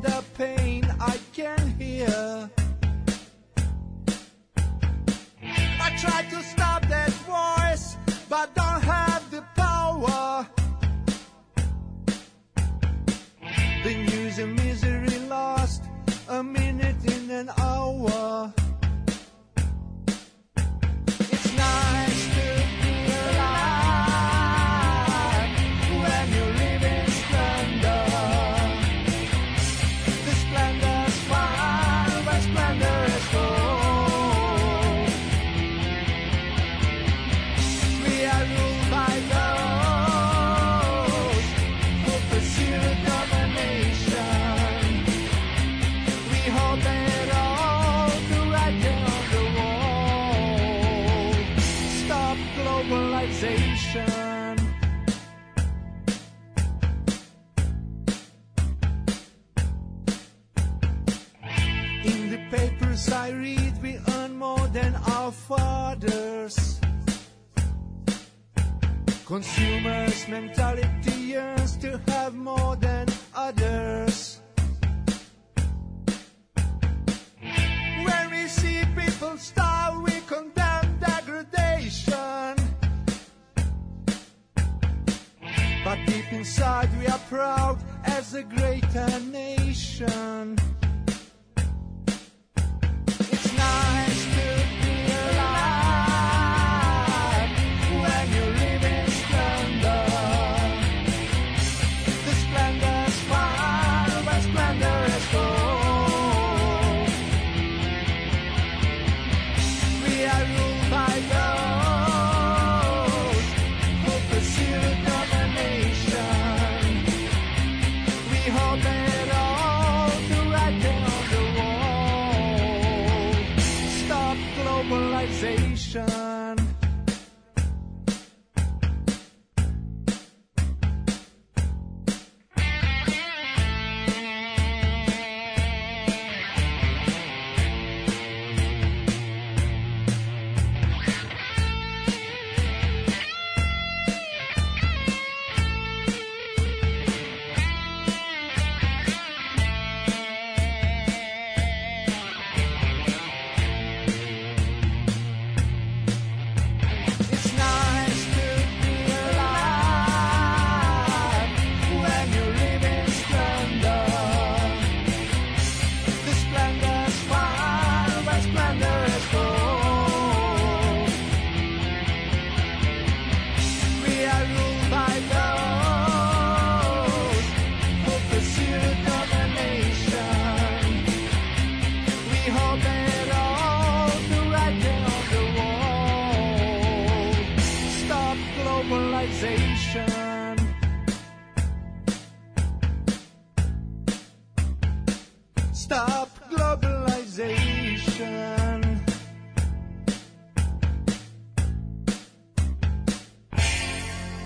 the pain I can hear. I try to stop that voice, but don't have the power. The news and misery lost a minute in an hour. It's nice to be alive when you live in splendor. The splendor's fine, but splendor is gold. We are ruled by those who pursue domination. We hold that all to right there on the wall. Stop globalization. In the papers I read, we earn more than our fathers. Consumers' mentality yearns to have more than others. When we see people starve, we condemn degradation. But deep inside we are proud as a greater nation. It's nice to be alive when you live in splendor. The splendor's fine, but splendor is gold. We are ruled by those who pursue domination. We hold it all to right there on the wall. Stop globalization. It's nice to be alive when you live in splendor. The splendor's fine, but splendor is gold. We are ruled by those who pursue domination. We hold it all to right there on the wall. Stop globalization. Stop globalization.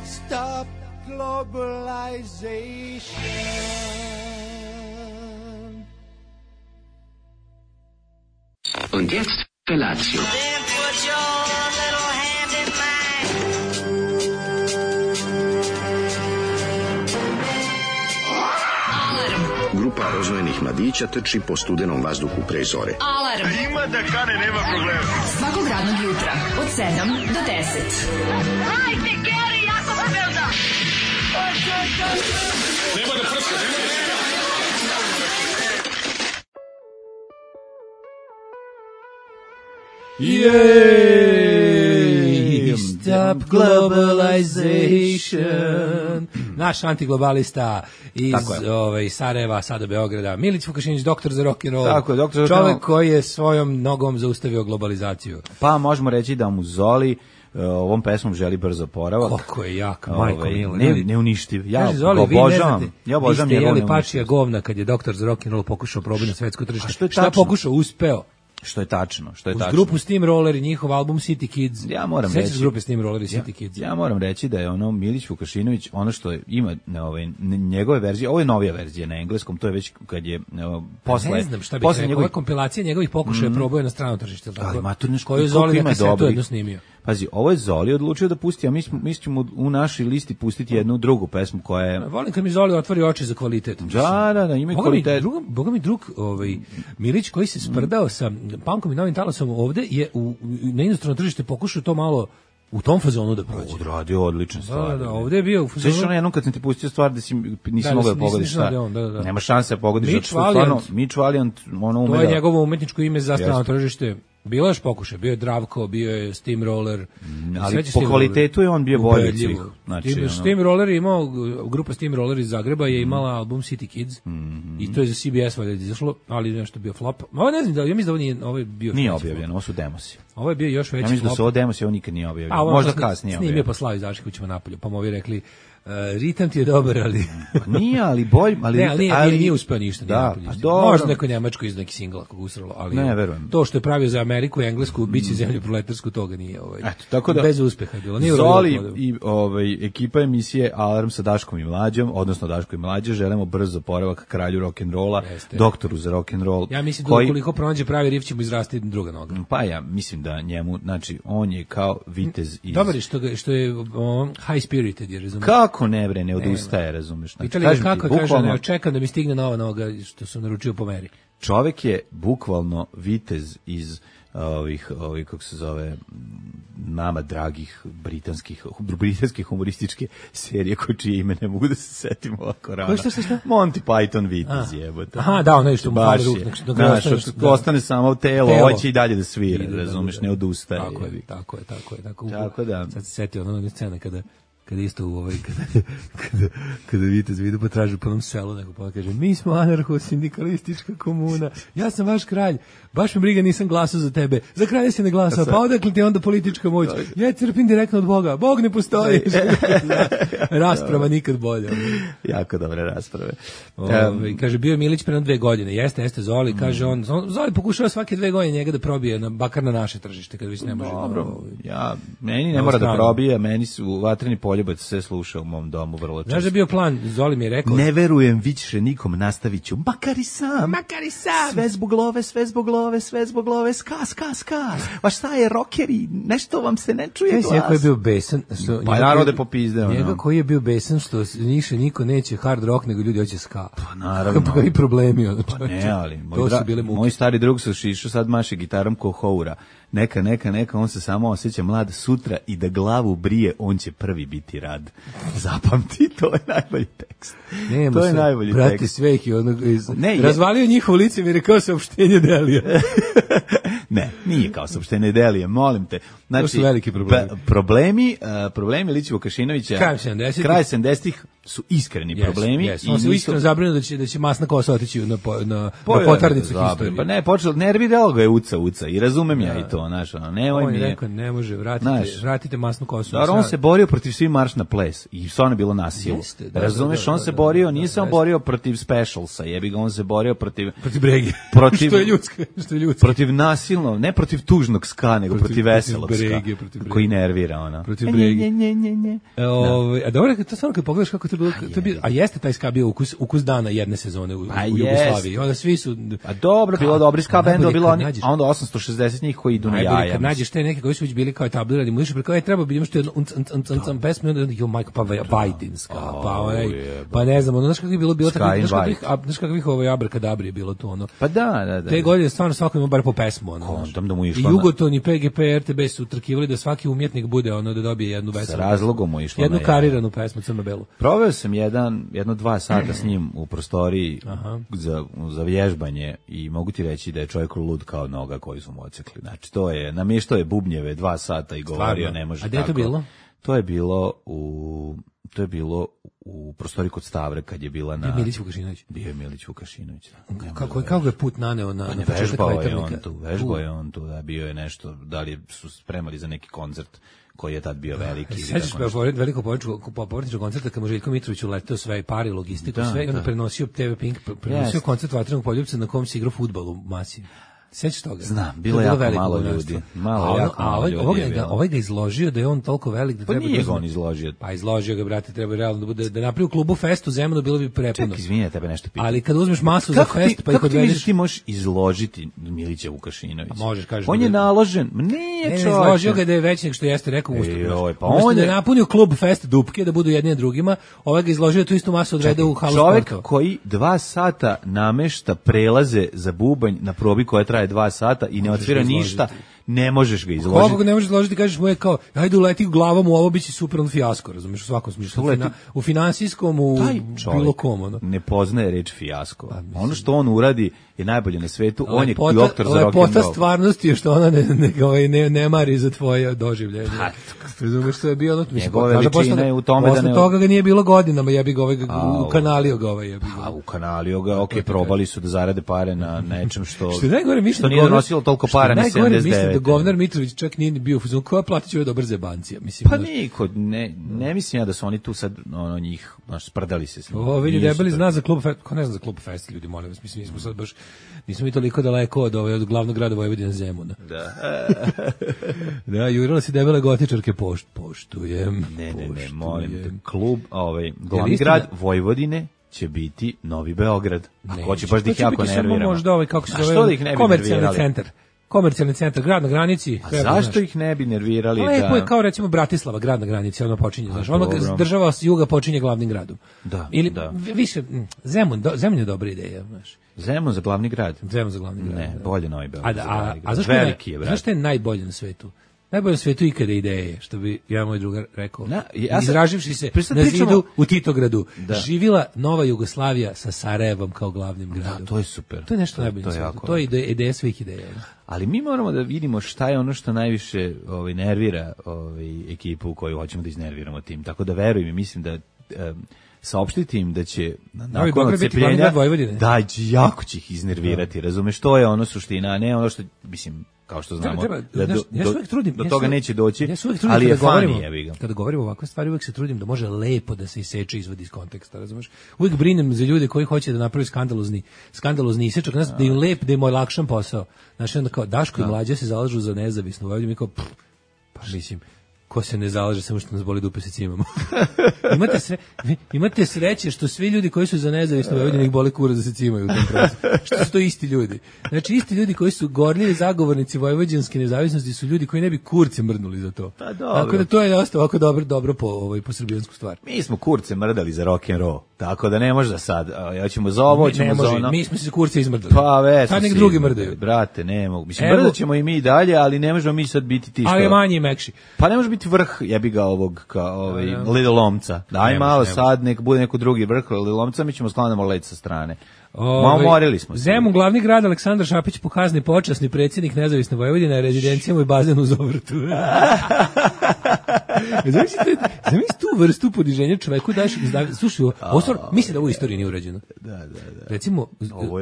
Stop globalization. Und jetzt Felatio. Then put your little hand in mine. Grupa rozvojenih mladića trči po studenom vazduhu pre zore. Alarm. Ima da kane, nema problema. Svakog radnog jutra, od 7 do 10. Hajde, Geri, jako se velda. Yay! Stop globalization. Naš antiglobalista iz Sarajeva, sada Beograda, Milić Vukašinić, doktor za rock and roll. Tako je, doktor za čovjek koji je svojom nogom zaustavio globalizaciju. Pa možemo reći da mu Zoli ovom pesmom želi brzo oporavak. Kako je jak, majko milo. Neuništiv. Ja obožavam. Ja obožavam njegov neuništiv. Vi ste jeli pačija govna kad je doktor za rock and roll pokušao probiti na svetsko tržište. Što je Šta tačno? pokušao? Uspeo. Što je tačno. Uz grupu Steamroller i njihov album City Kids. Ja moram Sećaš reći grupe Steamroller i City Kids. Ja moram reći da je ono Milić Vukašinović, ono što ima njegove verzije, ovo je novija verzija na engleskom, to je već kad je posle. Ne znam šta bih rekao, ova kompilacija njegovih pokušaja probao je na strano tržište, tako. Koju Zoli neka se to jedno snimio. Pazi, ovo je Zoli odlučio da pusti, a mi ćemo u našoj listi pustiti jednu drugu pesmu koja je... Volim kad mi Zoli otvori oči za kvalitet. Da, ima i kvalitet. Boga mi drug Milić koji se sprdao sa punkom i novim talasom ovde je na inostrano tržište pokušao to malo u tom fazonu da prođe. Odradio odlična stvar. Da, ovde je bio u fazonu. Sveći ono jednom kad sam ti pustio stvar da nisi mogao da pogodiš šta. Da. Nema šanse da pogodiš. Mitch Valiant, ono to je njegovo umetničko ime za strano tržište. Bilo je još pokušaj, bio je Dravko, bio je Steamroller. Ali po kvalitetu je on bio bolji od svih. Znači, Steamroller je imao, grupa Steamroller iz Zagreba je imala album City Kids i to je za CBS valjda izašlo, ali nešto bio flop. Ovo ne znam da, ja mislim da ovo je bio... Nije objavljeno, ovo su demosi. Ovo je bio još veći flop. Ja mislim da su ovo demosi, ovo nikad nije objavljeno. Možda kasnije objavljeno. Snimio po Slavi Zaškovićima napolju, pa mu ovi rekli ritam ti je dobar, ali... Nije, ali bolj... nije uspeo ništa. Da, možda neko Njemačko iz neki singla kog usralo, ali ne, verujem. To što je pravio za Ameriku i Englesku, biće zemlju proletarsku, toga nije. Eto, tako da, bez uspeha je bilo. Zoli i ekipa emisije Alarm sa Daškom i Mlađom, odnosno Daško i Mlađe, želimo brzo oporavak kralju rock'n'rolla, doktoru za rock'n'roll. Ja mislim da ukoliko pronađe pravi riff će mu izrasti druga noga. Pa ja mislim da njemu, znači, on je kao vitez iz... Dobar je što je high spirited, je, razumiješ? Kako ne bre, ne odustaje, razumeš? Pitali ga kako, kaže, ne očekam da mi stigne nova noga što sam naručio po meri. Čovjek je bukvalno vitez iz ovih kako se zove, nama dragih britanskih humorističke serije čije ime ne mogu da se setim ovako rano. Što? Monty Python vitez jebote. Aha, da, ono što mu fali ruk. Ostane samo telo, hoće i dalje da svira, razumeš, ne odustaje. Tako da. Sad se setio ono scena kada isto kada vitez vidu potražu po onom selu, neko pa kaže, mi smo anarcho-sindikalistička komuna, ja sam vaš kralj, baš me briga, nisam glasao za tebe, za kralja si ne glasao, pa odakle ti onda politička moć? Ja crpim direktno od Boga, Bog ne postoji. Rasprava nikad bolja. Jako dobre rasprave. Kaže, bio je Milić pre 2 godine, jeste Zoli, kaže on, Zoli pokušava svake 2 godine njega da probije, bakar na naše tržište, kad već ne može. Dobro, meni ne mora da probije, meni su vatreni poljubac sve sluša u mom domu vrlo često. Znaš da je bio plan, Zoli mi je rekao... Ne verujem više nikom, nastavit ću, makar i sam. Sve zbog love, ska. Pa šta je, rokeri, nešto vam se ne čuje glas. Njega koji je bio besan... Pa narode popizde. Njega koji je bio besan što više niko neće hard rock, nego ljudi hoće ska. Pa naravno. Pa i problemi. Pa ne, ali moj stari drug sa Šišu sad maše gitarom ko Houra. Neka, on se samo osjeća mlad sutra i da glavu brije, on će prvi biti rad. Zapamti, to je najbolji tekst. To je najbolji tekst. Brati Sveki, razvalio njihovo lice mi je rekao saopštenje Delija. Ne, nije kao saopštenje Delije, molim te. Znači, to su veliki problemi. Problemi Lići Vukašinovića, kraj 70-ih su iskreni problemi. On se iskreno zabrinuo da će masna kosa otići na potarnicu historije. Pa ne, nerviralo ga je uca i razumem ja i to, znaš, nemoj mi. On je rekao, ne može, vratite masnu kosu. Dobro, on se borio protiv svi marš na ples i stvarno je bilo nasilno. Razumeš, on se borio, nije se on borio protiv specialsa, jebi ga, on se borio protiv brege. Što je ljudsko. Protiv nasilno, ne protiv tužnog ska, nego protiv veselog ska, koji nervira ona. Protiv brege. A dobro, to stvarno kad pogledaš kako to bilo, a jeste taj ska bio ukus dana jedne sezone u Jugoslaviji. Onda svi su... A dobro, bilo dobri ska bendova, bilo oni, a onda 860 njih koji idu na jaja. Kad nađeš te neke koji su već bili kao etablirani, mu išli preko, treba bi imaš to jedno pesmu, onda jo majko, pa Vajdinska, pa ne znam, znaš kako je bilo tako, znaš kakvih abrakadabri je bilo to, ono. Pa da. Te godine stvarno svako ima bar po pesmu, ono. I Jugoton i PGP, RTB su utrkivali da svaki umjetnik bude, ono, da dobije jednu pesmu. Sa razlogom mu išlo. Jednu kariranu pesmu, crno-belu. Proveo sam jedno 2 sata s njim u prostoriji za vježbanje i mogu ti reći da je čovjek lud kao noga koju su mu odsekli. Znači, to je, namještao je bubnjeve 2 sata i govorio, ne može tako. A gde je to bilo? To je bilo u prostoriji kod Stavre kad je bila na... Milić Vukašinović. Bio je Milić Vukašinović. Kako je put naneo na početak Vajternika? Vežbao je on tu, da bio je nešto, da li su spremali za neki koncert koji je tad bio veliki. Sećaš veliko povratničkog koncerta kad mu Željko Mitrović uleteo sve i pari, logistiku, sve, i onda prenosio TV Pink, prenosio koncert Vatrenog poljupca na kom se igrao fudbal u Masi. Sećaš toga? Znam, bilo je jako malo ljudi. Ovaj ga izložio da je on toliko velik da treba... Pa nije ga on izložio. Pa izložio ga, brate, treba realno da bude, da napravi u klubu festu Zemunu, bilo bi prepuno. Ček, izvinja, tebe nešto pitam. Ali kad uzmeš masu za fest, pa ih odvedeš... Kako ti misliš ti možeš izložiti Milića Vukašinovića? Možeš, kažeš. On je naložen. Nije čovječe. Izložio ga da je veći nego što jeste rekao u ustupu. Pa on je napunio klub fest dupke da budu jedni na drugima, ovaj ga izložio tu istu masu odvede u halu sportova. Čovjek koji 2 sata namešta prelaze za bubanj na probi koja traje 2 sata i ne otvira ništa, ne možeš ga izložiti. Kako ga ne možeš izložiti, kažeš mu je kao, ajde uleti glavom u ovo, biće super on fijasko, razumiješ, u svakom smislu. U finansijskom, u bilo kom. Ne poznaje reč fijasko. Ono što on uradi je najbolje na svetu, on je doktor za rock and roll. Lepota stvarnosti je što ona ne mari za tvoje doživljenje. Razumiješ, što je bio... Njegove veličine je u tome da ne... Posle toga ga nije bilo godinama, ja bih ga ukanalio ga ukanalio ga, okej, probali su da zarade pare na nečem što nije donosilo toliko para na 79. Da govnar Mitrović čak nije ni bio u fazonu, koja platit će ove dobar zebancija? Pa niko, ne mislim ja da su oni tu sad njih, sprdali se s njim. Ovo vidi debeli zna za klub fest, ko ne zna za klub fest, ljudi, molim vas, mislim, nismo sad baš, nismo mi toliko daleko od glavnog grada Vojvodine Zemuna. Da, jurila si debele gotičarke, poštujem. Ne, molim te, klub, glavni grad Vojvodine će biti Novi Beograd. Ako će baš da ih jako nerviramo. Možda kako se zove, komercijalni centar, grad na granici. A zašto ih ne bi nervirali? Lepo je kao recimo Bratislava, grad na granici, ono počinje, znaš, ono država s juga počinje glavnim gradom. Da. Ili više, Zemun je dobra ideja, znaš. Zemun za glavni grad? Zemun za glavni grad. Ne, bolje Novi Beograd. A zašto je najbolje na svetu? Najbolje na svetu ikada ideje, što bi ja moj drugar rekao. Izraživši se na zidu u Titogradu, živila Nova Jugoslavija sa Sarajevom kao glavnim gradom. Da, to je super. To je nešto najbolje na svetu. To je ideja svih ideja. Ali mi moramo da vidimo šta je ono što najviše nervira ekipu koju hoćemo da iznerviramo tim. Tako da verujem i mislim da saopštiti im da će nakon odcepljenja da jako će ih iznervirati, razumeš, to je ono suština, a ne ono što, mislim, kao što znamo, do toga neće doći, ali je funny, jebi ga. Kada govorimo ovakve stvari, uvijek se trudim da može lepo da se iseče, izvadi iz konteksta, razumeš? Uvijek brinem za ljude koji hoće da napravi skandalozni isečak, da im lep, da im je lakšan posao. Znači, onda kao Daško i Mlađa se zalažu za nezavisno Vojvodinu, mi kao, pa mislim, ko se ne zalaže, samo što nas boli dupe se cimamo. Imate sreće što svi ljudi koji su za nezavisno Vojvodinu ih boli kurac da se cimaju u tom procesu. Što su to isti ljudi. Znači, isti ljudi koji su gorljivi zagovornici vojvođanske nezavisnosti su ljudi koji ne bi kurce mrdnuli za to. Pa dobro. Tako da to je dosta ovako dobro po srbijansku stvar. Mi smo kurce mrdali za rock and roll. Tako da ne može da sad, ja ćemo za ovo, ćemo za ono. Mi smo se kurce izmrdali. Pa već. Sad nek drugi mrdaju. Brate, ne mogu. Mislim, mrdat ćemo i mi dalje, ali ne možemo mi sad biti ti što. Ali manji i mekši. Pa ne može biti vrh, jebi ga ovog, Little Lomca. Daj malo sad, nek bude neko drugi vrh Little Lomca, mi ćemo sklanamo led sa strane. Morili smo se. Zemun, glavni grad, Aleksandar Šapić, pokazni počasni predsjednik Nezavisne Vojvodine, rezidencijama i bazenu uz ovrtu. Zamisli tu vrstu podiženja čoveku daš, slušaj, mislim da ovo u istoriji nije urađeno. Da. Recimo, ovo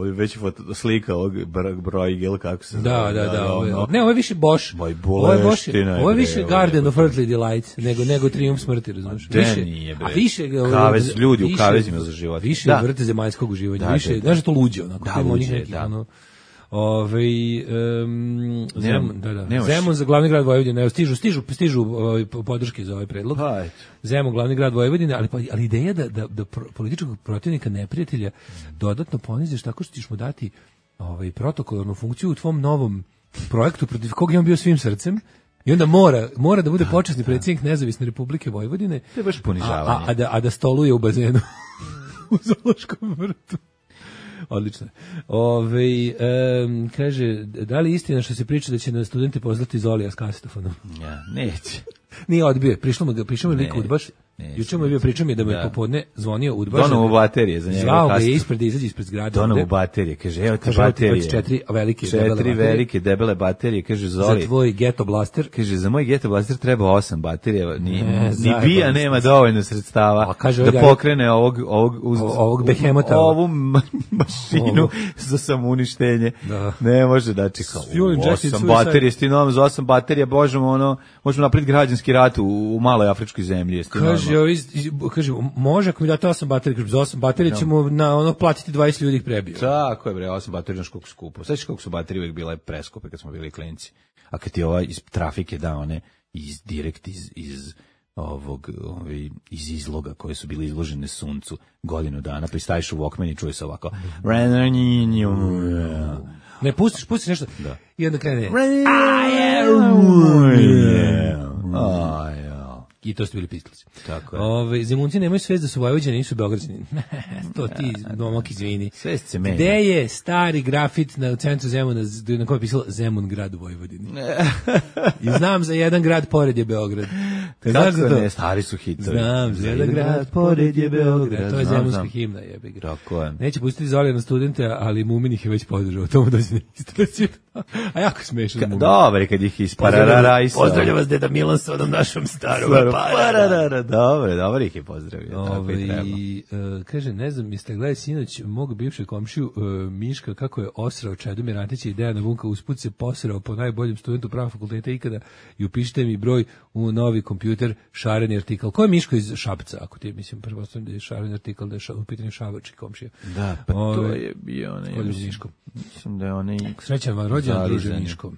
je već slika ovog Bruegel, kako se zove. Da. Ne, ovo je više Bosch. Ovo je više Garden of Earthly Delights, nego Triumf smrti, razumiješ? A više kavez, ljudi u kavezima za život. Više vrte zemaljskog uživanja, više, znaš to luđe, onako. Da, luđe, da. Zemun za glavni grad Vojvodine, stižu podrške za ovaj predlog. Zemun glavni grad Vojvodine, ali ideja da političkog protivnika, neprijatelja dodatno poniziš tako što ćeš mu dati protokolarnu funkciju u tvom novom projektu protiv kog je on bio svim srcem. I onda mora da bude počasni predsjednik Nezavisne Republike Vojvodine. To je baš ponižavanje. A da stoluje u bazenu u zoološkom vrtu. Odlično. Kaže, da li istina što se priča da će na studenti poslati Zolija s kasetofonom? Ja, neće. Nije odbio, prišao mi lik udbaš. Juče mu je bio, pričao mi da mu je popodne zvonio udbaš. Donovu baterije za njega. Zvao ga je ispred da izađe ispred zgrade. Donovu baterije, kaže, evo ti baterije. 4 velike debele baterije, kaže Zoli. Za tvoj Geto Blaster. Kaže, za moj Geto Blaster treba 8 baterija, ni Bija nema dovoljno sredstava da pokrene ovog behemota. Ovu mašinu za samouništenje. Ne može da čeka. 8 baterije, stinom za 8 baterija, možemo napraviti građanski rat u maloj afričkoj zemlji. Kaže, kaže, može ako mi date 8 baterija, kaže, za 8 baterija ćemo na ono platiti 20 ljudi ih prebio. Tako je, bre, 8 baterija, znaš koliko skupo. Sveći koliko su baterije uvijek bile preskupe kad smo bili klinci. A kad ti iz trafike da one direkt iz iz izloga koje su bili izložene suncu godinu dana, pa staviš u Walkman i čuje se ovako. Ne, pustiš nešto. Da. I onda krene. I to ste bili Pistols. Tako je. Zemunci nemaju svest da su Vojvođani, nisu Beograđani. To ti, domak, izvini. Svest se menja. Gde je stari grafit na centru Zemuna na kojem je pisalo Zemun grad u Vojvodini? I znam za jedan grad pored je Beograd. Znaš za to? Ne, stari su hitovi. Znam za jedan grad pored je Beograd. To je zemunska himna, jebi ga. Tako je. Neće pustiti Zolija na studente, ali Mumin ih je već podržao. Tomu da se ne istraći. A jako smešan Mumin. Dobar, kad ih ispararajsa. Pozdravljam vas, deda Milan, s onom našom starom. Dobar ih je pozdravio. Kaže, ne znam, jeste gledali sinoć mog bivšeg komšiju Miška kako je osrao Čedomir Antića i Dejana Vunka, usput se posrao po najboljem studentu prava fakulteta ikada i upišite mi broj u novi kompjuter šareni artikal. Ko je Miško iz Šapca? Ako ti mislim, prvo da je šareni artikal, da je u pitanju Šabački komšija. Da, pa to je bio onaj. Mislim da je onaj. Srećan vam rođendan, druže Miško.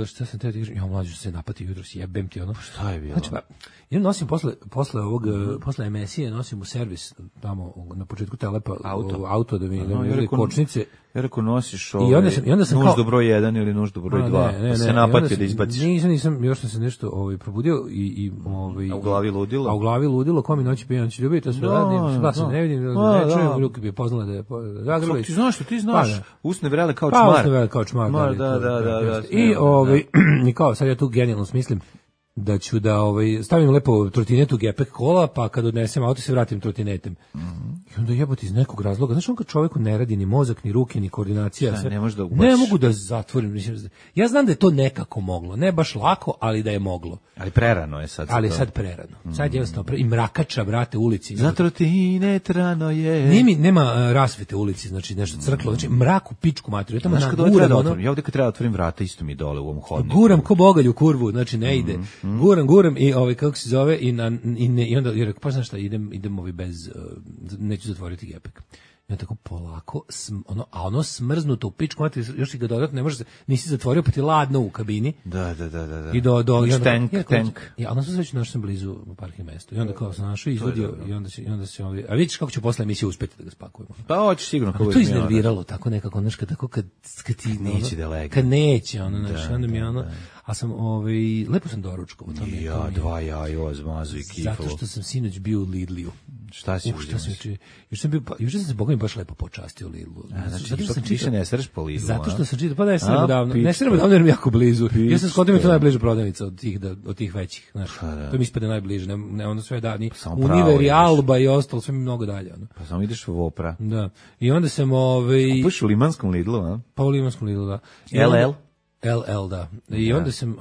Šta sam te kažem, ja mlađu se napati jutros, jebem ti ono. Šta je bilo? Znači, ja nosim posle emisije nosim u servis tamo na početku Telepa auto da mi ne kočnice. Ja rekao nosiš i onda sam nuždu broj 1 ili nuždu broj 2. Pa se napati da izbaciš. Nisam, još sam se nešto probudio i a u glavi ludilo. A u glavi ludilo, ko mi noći pijanči ljubi, to sve radim, glasno ne vidim, ne čujem, Luka bi je poznala da je Zagrebović. Ti znaš što ti znaš, usne vrele kao čmar. Pa usne vrele kao čmar. Da. I kao, sad ja tu genijalno smislim da ću da stavim lepo trotinetu gepek kola, pa kad odnesem auto se vratim trotinetem. I onda jebote iz nekog razloga, znaš, on kad čoveku ne radi ni mozak, ni ruke, ni koordinacija, sve, ne mogu da zatvorim. Ja znam da je to nekako moglo, ne baš lako, ali da je moglo. Ali prerano je sad. Ali sad prerano. Sad je jednostavno i mrakača, brate, ulici. Za trotinet rano je. Nema rasvete ulici, znači nešto crklo, znači mrak u pičku materiju. Znaš kad ja ovdje kad treba otvorim vrata, isto mi dole u ovom hodniku. Guram ko bogalj u kurvu, znači ne ide. Guram i kako se zove i onda je rekao, pa znaš šta, idem bez neću zatvoriti gepek. I on tako polako, ono smrznuto u pičku, još i ga dodatno ne može se, nisi zatvorio, pa ti ladno u kabini. Da. I tank. Ja, onda sam već našao sam blizu parking mjestu. I onda kao sam našao, izvodio, i onda se a vidiš kako će posle emisije uspeti da ga spakujemo. Pa hoćeš sigurno. To iznerviralo, tako nekako, znaš, kad ti neće da legne. Kad neće, onda mi a sam, lepo sam doručkovao. Ja, 2 jaja, zmazu i kifalo. Zato što sam sinoć bio u Lidliju. Šta si juče sam se Boga mi baš lepo počastio u Lidlu. Znači, što više ne sreš po Lidlu. Zato što sam čitao, pa da je sremo davno. Ne sremo davno jer mi jako blizu. Ja sam skontio mi to najbliža prodavnica od tih većih. Znaš, to mi ispade najbliže. Ne, onda sve davni. Univer i Alba i ostalo, sve mi mnogo dalje. Pa samo ideš u Vopra. Da. I onda sam Kupiš u Limanskom Lidlu, a? Pa u Limanskom Lidlu, da. LL, da. I onda sam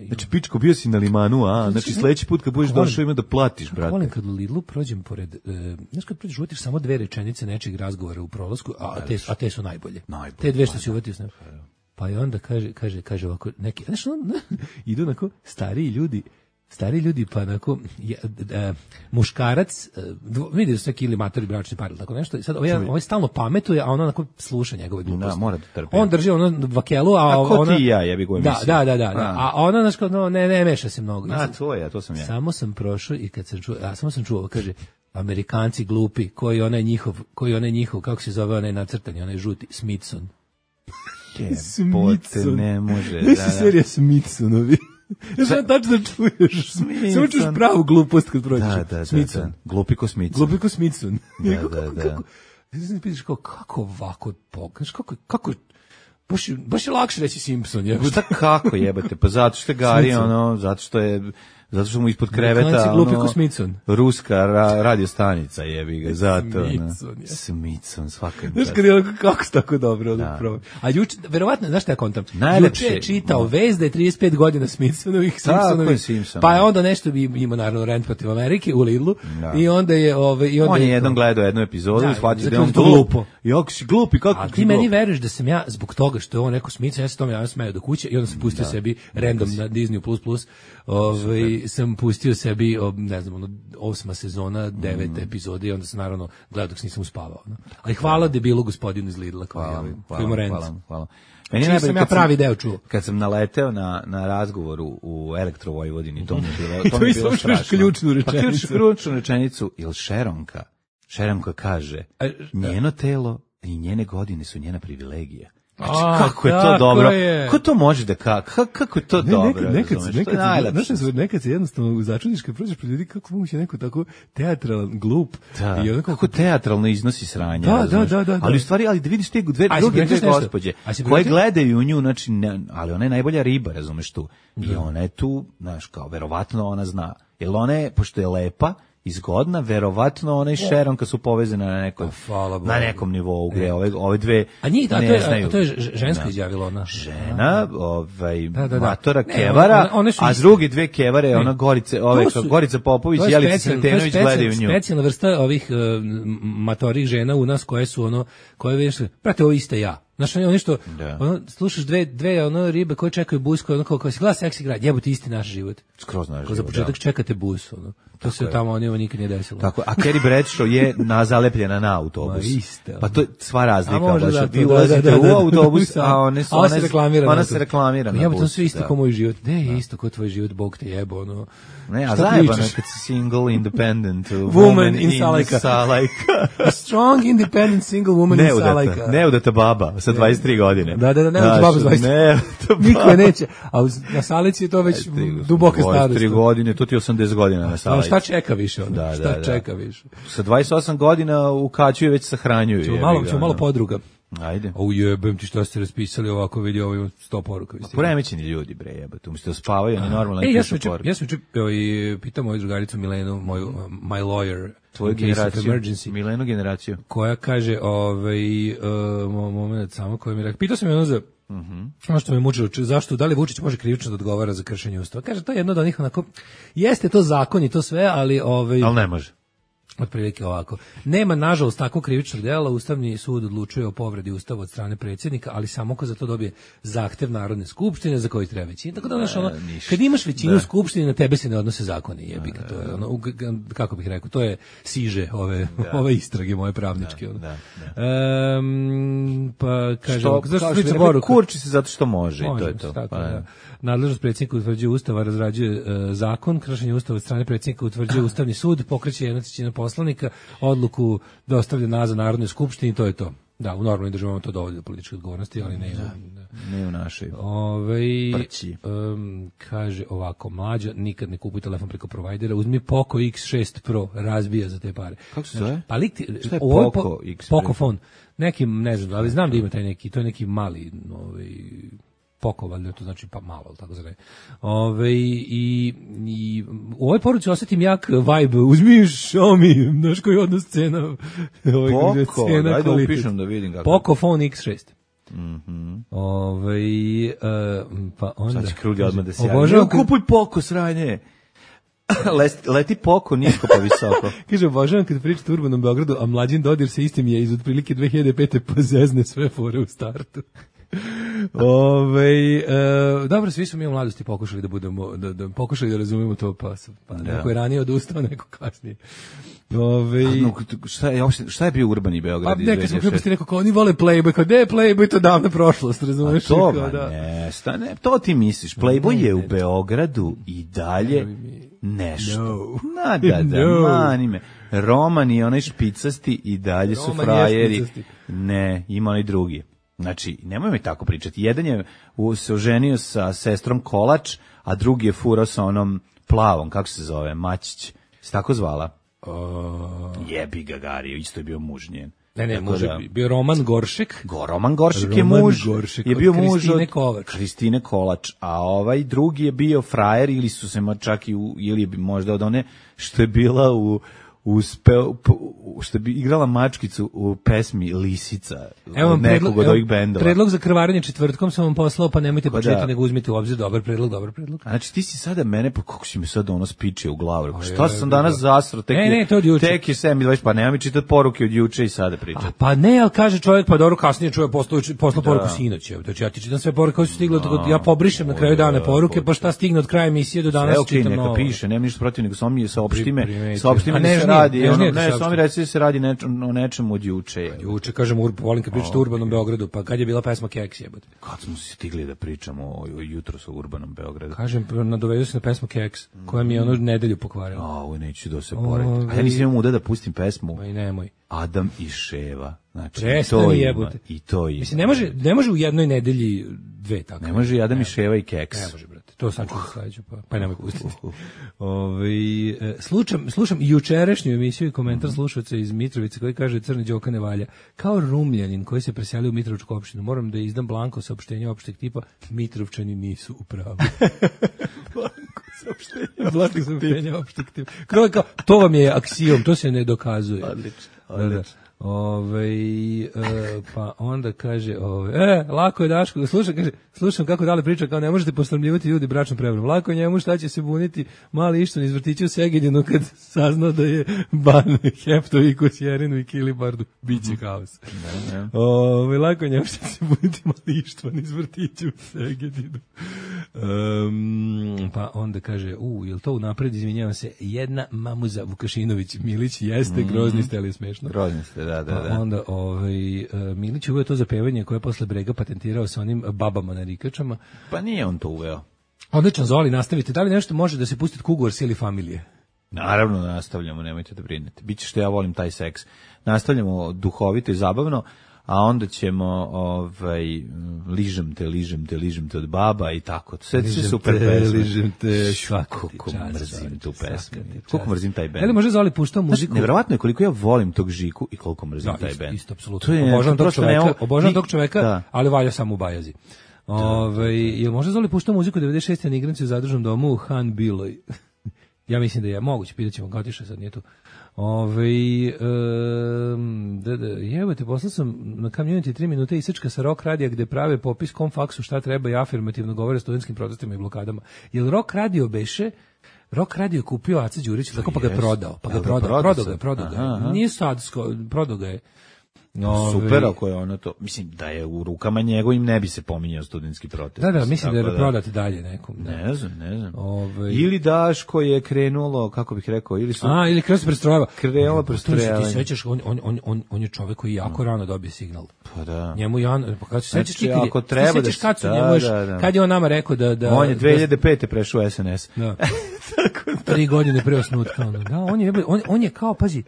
znači, pičko, bio si na Limanu, a? Znači, sledeći put kad budeš došao ima da platiš, brate. Volim kad u Lidlu prođem pored, znaš kad prođeš, uvatiš samo 2 rečenice nečeg razgovora u prolasku, a te su najbolje. Te 2 što si uvatio s nama. Pa i onda kaže ovako, neki, znaš, idu onako stariji ljudi, pa onako, muškarac, vidi da su neki ili matori bračni par, tako nešto, i sad ovaj stalno pametuje, a ona onako sluša njegove gluposti. Da, mora da trpi. On drži ono vakelu, a ko ti i ja, jebi go emisiju. Da. A ona, znaš, ne meša se mnogo. To sam ja. Samo sam prošao i kad sam čuo, kaže, Amerikanci glupi, koji onaj njihov, kako se zove onaj nacrtani, onaj žuti, Smithson. Smithson. Ne može. Nisi serija Smithsonovi. Ja sam tačno da čuješ. Samo čuješ pravu glupost kad prođeš. Da. Glupi ko Smithson. Da. Ti pitaš kako ovako pokaš, kako baš je lakše reći Simpson. Šta kako jebate? Pa zato što je Gari, zato što mu ispod kreveta ruska radiostanica jebi ga, zato. Smithson, svaka. Znaš kad je kako se tako dobro probao. A juče, verovatno, znaš šta ja kontam? Juče je čitao vest da je 35 godina Simpsonovih, pa je onda nešto ima naravno rent protiv Amerike u Lidlu i onda je... On je jednom gledao jednu epizodu i shvatio da je on glupo. Jako si glupi, kako a ti meni veruješ da sam ja, zbog toga što je on neko Smithson, ja se tome javno smeo do kuće i onda sam pustio sebi random na Disney++, sam pustio sebi, ne znam, 8. sezona, 9. epizode i onda sam naravno gledao dok nisam uspavao. No. Ali hvala debilu gospodinu iz Lidla koji ima Renz. Hvala. Meni je sam ja pravi deo čuo. Kad sam naleteo na razgovoru u Elektro Vojvodini, to mi je bilo, to mi je bilo strašno. Ključnu rečenicu. Pa ključnu rečenicu, ili Šeronka kaže, njeno telo i njene godine su njena privilegija. Znači, kako je to dobro? Kako to može da kako je to dobro? Nekad se jednostavno začudiš kad prođeš pred ljudi kako moguće neko tako teatralan, glup. Da. I kako teatralno iznosi sranje. Da. Ali u stvari, ali da vidiš te druge gospođe koje gledaju u nju, znači, ali ona je najbolja riba, razumeš tu. I ona je tu, znaš, kao, verovatno ona zna. Jer ona je, pošto je lepa, izgodna, verovatno ona i Šeronka su povezane na nekom nivou gde ove dve ne znaju. A to je žensko izjavilo ona. Žena, matora Kevara, a drugi dve Kevare, ona Gorica Popović i Jelica Sretenović gledaju nju. Specijalna vrsta ovih matorih žena u nas koje su koje već, prate, ovo iste ja. Znaš, oni što, slušaš dve ribe koje čekaju bus, koje kao si gleda seksi grad, jebote isti naš život. Skroz naš život, za početak čekate bus, to se tamo nikad nije desilo. Tako, a Carrie Bradshaw je zalepljena na autobus. Pa to je sva razlika. Vi ulazite u autobus, a ona se reklamira na bus. Jebote, sve isto kao moj život. Ne, isto kao tvoj život, Bog te jebo, Ne, a zajebano kad si single, independent woman in Salajka. A strong, independent single woman in Salajka. Neudata baba sa 23 godine. Da, neudata baba sa 23. Niko je neće. A na Salici je to već duboka starost. 23 godine, to ti 80 godina na Salici. Šta čeka više? Šta čeka više? Sa 28 godina u Kaću je već sahranjuju. Ćemo malo podruga. Ajde. Jebem ti što ste raspisali ovako, vidi ovo 100 poruka. Poremećeni ljudi, bre, jebate, umjesto da spavaju, oni normalno pišu poruke. Ja sam pitam moju drugaricu Milenu, moju my lawyer, tvoju generaciju, Milenu generaciju, koja kaže, moment samo koja mi rekao, pitao sam je ono za ono što me mučilo, zašto, da li Vučić može krivično da odgovara za kršenje Ustava? Kaže, to je jedno od onih onako, jeste to zakon i to sve, ali ali ne može. Otprilike ovako. Nema, nažalost, takvog krivičnog dela. Ustavni sud odlučuje o povredi Ustava od strane predsjednika, ali samo ko za to dobije zahtev Narodne skupštine za koji treba većina. Tako da, kad imaš većinu u skupštini, na tebe se ne odnose zakoni. Jebika, to je kako bih rekao, to je siže ove istrage moje pravničke. Pa kaže, kurči se zato što može i to je to. Nadležnost predsjednika utvrđuje Ustava, razrađuje zakon, kršenje Ustava od strane predsjednika utvrđuje Ustavni sud, pokreće 1/3 poslanika, odluku dostavlja nazad Narodnoj skupštini i to je to. Da, u normalnim državama to dovodi do političke odgovornosti, ali ne u našoj. Kaže ovako, mlađa, nikad ne kupuj telefon preko provajdera, uzmi Poco X6 Pro, razbija za te pare. Kako se zove? Pa šta je Poco X6? Pocofon. Neki, ne znam, ali znam da ima taj neki, to je neki mali, Poco, valjda to znači pa malo, tako zove. I u ovoj poruci osjetim jak vibe, uzmi Xiaomi, znaš koji odnos cena. Poco, ajde upišem da vidim kako. Pocofon X6. Pa onda... Sad će Krudi odmah da se javi. Kupuj Poco, sranje. Leti Poco nisko pa visoko. Kaže, obožavam kad pričate o urbanom Beogradu, a Mlađin Dodir se istim je iz otprilike 2005. pa zezne sve fore u startu. Dobro, svi smo mi u mladosti pokušali da budemo, pokušali da razumemo to, pa neko je ranije odustao, neko kasnije. Šta je bio urbani Beograd? Neka smo kreposti neko kao, oni vole Playboy, kao, ne Playboy, to davna prošlost, razumeš? To ti misliš, Playboy je u Beogradu i dalje nešto. Mani me. Roman i onaj špicasti i dalje su frajeri. Ne, ima onaj drugi. Znači, nemoj mi tako pričati. Jedan je se oženio sa sestrom Kolač, a drugi je furao sa onom plavom, kako se zove, Mačić. Se tako zvala? Jebi ga Gario, isto je bio muž njen. Ne, može bio Roman Goršek. Roman Goršek je muž, je bio muž od Kristine Kolač, a ovaj drugi je bio frajer ili su se čak ili možda od one što je bila što bi igrala mačkicu u pesmi Lisica. Evo vam nekog od ovih bendova. Predlog za krvarenje četvrtkom sam vam poslao, pa nemojte početi, da. nego uzmite u obzir. Dobar predlog. Znači ti si sada mene, pa kako si mi sad ono spiče u glavu? Šta sam danas zasro? To od juče. Tek je 7:20, pa nema mi čitati poruke od juče i sada pričati. Pa ne, ali kaže čovjek, pa dobro, kasnije čuje poslao poruku sinoć. Znači ja ti čitam sve poruke koje su stigle, ja pobrišem na kraju dana poruke, pa šta stigne od kraja emisije do danas čitam novo. Neka piše, nema ništa protiv, nego samo mi saopšti me da se radi, samo mi reci da se radi o nečemu od juče. Juče, kažem, volim kad pričate o Urbanom Beogradu, pa kad je bila pesma Keks, jebote. Kad smo se stigli da pričamo o jutros o Urbanom Beogradu. Kažem, nadovedu se na pesmu Keks, koja mi je ono nedelju pokvarila. Ovo neću da se porediti. A ja nisam imao muda da pustim pesmu. I nemoj. Adam i Ševa. Znači, i to ima. Mislim, ne može u jednoj nedelji dve tako. Ne može i Adam i Ševa i Keks. Ne može, brate. To sad ću sledeću, pa nemoj pustiti. Slušam jučerašnju emisiju i komentar slušaoca iz Mitrovice koji kaže Crni Đoka ne valja. Kao Rumljanin koji se preselio u Mitrovičku opštinu, moram da izdam blanko saopštenje opšteg tipa Mitrovčani nisu u pravu. Blanko saopštenje opšteg tipa. To vam je aksijom, to se ne dokazuje. Odlično. Pa onda kaže lako je Daško, slušam kako dale priča, kao ne možete posramljivati ljudi bračnom prevarom. Lako je njemu, šta će se buniti mali Išton iz vrtića u Segedinu kad saznao da je ban Heptoviku, Sjerinu i Kilibardu, biće kaos. Lako je njemu, šta će se buniti mali Išton iz vrtića u Segedinu. Pa onda kaže, jel to unapred, izvinjavam se, jedna mamuza Vukašinović Milić, jeste, grozni ste, ali je smešno. Grozni ste, da. Onda Milić uveo to za pevanje koje je posle Brega patentirao sa onim babama na rikačama. Pa nije on to uveo. Odlično, Zoli, nastavite. Da li nešto može da se pustiti Kugors ili Familije? Naravno, nastavljamo, nemojte da brinete. Biće što ja volim taj seks. Nastavljamo duhovito i zabavno, a onda ćemo ližem te od baba i tako. Sve super pesme. Ližem te, kako mrzim tu pesmu. Koliko mrzim taj bend. Ali može Zoli puštao muziku? Nevjerovatno je koliko ja volim tog Žiku i koliko mrzim taj bend. Isto, apsolutno. Obožavam tog čoveka, ali valja samo u bajazi. Jel može Zoli puštao muziku 96. na igranci u zadružnom domu u Han Biloj? Ja mislim da je moguće, pitat ćemo kao tiša, sad nije tu. Jebate, poslao sam na Community 3 minute isečka sa Rock Radija gde prave popis kom faksu šta treba i afirmativno govore o studentskim protestima i blokadama. Jel Rock Radio beše? Rock Radio je kupio Aca Đurić, tako pa ga je prodao. Prodao ga. Nije sadsko, prodao ga je. Super, ako je ono to, mislim da je u rukama njegovim ne bi se pominjao studentski protest. Da, mislim da je prodati dalje nekom. Ne znam. Ili Daško je krenulo, kako bih rekao, ili krenulo se prestrojava. Krenulo prestrojavanje. Ti sećaš, on je čovjek koji jako rano dobije signal. Pa da. Njemu pa kad se sećaš ti ako treba kad je on nama rekao da on je 2005. prešao SNS. Da. 3 godine pre osnutka. Da, on je kao, pazi,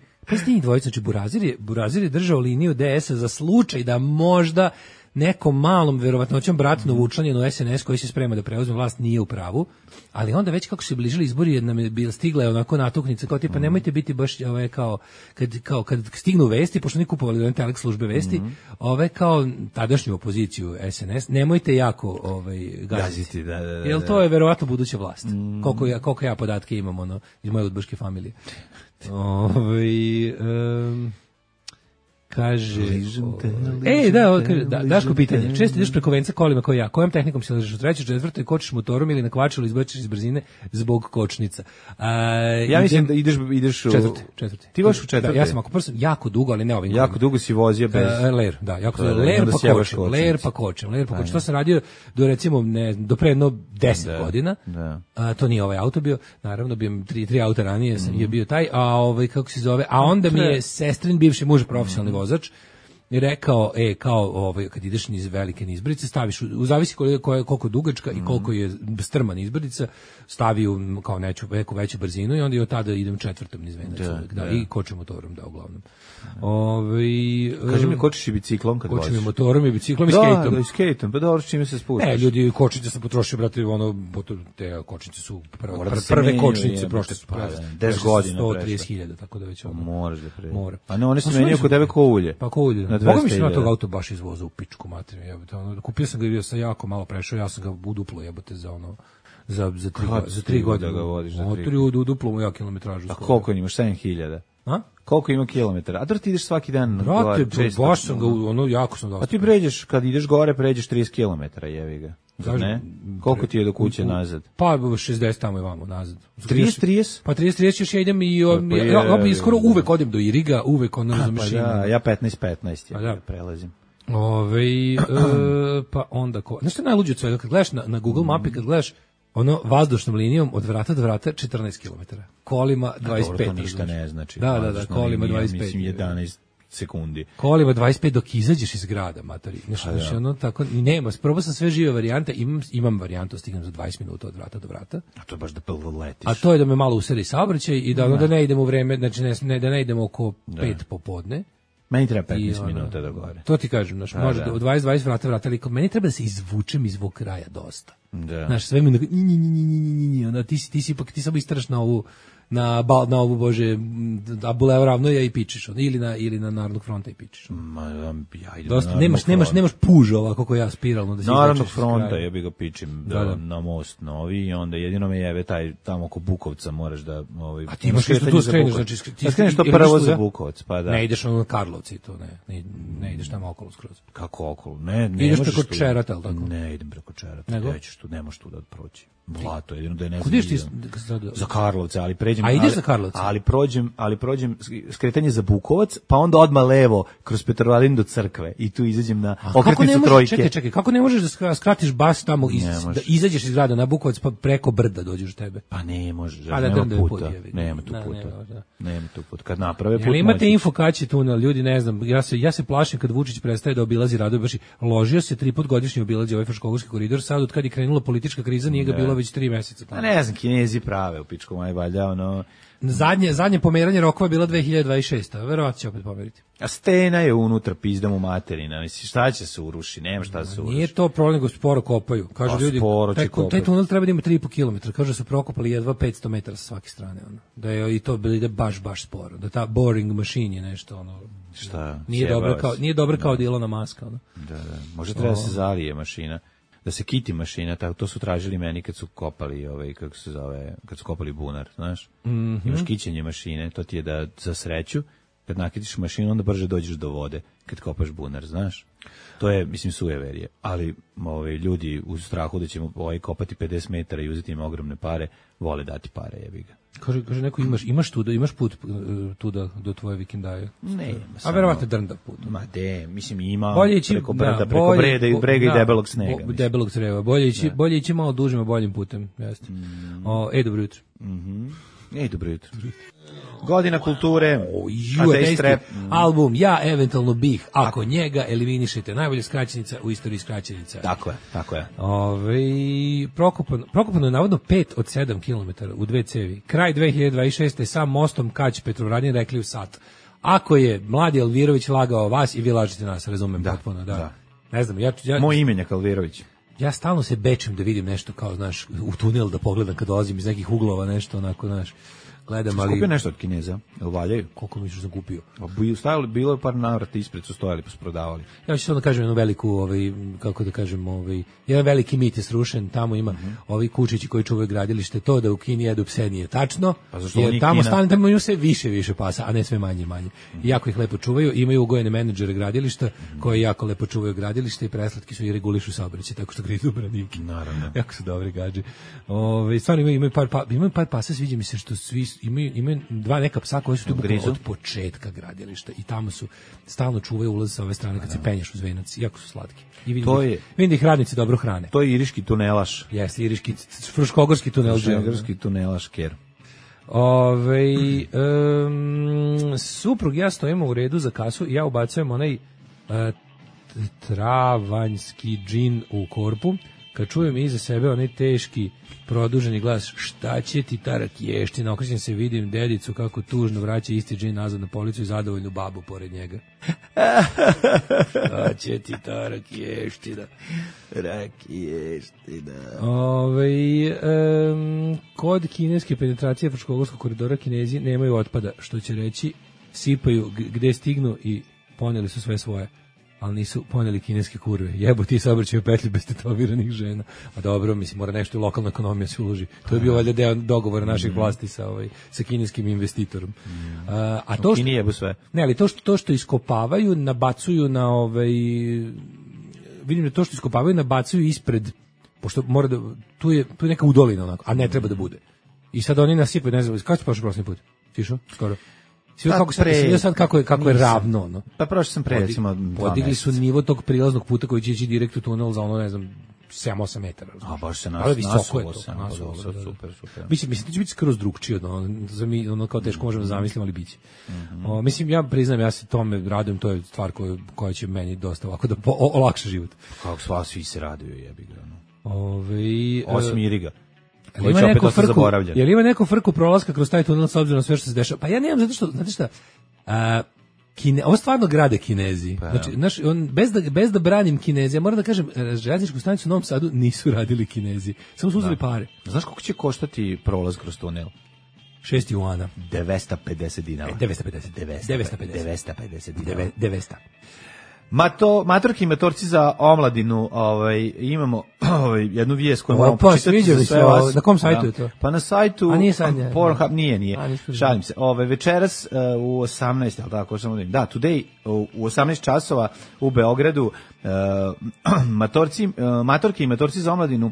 njih dvojica, znači Burazir je držao liniju DS-a za slučaj da možda nekom malom verovatnoćom bratno učlanjeno SNS koji se sprema da preuzme vlast nije u pravu, ali onda već kako se bližili izbori nam je stigla je onako natuknica kao tipa nemojte biti baš kad stignu vesti, pošto oni kupovali do Telex službe vesti, kao tadašnju opoziciju SNS, nemojte jako gaziti. Da. Jer to je verovatno buduća vlast. Koliko ja podatke imam iz moje udbaške familije. Kaže Daško pitanje, često ideš preko venca kolima kao ja, kojom tehnikom se ležeš u trećoj, četvrtoj, kočiš motorom ili na kvačilu izbačiš iz brzine zbog kočnica? Ja mislim da ideš u četvrti. Ti voziš u četvrti? Ja sam ako prvo jako dugo, ali ne ovim. Jako dugo si vozio bez ler, da, jako ler pa kočim. To sam radio do recimo do pre 10 godina. To nije ovaj auto bio, naravno bio 3 auta ranije je bio taj, a kako se zove, a onda mi je sestrin bivši muž profesionalni vozač i rekao, kad ideš niz velike nizbrdice, staviš, zavisi koliko je dugačka i koliko je strma nizbrdica, stavi kao neku veću brzinu i onda i od tada idem četvrtom niz venac. I kočim motorom, uglavnom. Kaži mi, kočiš i biciklom kad voziš? Kočim i motorom i biciklom i skejtom. Da, i skejtom, pa dobro, čime se spuštaš? Ne, ljudi, kočnice sam potrošio, brate, te kočnice su prve kočnice, prošle su 10 godina 130.000, tako da već moraš da pre. Mora. A ne, one se menjaju kod tebe ko ulje. Pa ko ulje. Boga mi se na tog auto baš izvozao u pičku materiju. Kupio sam ga i bio sam jako malo prešao, ja sam ga u duplo jebote za za 3 godine. Da ga vodiš za 3 godine. U duplo mu ja kilometražu. A koliko imaš? 7.000? A? Koliko ima kilometara? A da ti ideš svaki dan? Brate, baš sam ga, jako sam dosta. A ti pređeš, kad ideš gore, pređeš 30 kilometara, jevi ga. Ne? Koliko ti je do kuće nazad? Pa 60 tamo i vamo nazad. 30? Pa 30 još ja idem i skoro uvek odem do Iriga, uvek ono za mašinu. Pa da, ja 15 ja prelazim. Pa onda znaš što je najluđe od svega, kad gledaš na Google mapi, kad gledaš ono vazdušnom linijom od vrata do vrata 14 km. Kolima 25. Dobro, to ništa ne znači. Da, kolima 25. Mislim 11 sekundi. Kolima 25 dok izađeš iz grada, matori. Znači, ono tako, i nema, probao sam sve žive varijante, imam varijantu, stignem za 20 minuta od vrata do vrata. A to je baš da letiš. A to je da me malo useli saobraćaj i da ne idemo u vreme, znači da ne idemo oko 5 popodne. Meni treba 15 minuta do gore. To ti kažem, znači, može od 20 vrata, ali meni treba da se izvučem iz ovog kraja dosta. Da. Znaš, sve mi ono, ti si ipak, ti samo istaraš na ovu bože, da Bulevar Ravnoja i pičiš, ili na Narodnog fronta i pičiš. Ja idem dosta, nemaš puž ovako kako ja spiralno da se Narodnog fronta, ja bi ga pičim na most novi i onda jedino me jeve taj tamo oko Bukovca moraš da a ti imaš što tu skreneš, znači ti skreneš to prvo za Bukovac, pa da. Ne ideš na Karlovci to ne ideš tamo okolo skroz. Kako okolo? Ne ideš preko Čerata, al tako. Ne idem preko Čerata. Nećeš tu, nemaš tu da proći. Blato, jedino da je ne znam. Za Karlovce, ali pređem. A ideš za Karlovce? Ali prođem skretanje za Bukovac, pa onda odmah levo kroz Petrovaradin do crkve i tu izađem na okretnicu Trojke. Čekaj, kako ne možeš da skratiš bas tamo da izađeš iz grada na Bukovac pa preko brda dođeš do tebe? Pa ne možeš, nema puta. Nema tu puta. Kad naprave put. Ali imate info kad će tunel, ljudi ne znam. Ja se plašim kad Vučić prestaje da obilazi radove, baš ložio se 3 puta godišnje obilazi ovaj Fruškogorski koridor, sad od kad je krenula politička kriza nije ga bilo već 3 meseca. A ne znam, Kinezi prave u pičku maj valjda, ono. Zadnje pomeranje rokova je bila 2026. Verovatno će opet pomeriti. A stena je unutra pizdam u materina. Mislim, šta će se uruši? Nema šta se uruši. Nije to problem, nego sporo kopaju. Kažu ljudi, taj tunel treba da ima 3,5 km. Kažu da su prokopali jedva 500 metara sa svake strane. Ono. Da je i to ide baš sporo. Da ta boring machine je nešto. Ono, šta? Nije dobra kao Ilona Maska. Ono. Da. Može treba da se zalije mašina. Da se kiti mašina, tako to su tražili meni kad su kopali kako se zove, kad su kopali bunar, znaš. Imaš kićenje mašine, to ti je da za sreću kad nakitiš mašinu onda brže dođeš do vode kad kopaš bunar, znaš. To je, mislim, sujeverije, ali ljudi u strahu da ćemo kopati 50 metara i uzeti im ogromne pare, vole dati pare, jebi ga. Kaže neko imaš put tu do tvoje vikendaje? Ne, a verovatno drnda put. Ma mislim ima preko brda, preko brega i debelog snega. Debelog creva. Bolje ići malo dužim, boljim putem, jeste. Dobro jutro. Dobro jutro. Godina kulture, album Ja eventualno bih, ako njega eliminišete, najbolja skraćenica u istoriji skraćenica. Tako je. Prokopano je navodno 5 od 7 km u 2 cevi. Kraj 2026. sam mostom Kać Petrovaradin rekli u sat. Ako je mladi Alvirović lagao vas i vi lažete nas, razumem potpuno. Da. Ne znam, moj imenjak Alvirović. Ja stalno se bečem da vidim nešto kao, znaš, u tunel da pogledam kad dolazim iz nekih uglova, nešto onako, znaš, gledam, ali... Skupio nešto od Kineza, jel valjaju? Koliko misliš da kupio? Bilo je par navrata ispred, su stojali pa su prodavali. Ja ću samo da kažem jednu veliku, jedan veliki mit je srušen, tamo ima ovi kučići koji čuvaju gradilište, to da u Kini jedu pse nije tačno, jer tamo imaju sve više pasa, a ne sve manje. I jako ih lepo čuvaju, imaju ugojene menadžere gradilišta koji jako lepo čuvaju gradilište i preslatki su i regulišu saobraćaj, tako što grizu branike. Naravno. Jako su dobri gađi. Stvarno imaju par pasa, sviđa mi se što svi imaju 2 neka psa koji su tu od početka gradilišta i tamo su stalno čuvaju ulaz sa ove strane kad se penješ uz venac, jako su slatki. I vidim da ih radnici dobro hrane. To je iriški tunelaš. Jeste, iriški, fruškogorski tunelaš. Fruškogorski tunelaš, ker. Suprug ja stojimo u redu za kasu i ja ubacujem onaj travanjski džin u korpu. Kad čujem iza sebe onaj teški produženi glas, šta će ti ta rakiještina, okrećem se, vidim dedicu kako tužno vraća isti džin nazad na policu i zadovoljnu babu pored njega. Šta će ti ta rakiještina? Kod kineske penetracije Fruškogorskog koridora Kinezi nemaju otpada, što će reći sipaju gde stignu i poneli su sve svoje. ali nisu poneli kineske kurve. Jebo ti saobraćaj u petlji bez tetoviranih žena. A dobro, mislim, mora nešto i lokalna ekonomija se uloži. To je bio valjda deo dogovora naših vlasti sa kineskim investitorom. A to što, jebu sve. Ne, ali to što iskopavaju, nabacuju na vidim da to što iskopavaju, nabacuju ispred, pošto mora da, tu je neka udolina onako, a ne treba da bude. I sad oni nasipaju, ne znam, kako se prošao prošli put? Tišo? Skoro. Sve kako je ravno, no. Pa prošao sam pre, recimo, podigli su nivo tog prilaznog puta koji će ići direkt u tunel za ono, ne znam, 7-8 metara. A baš se nasulo se. Super. Mislim, to će biti skroz drugčije od ono kao teško možemo zamisliti, ali biće. Mislim, ja priznam, ja se tome radujem, to je stvar koja će meni dosta ovako da olakša život. Kako svi se raduju, jebi ga. Osim Iriga. Je li ima neko frku prolaska kroz taj tunel s obzirom na sve što se dešava? Pa ja nemam, zato što, znate šta, ovo stvarno grade Kinezi. Znači, bez da branim Kinezi, ja moram da kažem, željezničku stanicu u Novom Sadu nisu radili Kinezi. Samo su uzeli pare. Znaš koliko će koštati prolaz kroz tunel? 6 juana. 950 dinara. 950 dinara. 900. Matorki i matorci za omladinu, imamo jednu vijest koju moramo počitati za sve vas. Na kom sajtu je to? Pa na sajtu Pornhub, nije. Šalim se. Večeras u 18, al tako samo da, today u 18 časova u Beogradu matorki i matorci za omladinu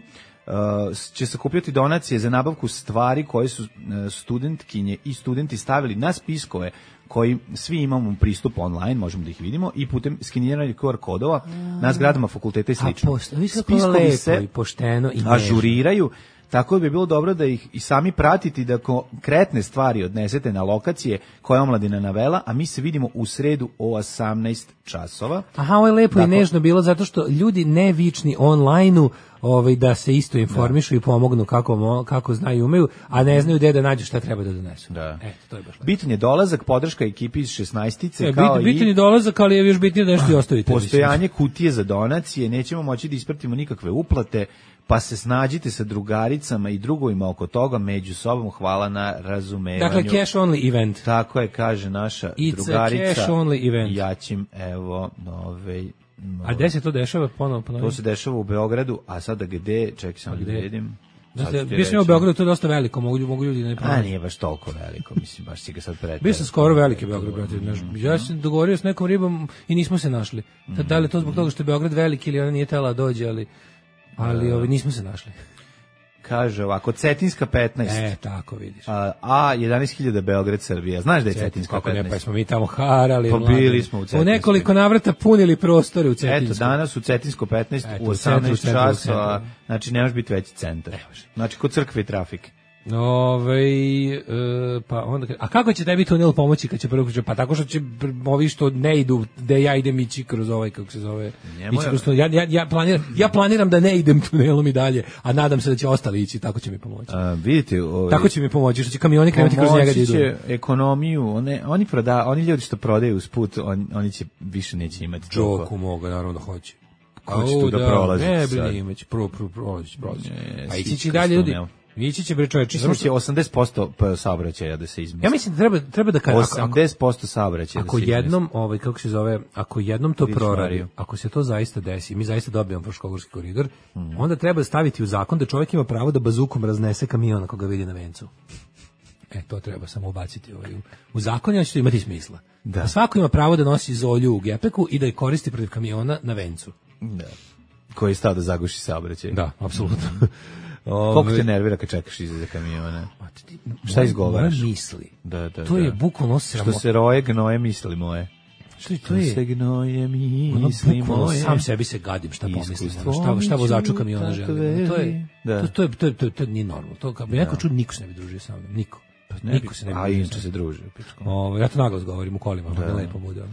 će sakupljati donacije za nabavku stvari koje su studentkinje i studenti stavili na spiskove koji svi imamo pristup online, možemo da ih vidimo, i putem skeniranja QR kodova na zgradama fakulteta i slično. Spiskovi se pošteno i ažuriraju, tako da bi bilo dobro da ih i sami pratiti, da konkretne stvari odnesete na lokacije koje je omladina navela, a mi se vidimo u sredu o 18 časova. Aha, ovo je lepo i nežno bilo, zato što ljudi nevični online-u da se isto informišu i pomognu kako znaju i umeju, a ne znaju gde da nađu šta treba da donesu. Da. To je baš lepo. Bitan je dolazak, podrška ekipi iz 16-ice, bitan je dolazak, ali je još bitnije da nešto i ostavite. Postojanje kutije za donacije, nećemo moći da ispratimo nikakve uplate, pa se snađite sa drugaricama i drugovima oko toga, među sobom. Hvala na razumevanju. Dakle, cash only event. Tako je, kaže naša drugarica. It's a cash only event. Jačim, evo, A gde se to dešava ponovno? To se dešava u Beogradu, a sada gde, čekaj samo da vidim. Bio sam u Beogradu, to je dosta veliko, mogu ljudi da ne pronađu. A nije baš toliko veliko, mislim, baš si ga sad pretao. Bio sam skoro veliki Beograd, brate. Ja sam dogovorio s nekom ribom i nismo se našli. Da li je to zbog toga što je Beograd veliki ili ona nije tela dođe, ali nismo se našli. Kaže ovako, Cetinska 15. Tako vidiš. A 11.000 Beograd, Srbija. Znaš da je Cetinska 15? Kako ne, pa smo mi tamo harali. Pa bili smo u Cetinskoj. U nekoliko navrata punili prostore u Cetinskoj. Eto, danas u Cetinsko 15 u 18 časova. Znači, nemaš biti veći centar. Znači, kod crkve i trafike. Pa onda, a kako će tebi tunel pomoći kad će prvo pa tako što će ovi što ne idu gde ja idem ići kroz kako se zove, ja planiram da ne idem tunelom i dalje, a nadam se da će ostali ići, tako će mi pomoći. Vidite, tako će mi pomoći što će kamioni krenuti kroz njega da idu. Pomoći će ekonomiju, oni ljudi što prodaju usput, oni će više neće imati toliko. Džoku moga, naravno da hoće. Ko će tu da prolazi? Ne, bili imać, prolazi. A ići će dalje ljudi. Ići će bre čoveče, samo će 80% saobraćaja da se izmesti. Ja mislim da treba da kaže 80% saobraćaja da se izmesti. Ako jednom to proradi, ako se to zaista desi, mi zaista dobijemo Fruškogorski koridor, onda treba staviti u zakon da čovjek ima pravo da bazukom raznese kamion ako ga vidi na vencu. To treba samo ubaciti u zakon, i će imati smisla. Da svako ima pravo da nosi zolju u gepeku i da je koristi protiv kamiona na vencu. Da. Koji je stao da zaguši saobraćaj. Da, apsolutno. Koliko te nervira kad čekaš iza kamiona? Šta izgovaraš? Moje misli. To je bukvalno sramotno. Što se roje, gnoje misli moje. Što je? Se gnoje misli moje. Sam sebi se gadim šta pomislim. Šta vozaču kamiona želim. To je nije normalno. To kad bi neko čuo, niko se ne bi družio sa mnom. Niko. Niko se ne bi. A inače se druže. Ja to naglas govorim u kolima, da lepo bude.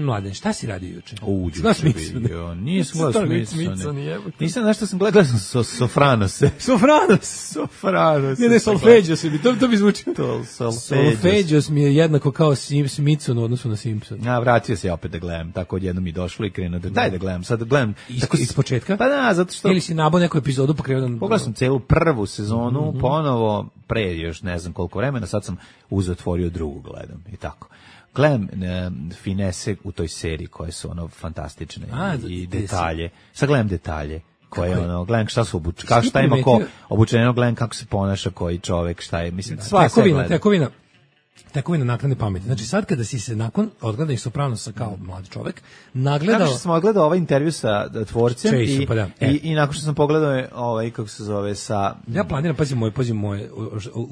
Mladen, šta si radio juče? Znaš Smitsone? Nisam gledao Smitsone. Nisam, znaš što sam gledao Sofranose. Sofranos. Ne, Solfeđos mi, to bi zvučilo. Solfeđos mi je jednako kao Smithson u odnosu na Simpson. Vratio se opet da gledam, tako odjednom mi došlo i krenuo daj da gledam, sad da gledam. Iz početka? Pa da, zato što... Ili si nabao neku epizodu pa krenuo da... Pogledao sam celu prvu sezonu, ponovo, pre još ne znam koliko vremena, sad sam otvorio drugu gledam i tako. gledam finese u toj seriji koje su ono fantastične i detalje. Sad gledam detalje koje ono, gledam šta su šta ima ko obučeno, gledam kako se ponaša koji čovek, šta je, mislim, sva se gleda. Tekovina naknadne pameti. Znači sad kada si se nakon odgledanih Sopranosa kao mlad čovek nagledao... Nakon što sam odgledao ovaj intervju sa tvorcem Chase, pa da. I nakon što sam pogledao ovaj, kako se zove, sa... Ja planiram, pazi moje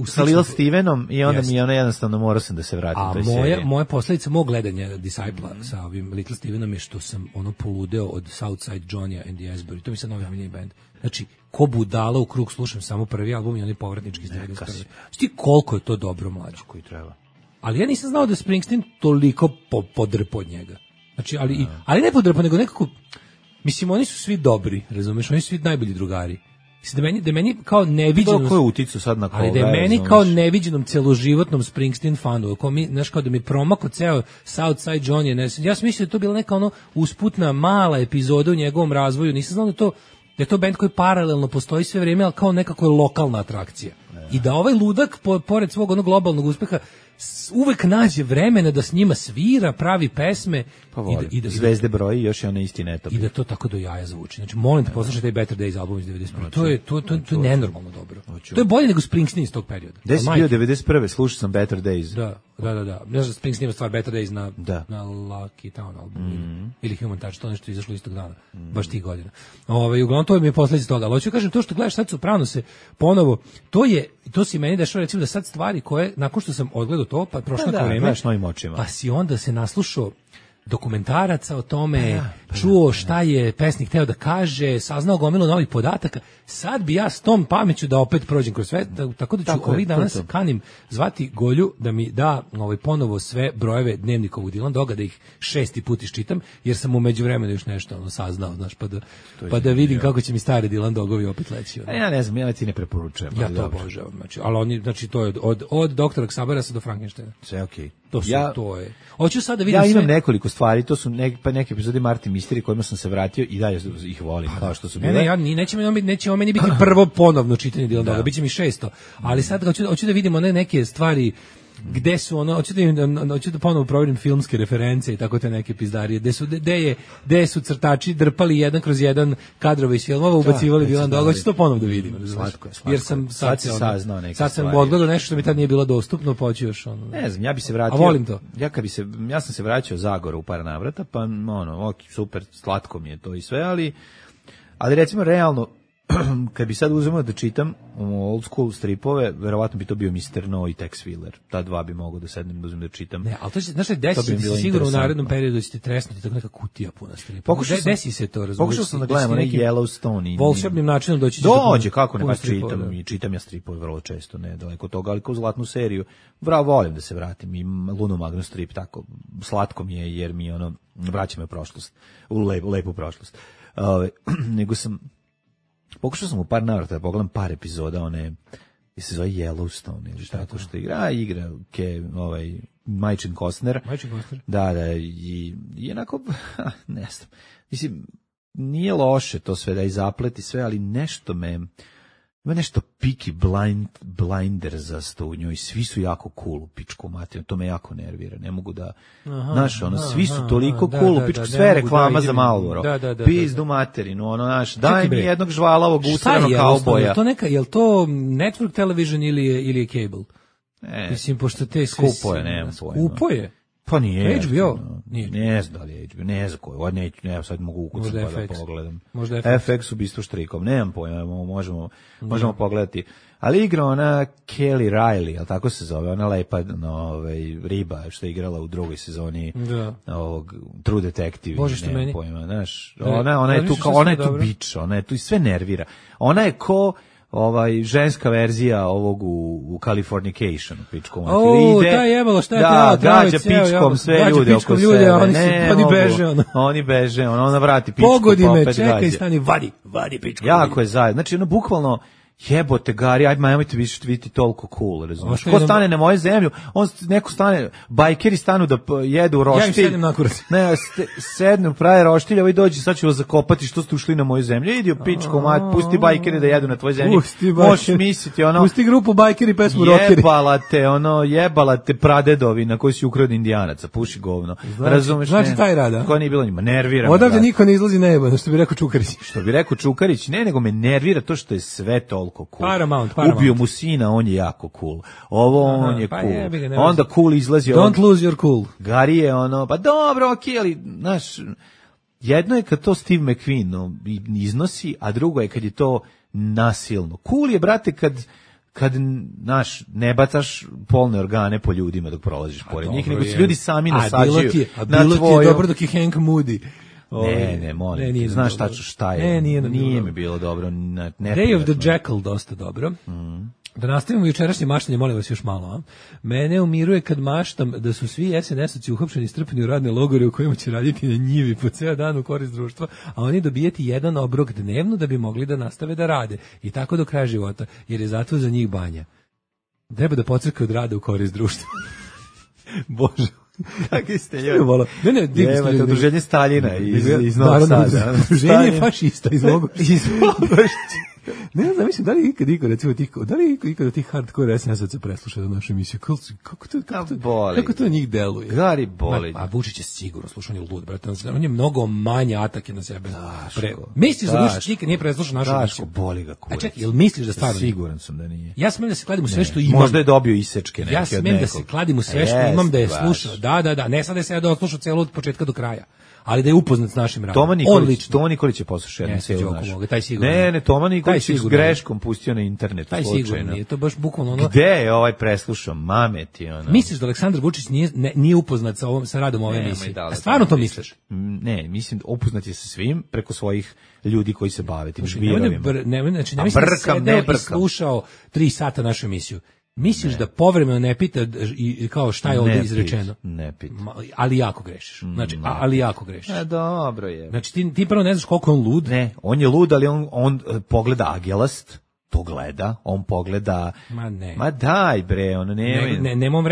sa Lil Stevenom i onda mi je ono jednostavno morao sam da se vratim u toj seriji. Moja posledica mog gledanja Disciple sa ovim Little Stevenom je što sam ono poludeo od Southside Johnny and the Asbury. To mi sad novi omiljeni band. Znači, ko budala u krug slušam samo prvi album i onaj povratnički iz 91. Šti koliko je to dobro, mlađo. Koji treba. Ali ja nisam znao da Springsteen toliko podrpo od njega. Znači, ali ne podrpo, nego nekako, mislim, oni su svi dobri, razumeš, oni su svi najbolji drugari. Mislim, da meni kao neviđenom... Ko je uticu sad na koga? Ali da je meni kao neviđenom celoživotnom Springsteen fanu, znaš, kao da mi promako ceo Southside Johnny, ja sam mislio da to bila neka ono usputna mala epizoda u njegovom razvoju, nisam znao da je to bend koji paralelno postoji sve vrijeme, ali kao nekako je lokalna atrakcija. I da ovaj ludak, pored svog onog globalnog uspeha, uvek nađe vremena da s njima svira, pravi pesme. Pa i da Zvezde broji, još je ona isti netopi. I da to tako do jaja zvuči. Znači, molim te, poslušaj taj Better Days album iz 91. To je nenormalno dobro. To je bolje nego Springsteen iz tog perioda. Gde si bio 91. Slušao sam Better Days. Da. Ne znam, Springsteen ima stvar Better Days na Lucky Town albumu. Ili Human Touch, to nešto izašlo istog dana. Baš tih godina. Uglavnom, to mi je posljedica toga. Ali hoću kažem, to što gledaš sad Sopranose ponovo, to si meni dešava, recimo da sad stvari koje, nakon što sam odgledao to, pa prošlo neko vreme, pa si onda se naslušao dokumentaraca o tome, čuo šta je pesnik hteo da kaže, saznao gomilu novih podataka. Sad bi ja s tom pameću da opet prođem kroz sve, tako da ću ovih dana se kanim zvati Golju da mi da ponovo sve brojeve dnevnikovog Dylan Doga, da ih 6. put iščitam, jer sam u međuvremenu još nešto saznao, znaš, pa da vidim kako će mi stari Dylan Dogovi opet leći. Ja ne znam, ja ti ne preporučujem. Ja to obožavam, ali oni, znači to je od doktora Xaberasa do Frankensteina. Sve okej. To je. Hoću sad da vidim imam nekoliko stvari, to su neke epizode Martin Mystery kojima sam se vratio i dalje ih volim, kao što su bile. Neće meni biti prvo ponovno čitanje Dylan Doga, biće mi 600, ali sad hoću da vidimo neke stvari gde su hoću da ponovo proverim filmske reference i tako te neke pizdarije, gde su crtači drpali jedan kroz jedan kadrove iz filmova, ubacivali Dylan Doga, hoću to ponovo da vidim. Slatko. Jer sam saznao neke sad sam odgledao nešto što mi tad nije bilo dostupno, pa hoću još ne znam, ja bi se vratio. A volim to. Ja sam se vraćao Zagoru u par navrata, pa super, slatko mi je to i sve, ali recimo realno kad bi sad uzmeo da čitam old school stripove, verovatno bi to bio Mr. No i Tex Willer. Ta dva bi mogao da sednem da uzmem da čitam. Ne, ali to će, znaš, desi se sigurno u narednom periodu da ćete tresnuti tako neka kutija puna stripova. Desi se to, razumiješ. Pokušao sam da gledam onaj Yellowstone. Volšebnim načinom dođe, kako ne, pa čitam ja stripove vrlo često, ne daleko od toga, ali kao zlatnu seriju. Volim da se vratim i Luno Magno strip, tako, slatko mi je, jer mi vraća me prošlost, u lepu prošlost. Nego pokušao sam u par navrata da pogledam par epizoda one, se zove Yellowstone ili tako što igra Majčin Costner. Da, i onako, ne znam, mislim, nije loše to sve da i zapleti sve, ali nešto ima nešto Peaky Blinders u njoj, svi su jako cool u pičku materiju, to me jako nervira, ne mogu da, svi su toliko cool u pičku, sve reklama za Marlboro, pizdu materinu, daj mi jednog žvalavog usranog kauboja. Je li to network television ili je cable? Mislim, pošto te skupo je, nemam pojma. Skupo je? Pa nije. HBO? Ne znam da li je HBO, ne znam koji, ne, sad mogu ukucati pa da pogledam. Možda FX u bistvu štrikom, nemam pojma, možemo pogledati. Ali igra ona Kelly Riley, ali tako se zove, ona lepa riba što je igrala u drugoj sezoni ovog True Detective. Bože što meni. Pojma, znaš, ona je tu kao, ona je tu bič, ona je tu i sve nervira. Ona je ko ženska verzija ovog u Californicationu, pičkom. Ta jebalo, šta je pravo? Da, gađa pičkom sve ljude oko sebe. Oni beže, ona vrati pičku, pogodi me, čekaj, stani, vadi pičkom. Jako je zajedno. Znači, bukvalno, jebote Gari, ajde nemojte više biti toliko cool, razumiješ? Ko stane na moju zemlju, neko stane, bajkeri stanu da jedu roštilj. Ja im sedem na kurac. Ne, sednu, pravi roštilj, ovaj dođe, sad ću vas zakopati što ste ušli na moju zemlju. Idi u pičku, pusti bajkeri da jedu na tvojoj zemlji. Možeš misliti, pusti grupu bajkeri, pesmu rockeri. Jebala te pradedovi na koji si ukrao od Indijanaca, puši govno. Razumeš? Znači taj rada. Ko nije bilo njima, nervira. Odavde niko ne izlazi nejebano, što bi rekao Čukarić. Što bi rekao Čukarić, ne, nego me nervira to što je sve toliko cool. Paramount. Ubio mu sina, on je jako cool. On je cool. Onda cool izlazi. Don't lose your cool. Gari je pa dobro, okej, ali, znaš, jedno je kad to Steve McQueen iznosi, a drugo je kad je to nasilno. Cool je, brate, kad naš, ne bacaš polne organe po ljudima dok prolaziš pored njih, nego se ljudi sami nasađuju na tvoju. Bilo ti je dobro dok je Hank Moody. Ne, molim, znaš tačno šta je. Nije mi bilo dobro. Day of the Jackal dosta dobro. Da nastavimo jučerašnje maštanje, molim vas još malo. A? Mene umiruje kad maštam da su svi SNS-ovci uhapšeni i strpani u radne logore u kojima će raditi na njivi po ceo dan u korist društva, a oni dobijeti jedan obrok dnevno da bi mogli da nastave da rade. I tako do kraja života, jer je zato za njih banja. Treba da pocrkaju od rada u korist društva. Bože. Kakvi ste ljudi? Ne, divni ste ljudi. Udruženje Staljina iz Novog Sada. Udruženje fašista iz Mogošća. Ne znam, mislim, da li ikad recimo ikad tih hardcore SNS-ovaca preslušao našu emisiju? Kako to njih deluje? Gari boli. A Vučić je sigurno slušao, on je lud, brate. On je mnogo manje atake na sebe. Misliš da Vučić nikad nije preslušao našu emisiju? Boli ga kurac. A čekaj, jel misliš da stvarno? Siguran sam da nije. Ja smem da se kladim u sve što imam. Možda je dobio isečke neke od nekog. Ja smem da se kladim u sve što imam da je slušao. Da. Ne sad da se ja doslušao celo od početka do kraja. Ali da je upoznat s našim radom. Toma Nikolić je poslušao jednu celu našu. Ne, Toma Nikolić je s greškom pustio na internet. Taj sigurno nije, to baš bukvalno ono. Gde je ovaj preslušao? Mameti ono. Misliš da Aleksandar Vučić nije upoznat sa radom ove emisije? Stvarno to misliš? Ne, mislim upoznat je sa svim preko svojih ljudi koji se bave tim žbirovima. Ne mislim da se slušao 3 sata našu emisiju. Misliš da povremeno ne pita i kao šta je ovdje izrečeno? Ne pita. Ali jako grešiš. Znači, ali jako grešiš. Dobro je. Znači, ti prvo ne znaš koliko je on lud. Ne, on je lud, ali on pogleda agelast, to gleda, on pogleda... Ma daj bre, ono ne... Nemam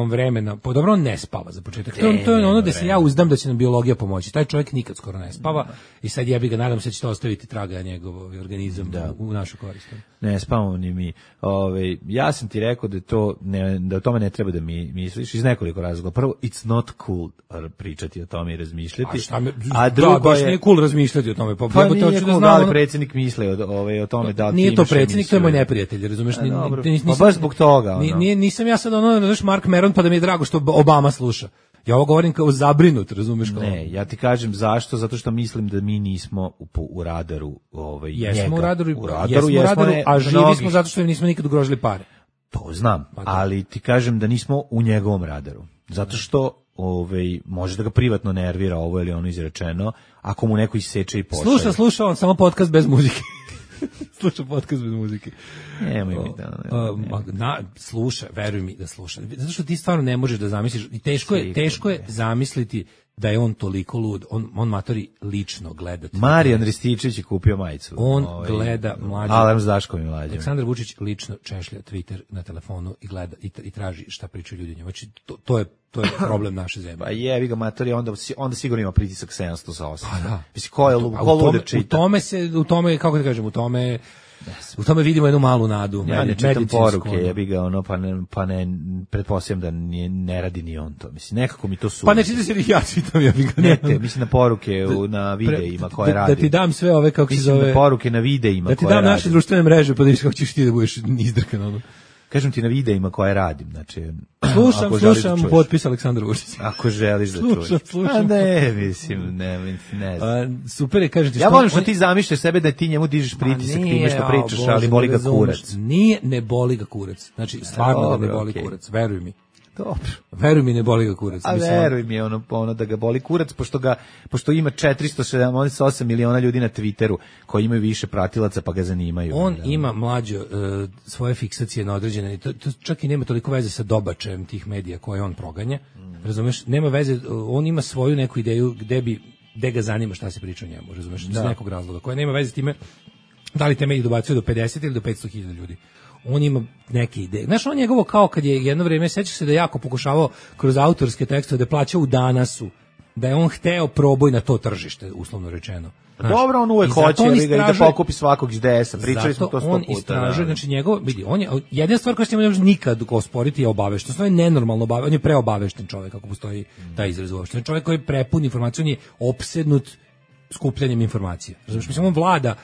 vremena. Pa dobro, on ne spava za početak. To je ono da se ja uzdam da će nam biologija pomoći. Taj čovjek nikad skoro ne spava i sad ja bi ga, nadam se da će to ostaviti traga njegov organizam u našu korist. Ne spavamo ni mi. Ja sam ti rekao da o tome ne treba da mi misliš iz nekoliko razloga. Prvo, it's not cool pričati o tome i razmišljati. A drugo baš nije cool razmišljati o tome. Pa nije cool da li predsjednik misli o tome da nije to predsjednik, to je moj neprijatelj, razumeš? Pa baš zbog toga. Nisam ja sad znaš, Mark Meron, pa da mi je drago što Obama sluša. Ja ovo govorim kao zabrinut, razumeš? Ne, ja ti kažem zašto, zato što mislim da mi nismo u radaru jesmo u radaru, a živi smo zato što nismo nikad ugrožili pare. To znam, ali ti kažem da nismo u njegovom radaru. Zato što može da ga privatno nervira ovo ili ono izrečeno, ako mu neko iseče i pošalje. Sluša on samo podcast bez muzike. Sluša podcast bez muzike. Nemoj mi sluša, veruj mi da sluša. Zato što ti stvarno ne možeš da zamisliš i teško je zamisliti da je on toliko lud. On matori lično gleda. Marijan Rističević je kupio majicu. On gleda mlađe. Alarm s Daškom i Mlađem. Aleksandar Vučić lično češlja Twitter na telefonu i gleda i traži šta pričaju ljudi. Znači to je problem naše zemlje. Pa jebi ga matori, onda sigurno ima pritisak 700 sa 800. Mislim, ko lude čita? U tome, kako da kažem, u tome vidimo jednu malu nadu. Ja ne čitam poruke, jebi ga pa ne pretpostavljam da ne radi ni on to. Mislim, nekako mi to su. Pa ne čitam se ja čitam, jebi ga. Ne, mislim na poruke na videima koje radim. Da ti dam sve ove, kako se zove. Mislim na poruke na videima koje radim. Da ti dam naše društvene mreže, pa da vidiš kako ćeš ti da budeš izdrkan ono. Kažem ti na videima koje radim, znači... Slušam potpis Aleksandra Vučića. Ako želiš da čuješ. Slušam. Ne, mislim, ne znam. Super je, kažem ti... Ja volim što ti zamišljaš sebe da ti njemu dižeš pritisak time što pričaš, ali boli ga kurac. Ne boli ga kurac. Znači, stvarno da ne boli kurac, veruj mi. Dobro. Veruj mi, ne boli ga kurac. A veruj mi ono da ga boli kurac, pošto ima 478 miliona ljudi na Twitteru koji imaju više pratilaca pa ga zanimaju. On ima mlađo svoje fiksacije na određene, to čak i nema toliko veze sa dobačajem tih medija koje on proganja. Razumeš? Nema veze, on ima svoju neku ideju gde ga zanima šta se priča o njemu, razumeš? Iz nekog razloga, koja nema veze s time Da li te mediji dobacuju do 50 ili do 500.000 ljudi? On ima neke ideje. Znaš, on njegovo kao kad je jedno vrijeme, sećaš se da je jako pokušavao kroz autorske tekstove da plaća u Danasu, da je on hteo proboj na to tržište, uslovno rečeno. Znaš, dobro, on uvek hoće i da pokupi svakog iz DS-a. Pričali smo to 100 puta. On istražuje, znači vidi, on je, jedina stvar koja se ne može nikad osporiti je obavešteno. To je nenormalno obavešteno, on je preobavešten čovjek, ako postoji taj izraz uopšte. On je čovjek koji je prepun informacija, on je opsednut skupljanjem informacija. Znači, mislim, on vlada,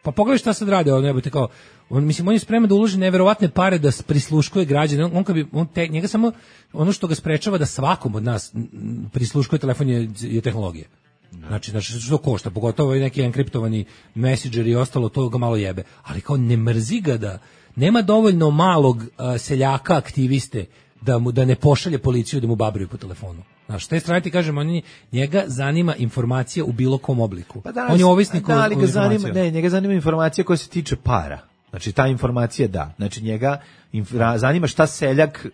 pa pogledaj šta sad rade, on je spreman da uloži neverovatne pare da prisluškuje građane. Njega samo ono što ga sprečava da svakom od nas prisluškuje telefon je tehnologija. Znači što košta, pogotovo i neki enkriptovani messenger i ostalo, to ga malo jebe. Ali kao ne mrzi ga da nema dovoljno malog seljaka aktiviste da ne pošalje policiju da mu babruju po telefonu. Znaš, s te strane ti kažem, njega zanima informacija u bilo kom obliku. Pa danas, on je ovisnik o informaciju. Njega zanima informacija koja se tiče para. Znači, ta informacija da. Znači, njega zanima šta seljak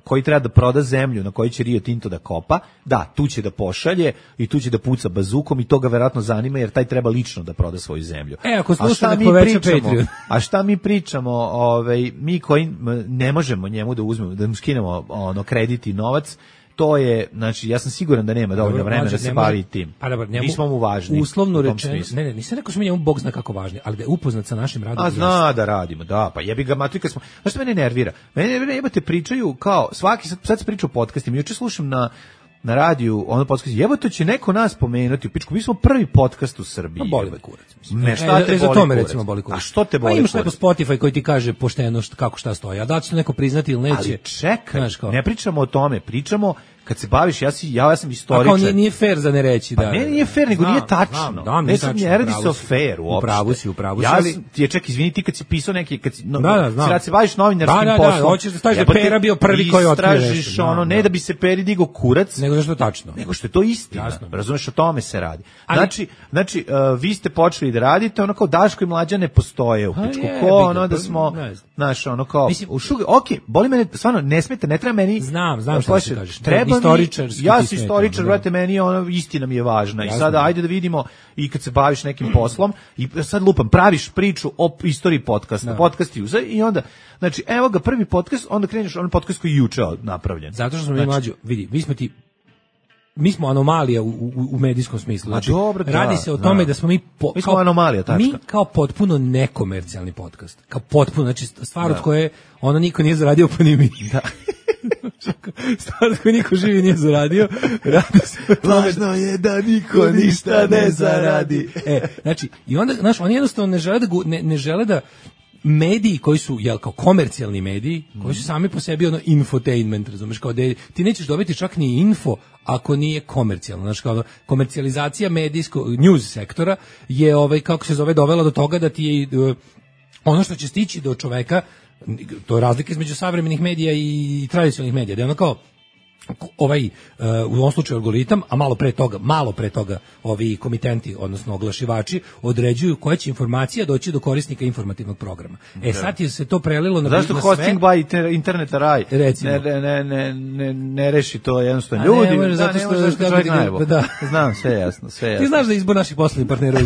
koji treba da proda zemlju na kojoj će Rio Tinto da kopa, da, tu će da pošalje i tu će da puca bazukom i to ga verovatno zanima jer taj treba lično da proda svoju zemlju. Ako sluša da poveća Patreon. A šta mi pričamo, mi koji ne možemo njemu da uzmemo, da mu skinemo kredit i novac, to je, znači, ja sam siguran da nema dovoljno vremena da se bavi tim. Pa dobro, mi smo mu važni. Uslovno rečeno, nisam rekao smo njemu Bog zna kako važni, ali da je upoznat sa našim radom. A zna da radimo, da, pa jebi ga matrika smo. Znaš što mene nervira? Mene nervira, jebate, pričaju kao, sad se priča o podcastima, juče slušam na radiju, podcast, jebote će neko nas pomenuti u pičku, mi smo prvi podcast u Srbiji. Boli me kurac, mislim. Ne, šta te boli kurac? Recimo boli kurac. A što te boli kurac? Pa imaš neko Spotify koji ti kaže pošteno kako šta stoji, a da će to neko priznati ili neće. Ali čekaj, ne pričamo o tome, pričamo kad se baviš, ja sam istoričar. A kao nije fair za ne reći, da. Pa nije fair, nego nije tačno. Ne radi se o fairu uopšte. Upravo si. Ja ti je ček, izvini, ti kad si pisao neki, kad se baviš novinarskim poslom. Da, hoćeš da staviš da Pera bio prvi koji otkrio nešto. Istražiš ne da bi se Peri digao kurac, nego što je tačno. Nego što je to istina. Razumeš, o tome se radi. Znači, vi ste počeli da radite, ono kao Daško i Mlađa ne postoje u pičku. Ko da smo, znaš, ono kao, okej, boli mene, stvarno, ne smeta, ne treba meni. Znam šta ti kažeš. Ja sam istoričar, brate, meni istina mi je važna. I sada ajde da vidimo i kad se baviš nekim poslom i sad lupam, praviš priču o istoriji podcasta, podcasti i onda, znači, evo ga prvi podcast, onda kreneš onaj podcast koji je juče napravljen. Zato što smo mi mlađi, vidi, mi smo anomalija u medijskom smislu. Znači, radi se o tome da smo mi smo anomalija, tačka. Mi kao potpuno nekomercijalni podcast. Kao potpuno, znači stvar od koje niko nije zaradio, pa ni mi. Da. Stvar od koje niko živi nije zaradio. Radi se o tome. Važno je da niko ništa ne zaradi. Znači, i onda, znaš, oni jednostavno ne žele da mediji koji su kao komercijalni mediji, koji su sami po sebi infotainment, razumeš, kao da ti nećeš dobiti čak ni info ako nije komercijalno. Znači, kao komercijalizacija medijskog news sektora je kako se zove dovela do toga da ti je ono što će stići do čoveka, to je razlika između savremenih medija i tradicionalnih medija, da je ono kao u ovom slučaju algoritam, a malo pre toga ovi komitenti, odnosno oglašivači, određuju koja će informacija doći do korisnika informativnog programa. Sad je se to prelilo na sve. Zašto hosting by interneta raj? Recimo. Ne reši to jednostavno ljudi. Ne može, zato što da. Znam, sve jasno. Ti znaš da izbor naših poslovnih partnera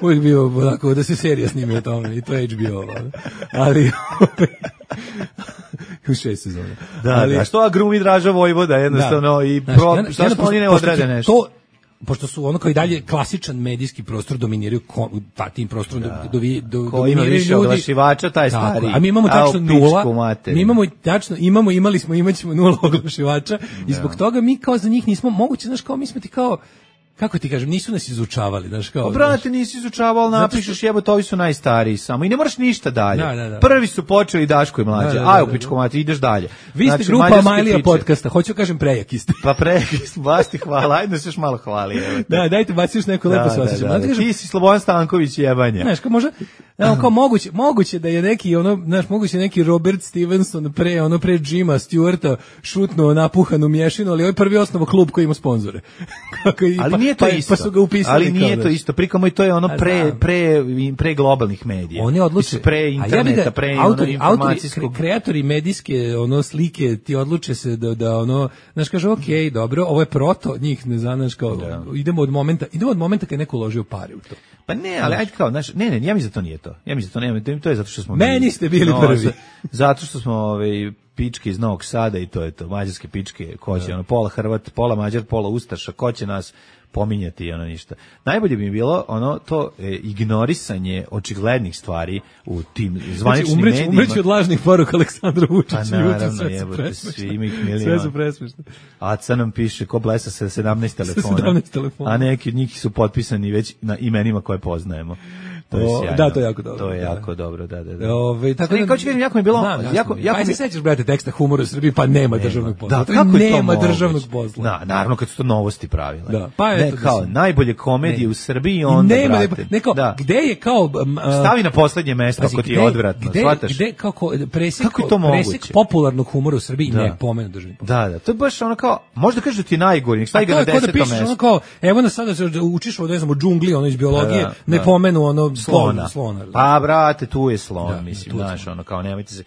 uvijek bio onako, da se serija snimi o tome, i to je HBO. Ali u 6 sezona. Da, što agrumi Draža Vojvoda jednostavno i zašto oni ne odrade nešto? Pošto su kao i dalje klasičan medijski prostor dominiraju tim prostorom ko ima više oglašivača, taj stari. A mi imamo tačno nula. Imali smo, imaćemo nula oglašivača i zbog toga mi kao za njih nismo moguće, znaš, kao mi smo ti kao, kako ti kažem, nisu nas izučavali, znaš, kao. Brate, nisi izučavao, napišeš jebote, ovi su najstariji samo i ne moraš ništa dalje. Da. Prvi su počeli Daško i Mlađa. Aj, u pičku mati, ideš dalje. Vi ste grupa Majlija podcasta, hoću kažem prejaki ste. Pa prejaki smo, baš ti hvala, ajde se još malo hvali. Da, dajte baci još neko lepo se osjećam. Ti si Slobodan Stanković jebanje. Znaš, kao kao moguće da je neki moguće neki Robert Stevenson pre Jima Stewarta šutnuo napuhanu mješinu, ali ovaj prvi osnovo klub koji ima sponzore. Ali nije to isto. Pa su ga upisali. Ali nije to isto. Prikamo i to je ono pre globalnih medija. Oni odluče pre interneta, pre informacijskog. Kreatori medijske ono slike ti odluče se da ono, znaš, kaže okej, dobro, ovo je proto, njih ne znaš kao idemo od momenta kad neko uložio pare u to. Pa ne, ali ajde kao, znaš, ne, ja mislim da to nije to. Ja mislim da to nema, to je zato što smo meni ste bili prvi. Zato što smo pičke iz Novog Sada i to je to, mađarske pičke, ko će, ono, pola Hrvat, pola Mađar, pola Ustaša, ko će nas pominjati, ono, ništa. Najbolje bi mi bilo ono to ignorisanje očiglednih stvari u tim zvaničnim medijima. Umreći od lažnih poruka Aleksandra Vučića. Pa naravno, jebote, svi ima ih milion. Sve su presmešne. Aca nam piše ko blesa sa 17 telefona, a neki od njih su potpisani već na imenima koje poznajemo. To je sjajno. Da, to je jako dobro. To je jako dobro, da. Tako da, kao ću kažem, jako mi je bilo... Pa se sećaš, brate, teksta humora u Srbiji, pa nema državnog posla. Da, kako je to nema državnog posla. Da, naravno, kad su to Novosti pravile. Da, pa eto. Kao, najbolje komedije u Srbiji, onda, brate. Neko, gde je kao... Stavi na poslednje mesto, ako ti je odvratno, shvataš? Gde, kako presek popularnog humora u Srbiji ne pomenu državni posla. Da, to je baš ono kao, možda kažeš da ti je najgori, stavi ga na 10. mesto. Ono kao, evo nas sada učiš o, ne znam, o džungli, ono iz biologije, ne pomenu ono slona. Pa, brate, tu je slon, mislim, znaš, ono, kao, nemojte se...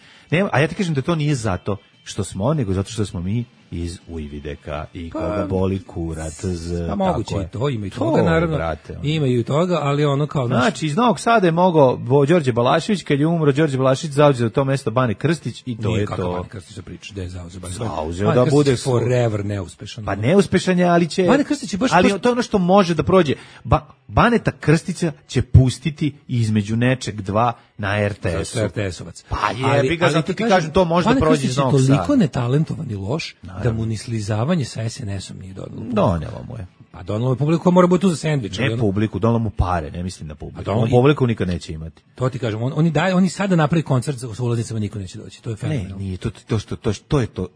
A ja ti kažem da to nije zato što smo, nego zato što smo mi iz Ujvideka i koga boli kurac. Pa moguće i to, ima i toga, naravno. Brate, ima i toga, ali ono kao... Znači, iz Novog Sada je mogao Đorđe Balašević, kad je umro Đorđe Balašević, zauzeo to mesto Bane Krstić i to je to. Nije kako Bane Krstić se priča, gde je zauzeo Bane Krstić? Zauzeo da bude... forever neuspešan. Pa neuspešan je, ali će... Bane Krstić je baš... Ali to je ono što može da prođe. Baneta Krstića će pustiti između nečeg dva na RTS-u. RTS-ovac. Pa jebi ga, zato ti kažem, to može da prođe iz Novog Sada. Bane Krstić je toliko netalentovan i loš, da mu ni slizavanje sa SNS-om nije donelo. Donelo mu je. Pa donelo je publiku koja mora biti tu za sendvič. Ne publiku, donelo mu pare, ne mislim na publiku. On publiku nikad neće imati. To ti kažem, oni sada napravi koncert sa ulaznicama, niko neće doći. To je fenomenalno. Ne, nije,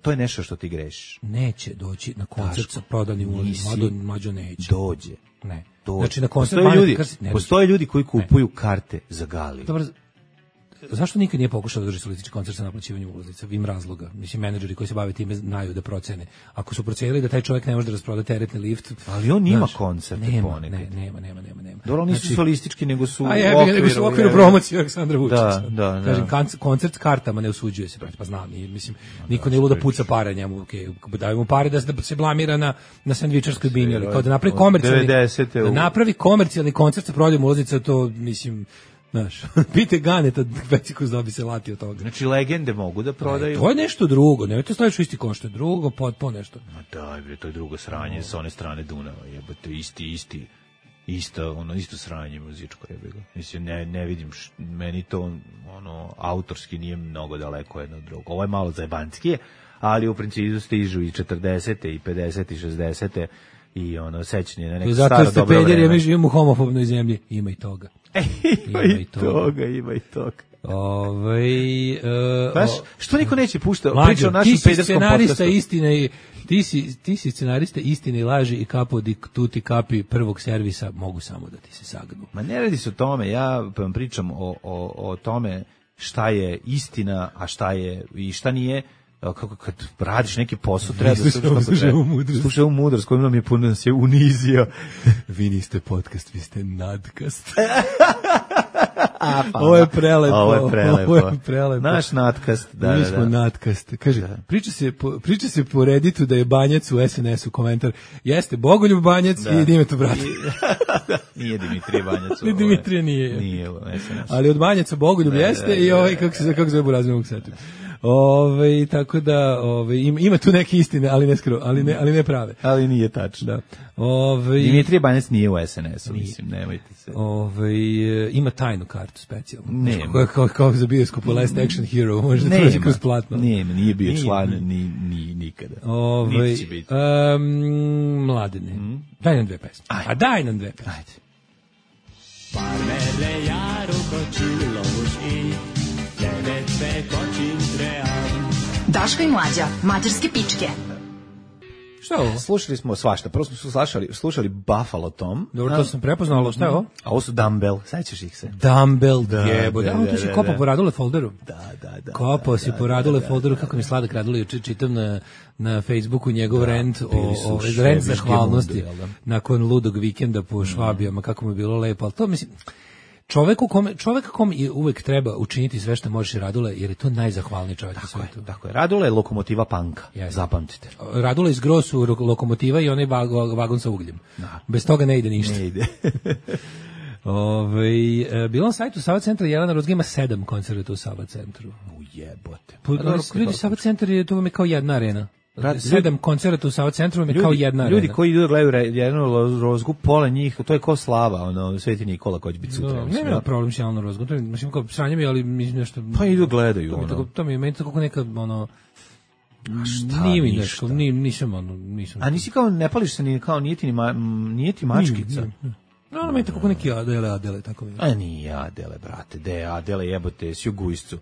to je nešto što ti grešiš. Neće doći na koncert sa prodanim ulaznicama, mlađo neće. Dođe. Ne. Dođe. Znači na koncert postoje ljudi koji kupuju karte za gali. Dobro. Zašto nikad nije pokušao da drži solistički koncert sa naplaćivanjem ulaznica? Im razloga. Mislim, menadžeri koji se bave time znaju da procene. Ako su procenili da taj čovjek ne može da rasproda teretni lift... Ali on ima koncerte ponekad. Nema. Dobro, oni nisu solistički, nego su u okviru promocije Aleksandra Vučića. Da. Kažem, koncert s kartama ne osuđuje se, pa znam, mislim, niko ne luda puca pare njemu, daju mu pare da se blamira na sendvičarskoj binji, ali kao da napravi komercijalni koncert sa prodajom ulaznica, to, mislim... Znaš, pite Ganeta, Vecikus dobi se lati od toga. Znači, legende mogu da prodaju? To je nešto drugo, nemojte staviti isti ko što je drugo, potpuno nešto. Ma daj bre, to je drugo sranje sa one strane Dunava, jebote, isto sranje muzičko, jebote. Mislim, ne vidim, meni to, autorski nije mnogo daleko jedno od drugo. Ovo je malo zajebanskije, ali u principu stižu i 40. i 50. i 60. i sećanje na neko staro dobro vreme. Zato ste pederi, mi živimo u homofobnoj zemlji, ima i toga. Ima i toga. Što niko neće puštati? Priča o našem pederskom podcastu. Ti si scenarista istine i laži i capo di tutti capi prvog servisa, mogu samo da ti se sagnu. Ma ne radi se o tome, ja vam pričam o tome šta je istina, a šta je i šta nije. Kako kad radiš neki posao treba da slušaj ovu mudrost kojom nam je puno nas je unizio. Vi niste podcast, vi ste nadkast. Ovo je prelepo. Naš nadkast. Mi smo nadkast. Kaže, priča se po Redditu da je Banjac u SNS-u komentar. Jeste, Bogoljub Banjac i Dimitar Brat. Nije Dimitrije Banjac. Ni Dimitrije nije. Nije u SNS-u. Ali od Banjaca Bogoljub jeste i kako se zove Buraz, ne mogu setim. Tako da ima tu neke istine, ali ne prave. Ali nije tačno. Dimitrije Banjac nije u SNS-u, mislim, nemojte se. Ima tajnu kartu specijalnu. Ne. Kao za bioskop u Last Action Hero, možda prođe kroz platno. Nije bio član ni nikada. Niti će biti. Mladene, daj nam dve pesme. Ajde. Parmele jaru kočilo muški, Daško i Mlađa, mađarske pičke. Šta je ovo? Slušali smo svašta. Prvo smo slušali Buffalo Tom. Dobro, to sam prepoznao, ali šta je ovo? A ovo su Dumbbell, sećaš ih se? Dumbbell, jebo. Da, tu si kopao po Radule folderu. Da. Kopao si po Radule folderu, kako mi sladak Radule, juče čitam na Facebooku njegov rent o rent zahvalnosti nakon ludog vikenda po Švabijama, kako mu je bilo lepo, ali to mislim... Čoveka kom uvek treba učiniti sve što možeš, Radule, jer je to najzahvalniji čovjek na svijetu. Tako je. Radule je lokomotiva panka, zapamtite. Radule iz Gro su lokomotiva i onaj vagon sa ugljem. Da. Bez toga ne ide ništa. Ne ide. Bilo na sajtu Sava centra, Jelena Rozga ima 7 koncerta u Sava centru. Ujebote. Ljudi, Sava centar je, to vam je kao jedna arena. 7 koncerta u Sava centru je kao jedna arena. Ljudi koji idu da gledaju Jelenu Rozgu, pola njih, to je kao Slava, Sveti Nikola koji će biti sutra. Nema problem s Jelenom Rozgom, to je, mislim, kao sranje mi, ali nešto... Pa idu gledaju, To mi je meni tako neka, šta, nije mi nešto, nisam... A nisi kao, ne pališ se, nije ti mačkica? No, meni tako neki Adele, tako mi. A nije Adele, brate, de Adele jebote, s Jugujscu.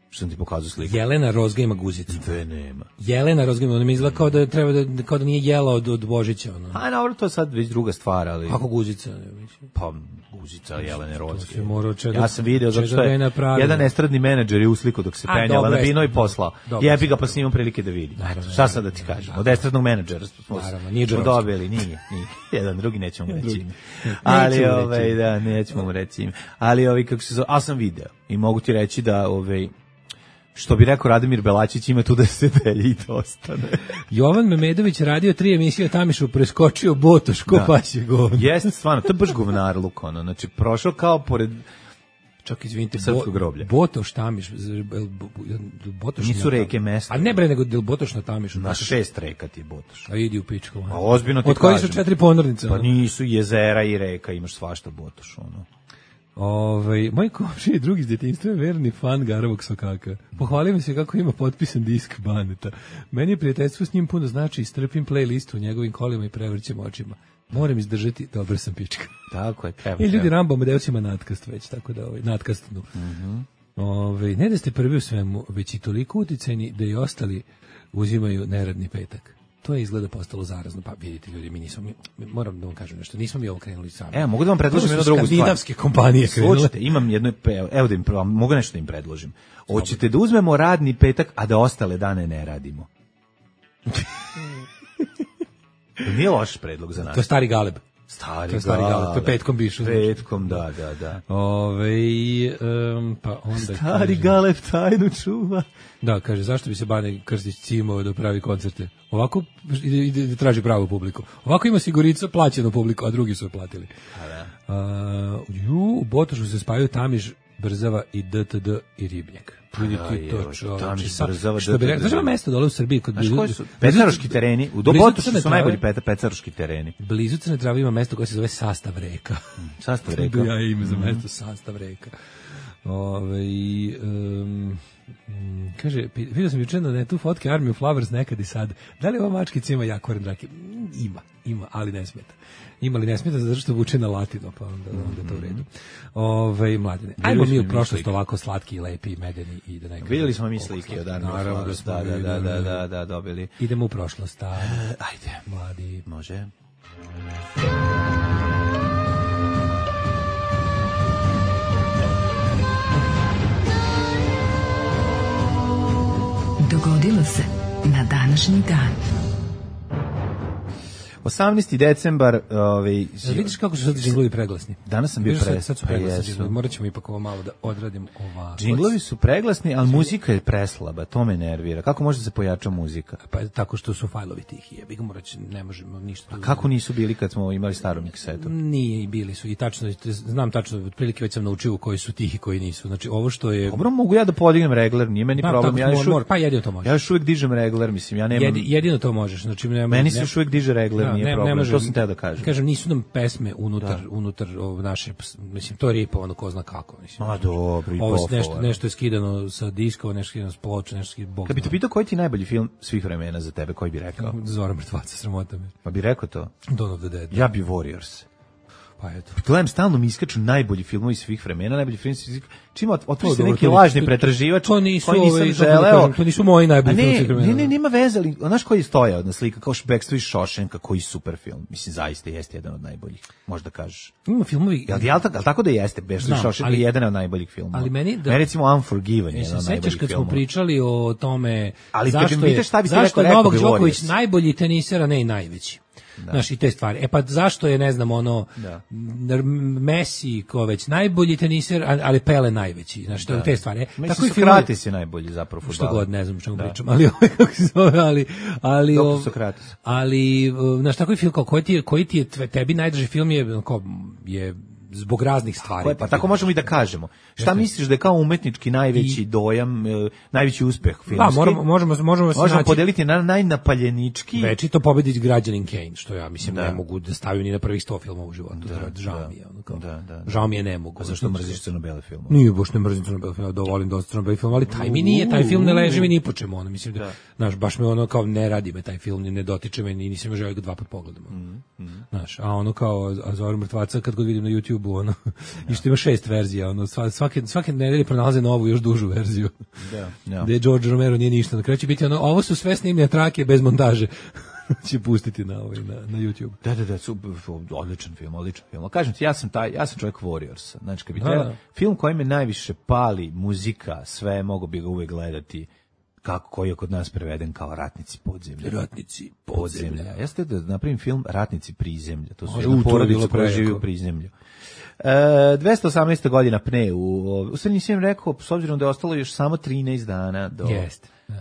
Što sam ti pokazao sliku. Jelena Rozga ima guzicu. Nema. Jelena Rozga ima, ona mi izgleda kao da treba kao da nije jela od Božića. A dobro, to je sad već druga stvar, ali... Kako guzica? Pa, guzica Jelene Rozge. Ja sam video zato što je jedan estradni menadžer je usliko dok se penjala na bino i poslao. Jebi ga, pa snimam prilike da vidi. Šta sad da ti kažem? Od estradnog menadžera smo dobili, nije. Jedan, drugi nećemo reći. Ali, nećemo mu reći. Ali, kako se zove, a sam video. I mogu ti reći da, što bi rekao Radomir Belačić, ima tu da se delje i da ostane. Jovan Memedović radio 3 emisije, Tamišu preskočio Botoš, ko pasje govno. Jeste, stvarno, to je baš govnar luk, znači prošao kao pored... Čak, izvinite, srpskog groblja. Botoš, Tamiš, Botoš... Nisu reke mesta. A ne bre, nego Botoš na Tamišu. Na 6 reka ti je Botoš. A idi u pičku. A ozbiljno ti od koji su 4 ponornice. Pa nisu jezera i reka, imaš svašta Botoš, Moj komšija i drugi iz djetinjstva je verni fan Garavog Sokaka. Pohvalio mi se kako ima potpisan disk Baneta. Meni je prijateljstvo s njim puno znači, strpim playlistu u njegovim kolima i prevrćem očima. Moram izdržati, dobro sam pička. Tako je, treba. I ljudi Rambo Amadeus ima natkast već, tako da natkastnu. Ne da ste prvi u svemu, već i toliko uticajni da i ostali uzimaju neradni petak. To je izgleda postalo zarazno, pa vidite ljudi, moram da vam kažem nešto, nismo mi ovo krenuli sami. Mogu da vam predložim jednu drugu stvar. Skandinavske kompanije krenule. Slušajte, imam jedno, evo da mogu nešto da im predložim. Hoćete da uzmemo radni petak, a da ostale dane ne radimo? Nije loš predlog za nas. To je stari Galeb. Stari Galeb, to je petkom bišu. Petkom, da. Pa onda stari Galeb tajnu čuva. Da, kaže, zašto bi se Bane Krstić cimao da pravi koncerte? Ovako ide traži pravu publiku. Ovako ima Sigurica plaćenu publiku, a drugi su je platili. U Botošu se spajaju Tamiš, Brzava i DTD i Ribnjak. Vidite to, Tamiš, Brzava, što bi rekao, znaš mesto dole u Srbiji kod Pecaroški tereni, u Botošu su najbolji pecaroški tereni. Blizu Crne Trave ima mesto koje se zove Sastav reka. Sastav reka. Ja ime za mesto Sastav reka. Kaže, vidio sam juče na netu fotke Army of Lovers nekad i sad. Da li ova mačkica ima Jakoran Drake? Ima, ali ne smeta. Ima li ne smeta zato što vuče na latino, pa onda to u redu. Mladine, ajmo mi u prošlost ovako slatki i lepi i medeni i da nekako... Vidjeli smo mi slike od Army of Lovers, da, dobili. Idemo u prošlost, ajde. Mladi. Može. Dogodilo se na današnji dan. 18. decembar, vidiš kako su sad džinglovi preglasni. Danas sam bio sad su preglasni džinglovi. Morat ćemo ipak ovo malo da odradim ovako. Džinglovi su preglasni, ali muzika je preslaba, to me nervira. Kako može da se pojača muzika? Pa tako što su fajlovi tihi, jebi ga, ne možemo ništa. A kako nisu bili kad smo imali staru miksetu? Nije, i bili su, i tačno, znam tačno, otprilike već sam naučio koji su tihi, koji nisu. Znači, ovo što je... Dobro, mogu ja da podignem regler, nije meni problem. Pa jedino to možeš. Ja još uvijek dižem regler, mislim, ja nemam... Jedino to možeš, znači... Meni se još uvijek diže regler, nije problem, to sam teo da kažem. Kažem, nisu nam pesme unutar naše, mislim, to je ripovano ko zna kako, mislim. Ma dobro, i ovo nešto je skidano sa diskova, nešto je skidano s ploča, nešto je skidano... Kad bi te pitao koji ti najbolji film svih vremena za tebe, koji bi rekao? Zora mrtvaca, sramota me. Pa bi rekao to? Dawn of the Dead. Ja bi Warriors. Pa eto. Gledam, stalno mi iskaču najbolji filmovi svih vremena, najbolji film svih. Čim otvori se neki lažni pretraživač, to nisu koji nisam želeo. To nisu moji najbolji filmovi svih vremena. Ne, nema veze, ali znaš koji stoje na slika, kao Backstreet iz Shawshanka, koji super film. Mislim, zaista jeste jedan od najboljih, možda kažeš. Ima filmovi... Jel tako da jeste, Backstreet iz Shawshanka je jedan od najboljih filmova. Ali meni recimo Unforgiven je jedan od najboljih filmova. Kad smo pričali o tome ali zašto je Novak Đoković najbolji teniser, a ne i najveći. Znaš, i te stvari. E pa zašto je, ne znam, Messi ko već najbolji teniser, ali Pele najveći. Znaš, te stvari. Tako i Sokratis je najbolji zapravo fudbaler. Što god, ne znam o čemu pričam, ali kako se zove, ali znaš, tako i film, koji ti je tebi najdrži film je zbog raznih stvari. Pa tako možemo i da kažemo. Šta misliš da je kao umetnički najveći dojam, najveći uspeh filmski? Pa, možemo podeliti na najnapaljenički. Večito pobediti Građanin Kane, što ja mislim ne mogu da stavim ni na prvih 100 filmova u životu. Žao mi je. Žao mi je, ne mogu. A zašto mrziš crno-bele filmove? Nije, baš ne mrzim crno-bele filmove, dovolim dosta crno-bele filmova, ali taj mi nije, taj film ne leži mi ni po čemu. Mislim da, znaš, baš me kao ne radi me taj film, ne dotiče me, ni nisam želeo ga 2 puta pogledam. Znaš, a kao Zoru mrtvaca kad god vidim na YouTube i što ima 6 verzija, svake nedelje pronalaze novu, još dužu verziju. Gde George Romero nije ništa. Na kraju će biti ovo su sve snimljene trake bez montaže. će pustiti na YouTube. Da, odličan film. Kažem ti, ja sam čovjek Warriorsa. Znači, kad bi trebao film koji me najviše pali, muzika, sve, mogu bi ga uvek gledati koji je kod nas preveden kao Ratnici podzemlja. Ratnici podzemlja. Ja ste da napravim film Ratnici prizemlja. To su jedna porodica koja živi u prizemlju. 218. godina pne u sve nisam rekao, s obzirom da je ostalo još samo 13 dana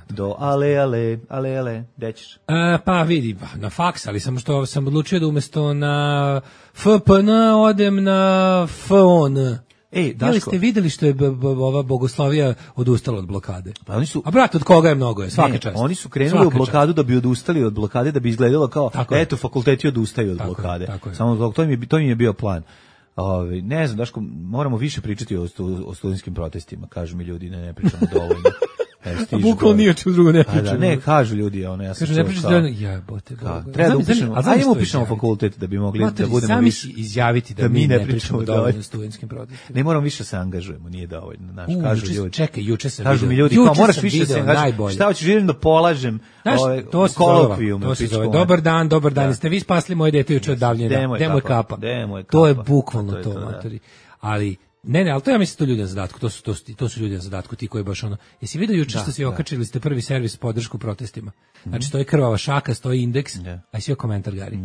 do ale, gde ćeš? Pa vidi, na faks, ali samo što sam odlučio da umesto na FPN odem na FON. Daško, ste videli što je ova Bogoslavija odustala od blokade? Pa oni su, a brat, od koga je mnogo je, svaka čast. Oni su krenuli u blokadu da bi odustali od blokade, da bi izgledalo kao, eto, fakulteti odustaju od blokade. Samo to mi je bio plan. Ne znam, Daško, moramo više pričati o studentskim protestima, kažu mi ljudi, ne pričamo dovoljno. Bukvalno nije čemu drugo ne pričamo. Ne, kažu ljudi, ja sam ne pričamo dovoljno, jebote. Treba da upišemo fakultet da bi mogli da budemo sami više. Sami izjaviti da mi ne pričamo dovoljno o studentskim protestima. Ne moramo više se angažujemo, nije dovoljno. Kažu ljudi. Čekaj, juče sam kažu mi ljudi, moraš više se angažovati. Šta hoćeš, želim da polažem kolokvijum. To se zove, dobar dan, ste vi spasli moje dete juče od davljenja. Demo je kapa. To je bukvalno to, matori. Ali ne, ali to ja mislim to ljudi na zadatku, to su ljudi na zadatku, ti koji baš jesi vidio juče što se okačili ste prvi servis podršku protestima. Znači stoji krvava šaka, stoji indeks, a svi komentar Gari.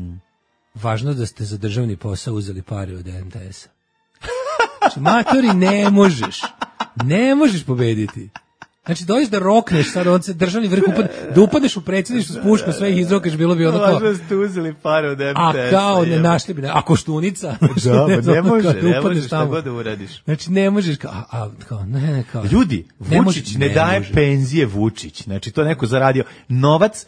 Važno da ste za državni posao uzeli pare od NTS-a. Znači, matori, ne možeš pobediti. Znači, dođeš da rokneš sad, državni vrh, da upadneš u predsjedništvo s puškom, sve ih izrokaš, bilo bi ono kao... Važno ste uzeli pare od MTS-a. A kao, ne našli bi, a koštunica. Ne možeš šta god da uradiš. Znači, ne možeš, kao... Ljudi, Vučić ne daje penzije Vučić. Znači, to neko zaradio. Novac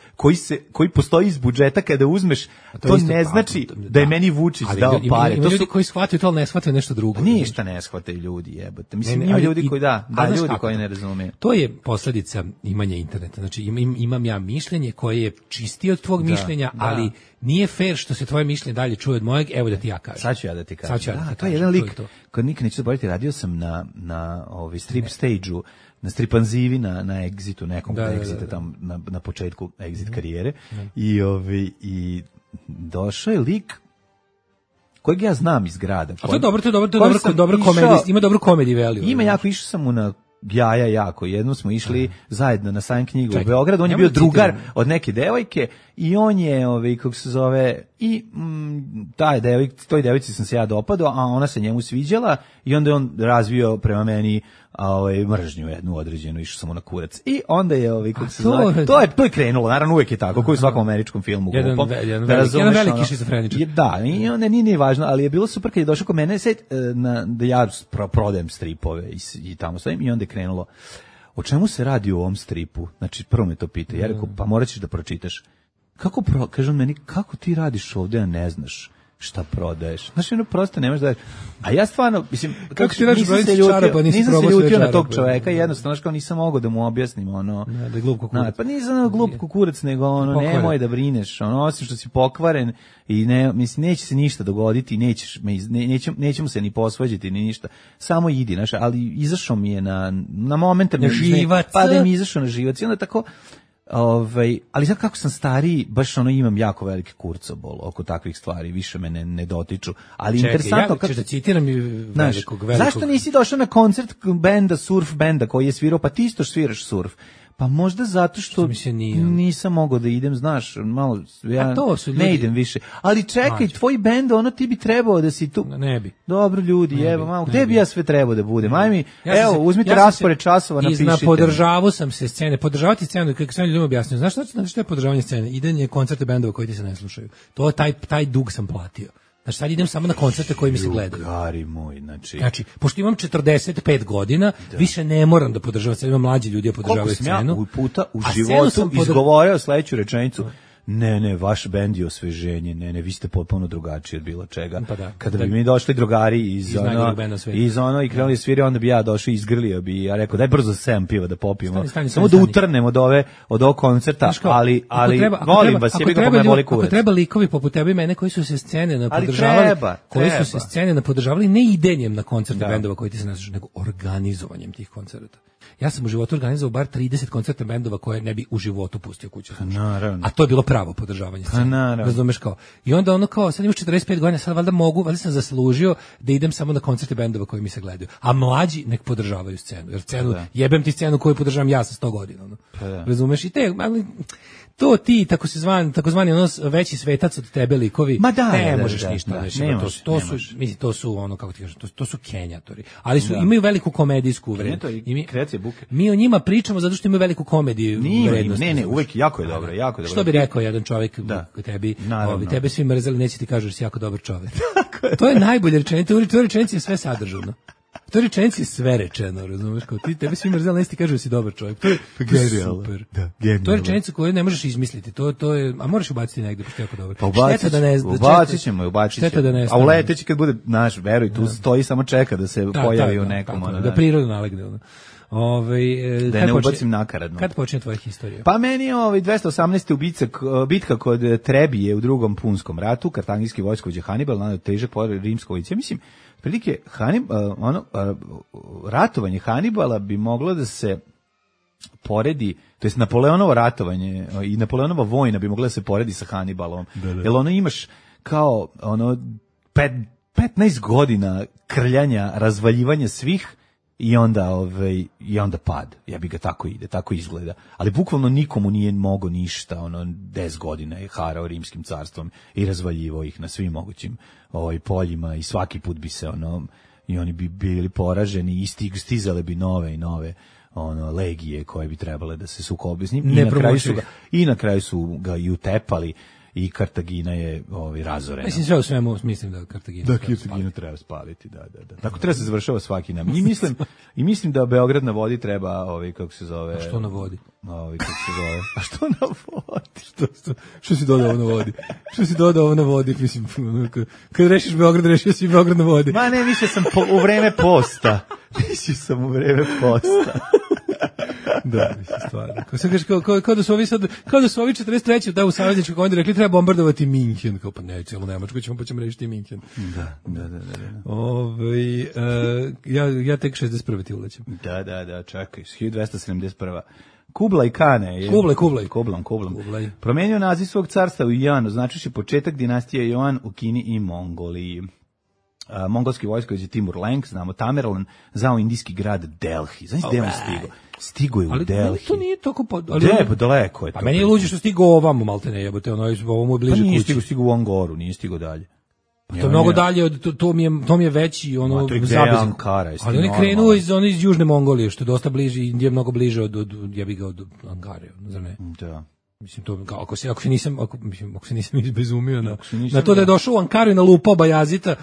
koji postoji iz budžeta kada uzmeš, to ne znači da je meni Vučić dao pare. Ima ljudi koji shvataju to, ali ne shvataju nešto drugo. Ništa ne shvataju ljudi, jebote. Mislim, ima ljudi koji ljudi koji ne razumeju. To je posljedica imanja interneta. Znači imam ja mišljenje koje je čistije od tvog mišljenja, ali nije fair što se tvoje mišljenje dalje čuje od mojeg, evo da ti ja kažem. Sad ću ja da ti kažem. To je jedan lik, kad nikad neću zaboraviti, radio sam na strip stage-u, na stripanzivi, na Exitu, nekom Exita tamo na početku Exit karijere. I došao je lik kojeg ja znam iz grada. A to je dobro komedija, ima dobru komediju value. Ima jako, išao sam mu na jako. Jednom smo išli zajedno na sajam knjigu u Beogradu, on je bio drugar od neke devojke i on je, kako se zove, i toj devojci sam se ja dopadao, a ona se njemu sviđala i onda je on razvio prema meni mržnju jednu određenu, išao sam mu na kurac. I onda je, kako se zove, to je krenulo, naravno uvek je tako, kao u svakom američkom filmu. Jedan veliki šizofreničar. Da, i onda nije važno, ali je bilo super kad je došao kod mene da ja prodajem stripove i tamo stojim i onda je krenulo. O čemu se radi u ovom stripu? Znači, prvo me to pita. Ja rekao, pa morat ćeš da pročitaš. Kažem meni, kako ti radiš ovde, a ne znaš šta prodaješ. Znaš, ono prosto nemaš da... A ja stvarno, mislim, kako ti radiš brojnicu čarapa, nisam se ljutio na tog čoveka, jednostavno, kao nisam mogao da mu objasnim, ono... Da je glup kukurac. Pa nisam glup kukurac, nego ono, nemoj da brineš, ono, osim što si pokvaren i ne, mislim, neće se ništa dogoditi, nećemo se ni posvađati, ni ništa, samo idi, znaš, ali izašao mi je na momente... Na živac. Pa da mi je izašao na živac i onda tako... ali sad kako sam stariji, baš ono imam jako veliki kurcobol oko takvih stvari, više me ne dotiču. Ali čekaj, interesantno kako da citiram velikog. Zašto nisi došao na koncert benda, surf benda koji je svirao, pa ti isto sviraš surf? Pa možda zato što nisam mogao da idem, znaš, malo, ja ne idem više. Ali čekaj, tvoj bend, ono ti bi trebao da si tu. Ne bi. Dobro ljudi, evo, malo, gde bi ja sve trebao da budem? Ajmi, evo, uzmite raspored časova, napišite. Podržavao sam se scene, podržavati scenu, kako sam ljudima objasnio. Znaš što je podržavanje scene? Idenje koncerte bendova koji ti se ne slušaju. To taj dug sam platio. Znači sad idem samo na koncerte koji mi se gledaju. Drugari moj, znači, pošto imam 45 godina, više ne moram da podržavam, sad imam mlađi ljudi da podržavaju scenu. Koliko sam ja puta u životu izgovorio sledeću rečenicu, ne, vaš bend je osveženje, ne, vi ste potpuno drugačiji od bilo čega. Pa da, kada bi mi došli drugari iz ono i krenuli sviri, onda bi ja došao i izgrlio bi, ja rekao, daj brzo 7 piva da popijemo, samo da utrnemo od ovog koncerta, ali volim vas, jebi ga po me boli kurac. Ako treba likovi poput tebe i mene koji su se scene napodržavali, ne idenjem na koncerte bendova koji ti se ne slušaju, nego organizovanjem tih koncerta. Ja sam u životu organizovao bar 30 koncerta bendova koje ne bi u životu pustio kuću. A to je bilo pravo podržavanje scene. Razumeš kao. I onda ono kao, sad imaš 45 godina, sad valjda sam zaslužio da idem samo na koncerte bendova koji mi se gledaju. A mlađi nek podržavaju scenu. Jer jebem ti scenu koju podržavam ja sa 100 godina. Ono. Razumeš? I ali to ti, takozvani ono veći svetac od tebe likovi, ne možeš ništa. To su ono, kako ti kažem, to su kenjatori. Ali imaju veliku komedijsku vrednost. Kreacija buke. Mi o njima pričamo zato što imaju veliku komediju vrednost. Ne, uvek jako je dobro. Što bi rekao jedan čovjek tebi, tebe svi mrzeli, neće ti kažu da si jako dobar čovjek. To je najbolje rečenica, to rečenici je sve sadržano. To je rečenici sve rečeno, razumiješ, kao ti, tebe svi mrzeli, neće ti kažu da si dobar čovjek. To je super. To je rečenica koju ne možeš izmisliti, to je, a moraš ubaciti negdje, pošto je jako dobro. Pa ubacit ćemo. A u leteći kad bude, naš, veruj, tu stoji, samo čeka da se pojavi u nekom. Da prirodno nalegne, da ne ubacim nakaradno. Kad počinje tvoja historija? Pa meni je 218. bitka kod Trebije u Drugom punskom ratu, kartagijski vojskovođa Hanibal naneo težak poraz rimskoj vojsci. Ja mislim, prilike ratovanje Hanibala bi moglo da se poredi, to jest Napoleonovo ratovanje i Napoleonova vojna bi mogla da se poredi sa Hanibalom. Jer ono imaš kao 15 godina krljanja, razvaljivanja svih i onda pad. Ja bi ga tako izgleda. Ali bukvalno nikomu nije mogo ništa, 10 godina je harao rimskim carstvom i razvaljivao ih na svim mogućim poljima i svaki put bi se i oni bi bili poraženi i stizale bi nove i nove legije koje bi trebale da se sukobe s njim. I na kraju su ga i utepali. I Kartagina je razorena. Mislim, sve u svemu mislim da Kartagina treba spaliti. Da. Tako treba se završava svaki nam. I mislim da Beograd na vodi treba, kako se zove... A što na vodi? Kako se zove? A što na vodi? Što si dodao na vodi? Što si dodao na vodi? Mislim, kad rešiš Beograd, rešio si Beograd na vodi. Ma ne, mislio sam u vreme posta. Da, mislim, stvarno. Kao da su ovi 43. da u savezničkoj komandi rekli treba bombardovati Minhen. Kao pa ne, cijelu Nemačku pa ćemo rešiti Minhen. Da. Ja tek 61. ti ulećem. Da, čekaj, 1271. Kublai Kane je... Kublai. Promenio naziv svog carstva u Joan, označivši početak dinastije Joan u Kini i Mongoliji. Mongolski vojskovođa Timur Lenk, znamo Tamerlan, zao indijski grad Delhi. Znaš gde on stigo je u Delhi. Ali to nije toliko... daleko je to. Pa meni je luđe što stigo ovamo, malte ne jebote, ovo mu je bliže kući. Pa nije stigo u Angoru, nije stigo dalje. Pa to je mnogo dalje, to mi je veći zabezin. Ali on je krenuo iz Južne Mongolije, što je dosta bliže, Indija je mnogo bliže od Angare, zar ne? Da. Mislim to ako se nisam izbezumio na to da je došao u Ankaru i nalupao Bajazita,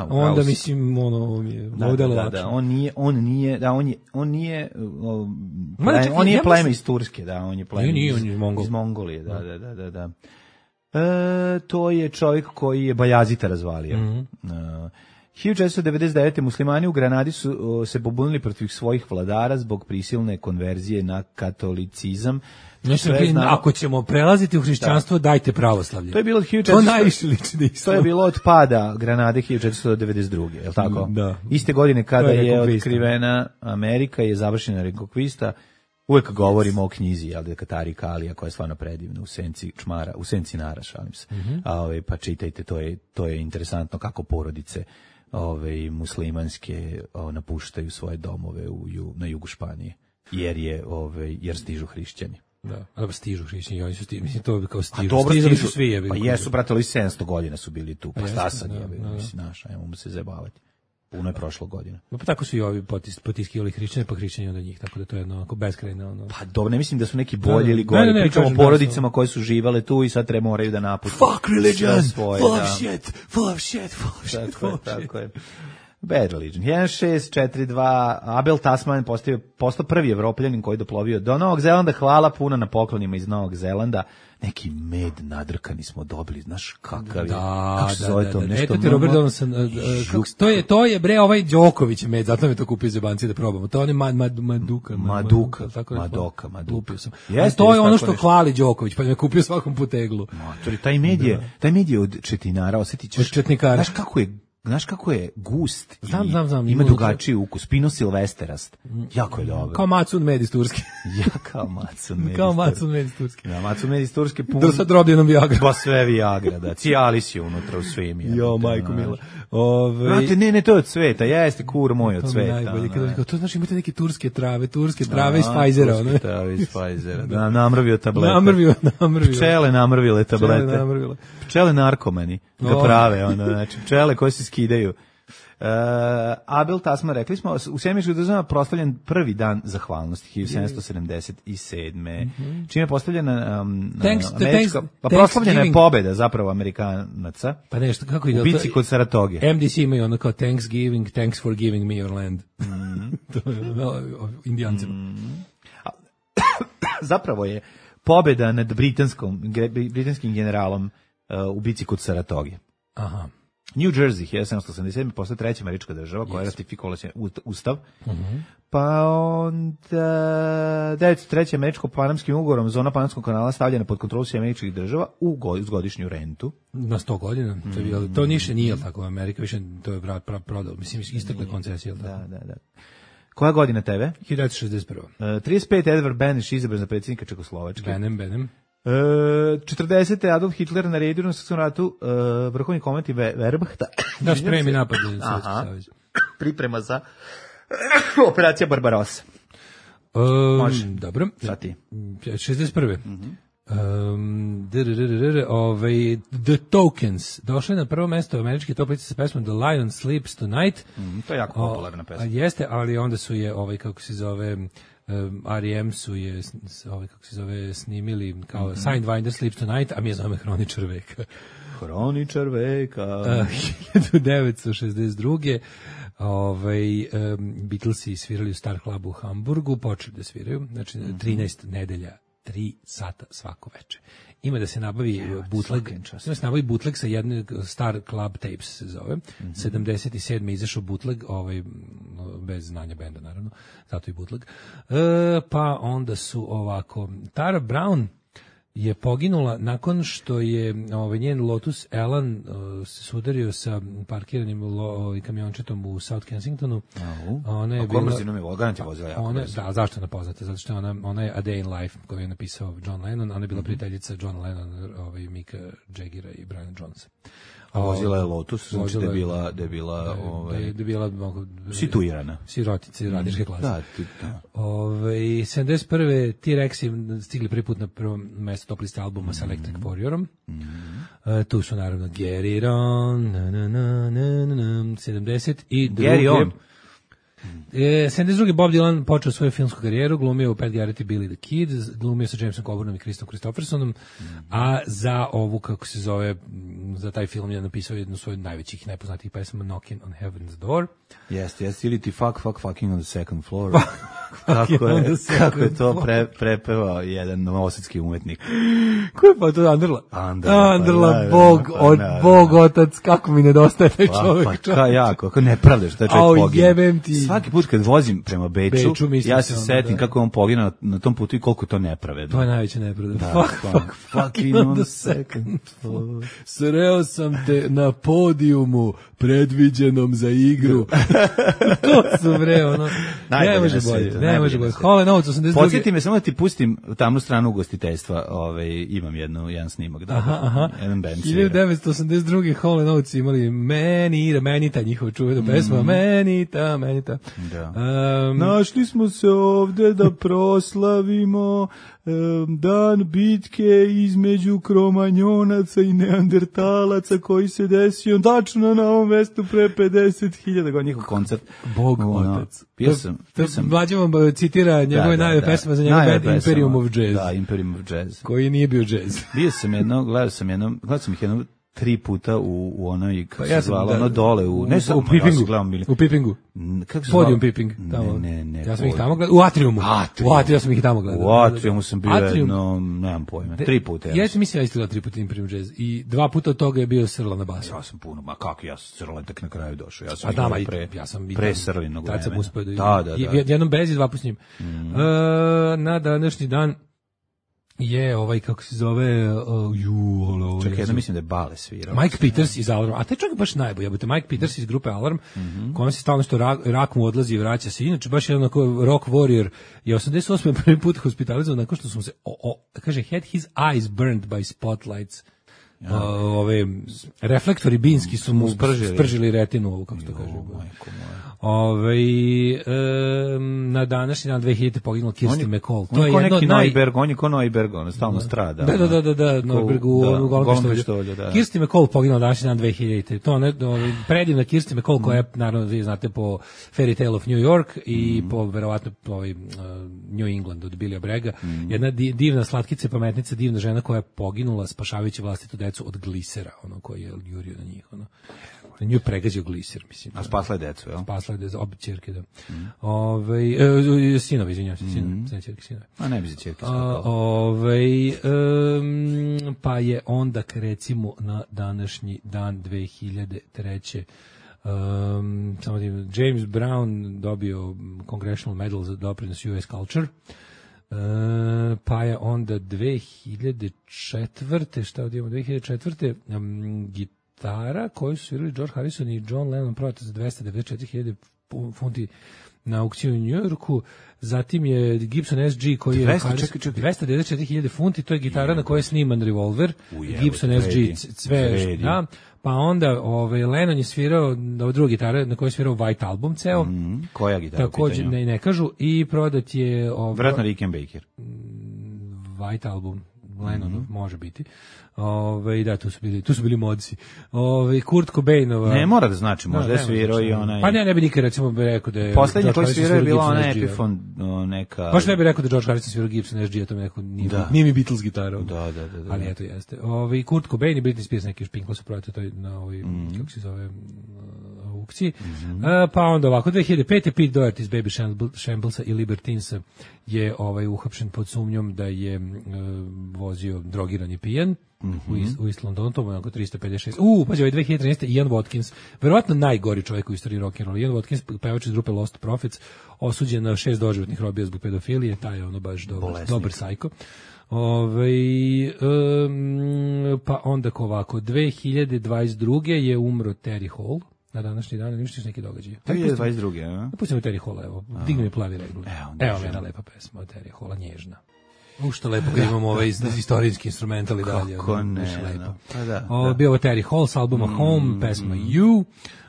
onda mislim mi je on nije pleme iz Turske, on je pleme iz Mongolije, da. To je čovjek koji je Bajazita razvalio. 1499. muslimani u Granadi su se pobunili protiv svojih vladara zbog prisilne konverzije na katolicizam. Ako ćemo prelaziti u hrišćanstvo, dajte pravoslavlje. To je bilo to najviše liči na islam. To je bilo od pada Granade 1492. Je li tako? Da. Iste godine kada je otkrivena Amerika i je završena rekonkvista. Uvek govorimo o knjizi, jel, Tarika Alija, koja je stvarno predivna, u senci čmara, u senci nara, šalim se. Pa čitajte, to je interesantno kako porodice muslimanske napuštaju svoje domove na jugu Španije, jer stižu hrišćani. Da, ali stižu hrišćani, oni su mislim to kao stižu. Stizali su svi, pa jesu, pratili 700 godina su bili tu, pa šta sad je, mislim, naša, ajmo se zajebavati. Puno je prošlo godina. Pa tako su i ovi potiskivali hrišćane, pa hrišćani od njih, tako da to je onako beskrajno. Pa dobro, ne mislim da su neki bolji ili gori. Pričamo o porodicama koje su živale tu i sad moraju da napuste. Fuck religion, full of shit. Tako je. Bad religion. 1642, Abel Tasman postao prvi Evropljanin koji doplovio do Novog Zelanda. Hvala puno na poklonima iz Novog Zelanda. Neki med nadrkani smo dobili, znaš kakav je, kako se zove to, nešto. Eto ti Robert Donaldson, to je bre ovaj Đoković med, zato me to kupio za banci da probamo. To on je Maduka. Lupio sam. To je ono što hvali Đoković, pa me kupio svakom puteglu. Taj med je od četinara, osjetit ćeš. Od četnikara. Znaš kako je gust, znam, ima drugačiji ukus, Pino Silvesterast, jako je dobro. Kao Macun med iz Turske. Kao Macun med iz Turske. Da, Macun med iz Turske pun. Do sad robljenom Viagra. Pa sve Viagra, da. Cialis je unutra u svim. Jo, majko mila. Ne, to je od cveta, jeste kur moj od cveta. Najbolje, to znači imate neke turske trave iz Pfizera. Turske trave iz Pfizera, da, namrvio tablete. Namrvio. Pčele namrvile tablete. Pčele narkomani, da prave, znači pčele koje se skidaju. Abel Tasman, rekli smo, u Sjemeničkih državama proslavljen prvi dan zahvalnosti 1777. Čime je postavljena proslavljena je pobeda zapravo Amerikanaca. Pa nešto, kako ide? U bici kod Saratoge. MDC imaju ono kao Thanksgiving, thanks for giving me your land. To je Indijancima. Zapravo je pobeda nad britanskim generalom u bici kod Saratoge. Aha. New Jersey, 1787. postaje treća američka država koja je ratifikovala ustav. Pa onda 903. američko-panamskim ugovorom zona Panamskog kanala stavljena pod kontrolu američkih država uz godišnju rentu. Na 100 godina. To niše nije tako. Amerika više to je prodao. Mislim, istekle koncesije. Da. Koja godina tebe? 1961. 35. Edvard Beneš izabran za predsjednika Čekoslovačke. Benem. 40. Adolf Hitler naredio na Svjetskom ratu vrhovni komandant Wehrmachta da spremi napad na Sovjetski savez. Priprema za operacija Barbarossa. Dobro. Sati. 61. The Tokens došli na prvo mesto američke toplice sa pesmom The Lion Sleeps Tonight. To je jako popularna pesma. Jeste, ali onda su je kako se zove R.E.M. su je snimili kao Sidewinder Sleeps Tonight, a mi je zove Hroničar veka. Hroničar veka. 1962. Beatlesi svirali u Star Clubu u Hamburgu, počeli da sviraju, znači 13 nedelja, 3 sata svako veče. Ima da se nabavi bootleg sa jednog Star Club Tapes se zove. 77. izašao bootleg, bez znanja benda naravno, zato i bootleg. Pa onda su ovako, Tara Brown je poginula nakon što je njen Lotus Elan se sudario sa parkiranim kamiončetom u South Kensingtonu. Ona je bila vozila jako brzo. Da, zašto je ona poznata? Zato što ona je A Day in Life koju je napisao John Lennon, ona je bila prijateljica John Lennon, Mika Jaggera i Brian Jonesa. Vozila je Lotus, znači da je bila situirana. Sirotice radničke klase. Da. 71. T-Rexi stigli prvi put na prvo mesto top liste albuma sa Electric Warriorom. Tu su naravno Get It On, 70 i Get It On. 72. Bob Dylan počeo svoju filmsku karijeru, glumio u Pat Garrett i Billy the Kid, glumio sa Jamesom Coburnam i Christom Christophersonom, a za ovu, kako se zove, za taj film je napisao jednu svoju najvećih, najpoznatijih pesama, Knocking on Heaven's Door. Jeste, ili ti fucking on the second floor. Kako je to prepevao jedan novosadski umetnik. Ko je pa to Anderla? Anderla, Bog otac, kako mi nedostaje taj čovjek. Kako ne pravdaš, taj čovjek poginuo. Jebem ti. Svaki put kad vozim prema Beču ja se setim kako on poginuo na tom putu i koliko to nepravedno. To je najveća nepravda. Fucking on the second floor. Sreo sam te na podijumu predviđenom za igru. To su ono. Ne može bolje. Hole Notes 82. Podsjeti me samo da ti pustim tamnu stranu ugostiteljstva. Imam jedan snimak. Jedan band 1982. Hole Notes imali Manita, njihova čuvena pesma. Manita. Da. Našli smo se ovde da proslavimo dan bitke između Kromanjonaca i Neandertalaca koji se desio tačno na ovom mestu pre 50.000 njihov koncert. Bog otac. Pio sam. Mlađe vam citira njegove najve pesme za njegov band Imperium of Jazz. Da, Imperium of Jazz. Koji nije bio jazz. Bio sam gledao sam ih jedno 3 puta u onoj, kako se zvala, ono dole, u Pipingu. Podium Piping. Ne. Ja sam ih tamo gledao, u Atriumu. Ja sam ih tamo gledao. U Atriumu sam bio jedno, nemam pojma, 3 puta. Ja sam mislio, ja isto gledao 3 puta Imperium Jazz i 2 puta od toga je bio Srla na basu. Ja sam puno, ja sam Srla tek na kraju došao. Ja sam pre Srlinog vremena. Tad sam uspio da. Jednom bez i 2 puta s njim. Na današnji dan je kako se zove čekaj, ja mislim da je Bale svirao. Mike Peters iz Alarm, a taj čovjek baš najbolji, Mike Peters iz grupe Alarm, kojom se stalno što rak mu odlazi i vraća se, inače baš jedan rock warrior, je 88. prvi put hospitalizovan nakon što smo se, kaže, had his eyes burned by spotlights. Reflektori binski su mu spržili retinu, kako se to kaže. Na današnji dan 2000. poginulo Kirsten McCall. To je jedno on je ko Neuberg, on stalno strada. Da, Neuberg u Golom pištolju. Kirsten McCall poginulo današnji dan 2000. To je predivna Kirsten McCall koja je, naravno, vi znate, po Fairy Tale of New York i po, verovatno, New England od Billya Bragga. Jedna divna slatkica, pametnica, divna žena koja je poginula spašavajući vlastitu decu od glisera, koji je jurio na njih, nju je pregazio gliser, mislim. A spasla je decu, jel? Spasla je decu, obje ćerke, da. Sinove, izvinjam se, ćerke, sinove. A ne bi za ćerke pa je onda, recimo, na današnji dan 2003. James Brown dobio Congressional Medal za doprinos US Culture. Pa je onda 2004. Šta ovdje imamo? 2004. Gitara koju su svirali George Harrison i John Lennon prodata za 294.000 funti na aukciju u New Yorku. Zatim je Gibson SG koji je 294.000 funti, to je gitara na kojoj je sniman Revolver. Gibson SG sve, da. Pa onda Lennon je svirao druga gitara na kojoj je svirao White Album ceo. Koja gitara? Također ne kažu, i prodat je vratno Rickenbacker. White Album Lennonov, može biti. Da, tu su bili modci. Kurt Cobainova. Ne mora da znači, možda je svirao i onaj. Pa ne bi nikad recimo rekao da je. Poslednji koji svirao je bila ona Epiphone neka. Baš ne bi rekao da George Harrison svirao Gibson SG, to mi neko nije mi Beatles gitara. Da. Ali eto jeste. Kurt Cobain i Britney Spears neki špinklo su prodati to na kako se zove aukciji. Pa onda ovako 2005. Pete Doherty iz Baby Shamblesa i Libertinsa je uhapšen pod sumnjom da je vozio drogiran i pijan. U East Londonu, to je oko 356. Pađe, 2013. Ian Watkins, verovatno najgori čovjek u istoriji rock'n'rolla. Ian Watkins, pevač iz grupe Lost Prophets, osuđen na 6 doživotnih robija zbog pedofilije, taj je baš dobar sajko. Pa onda ovako, 2022. je umro Terry Hall. Na današnji dan, ništa neki događaj. 2022. a? Pustimo Terry Halla, evo. Digni mi plavi regul. Evo jedna lepa pesma od Terry Halla, nježna. Što lepo kad imamo ovaj istorijski instrumental i dalje. Kako ne. Pa da. Bio ovo Terry Hall s albuma Home, pesma You.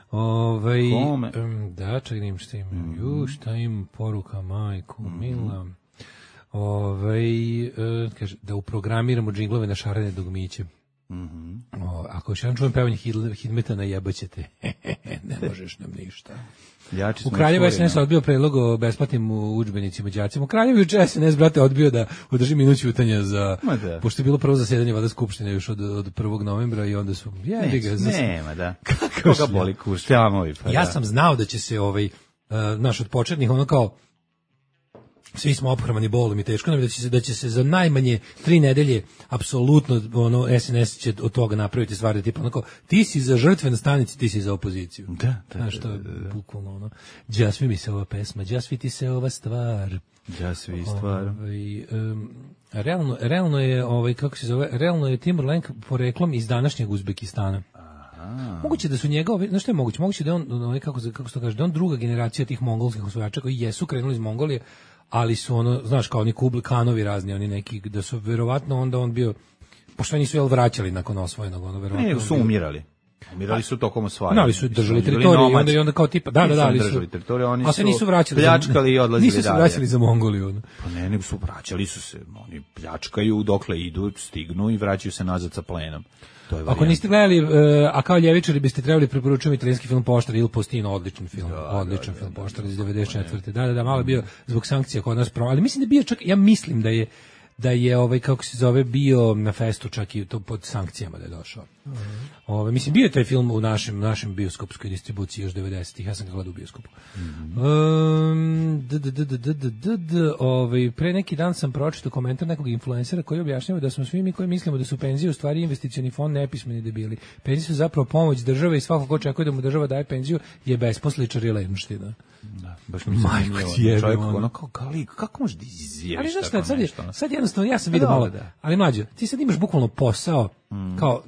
Home. Da, čekaj, šta imam. Šta imam, poruka majku, mila. Kaže, da uprogramiramo džinglove na šarene dugmiće. Ako još jedan čujem pevanje Hidmetana, jebaćete. Ne možeš nam ništa. U Kraljevu SNS odbio predlog o besplatnim udžbenicima đacima. U Kraljevu juče SNS, brate, odbio da održi minut ćutanja za... Pošto je bilo prvo zasedanje Vlade Skupštine još od 1. novembra i onda su... Nema, da. Koga boli kurs? Ja sam znao da će se naš od početnih, ono kao... Svi smo ophrmani bolom i teško nam da će se za najmanje 3 nedelje apsolutno SNS će od toga napraviti stvari tipa onako ti si za žrtve na stanici, ti si za opoziciju. Da. Znaš što je bukvalno Đasvi mi se ova pesma, Đasvi ti se ova stvar. Đasvi stvar. Realno je kako se zove, realno je Timur-Lenk poreklom iz današnjeg Uzbekistana. Moguće da su njega, znaš što je moguće? Moguće da on kako se to kaže, da on druga generacija tih mongolskih osvajača koji jesu krenuli iz Mongolije, ali su znaš, kao oni Kubli Kanovi razni, oni neki, da su verovatno onda on bio, pošto nisu vraćali nakon osvojenog, verovatno. Ne, su umirali. Umirali su tokom osvajanja. Ali su držali teritoriju i onda kao tipa, da, ali su držali teritoriju, oni su nisu vraćali, pljačkali i odlazili dalje. Nisu se vraćali za Mongoliju. Pa ne, nego su vraćali su se, oni pljačkaju dokle idu, stignu i vraćaju se nazad sa plenom. Ako niste gledali, a kao ljevičari biste trebali preporučiti italijanski film Poštar Il Postino, odličan film, film Poštar iz 94. Da, malo je bio zbog sankcija kod nas, ali mislim da je bio čak, ja mislim da je kako se zove, bio na festu čak i to pod sankcijama da je došao. Mislim, bio je taj film u našem bioskopskoj distribuciji još 90-ih, ja sam ga gledao u bioskopu. Pre neki dan sam pročitao komentar nekog influencera koji objašnjava da smo svi mi koji mislimo da su penzije u stvari investicioni fond nepismeni debili. Penzije su zapravo pomoć države i svako ko očekuje da mu država daje penziju je besposličar i lenština. Da, baš mi se zanimljivo. Čovjek kako može da izjaviš tako nešto? Sad jednostavno, ja sam vidio malo, ali mlađo, ti sad imaš bukvalno posao, kao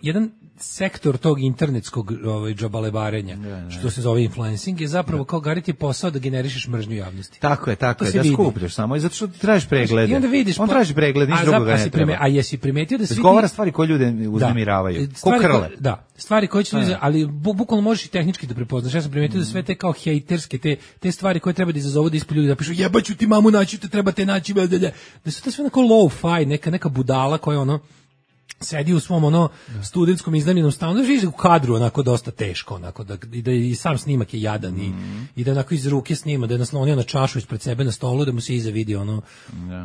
jedan sektor tog internetskog džabalebarenja, što se zove influencing, je zapravo kao gariti posao da generišeš mržnju javnosti. Tako je, da skupljaš samo i zato što ti tražiš preglede. I onda vidiš, on traži pregled, niš drugoga ne treba. A jesi primetio da svi govara stvari koje ljude uznemiravaju, ko krle. Da, stvari koje će ljudi, ali bukvalno možeš i tehnički da prepoznaš. Ja sam primetio da sve te kao hejterske, te stvari koje treba da izazovu da ispod ljudi da pišu jebaću ti mamu, naći te, treba te naći, da su to sve onako low-fi, neka budala koja sedi u svom studentskom iznajmljenom stanu, da živi u kadru onako dosta teško, onako da i sam snimak je jadan i da onako iz ruke snima, da je naslonio na čašu ispred sebe na stolu, da mu se iza vidi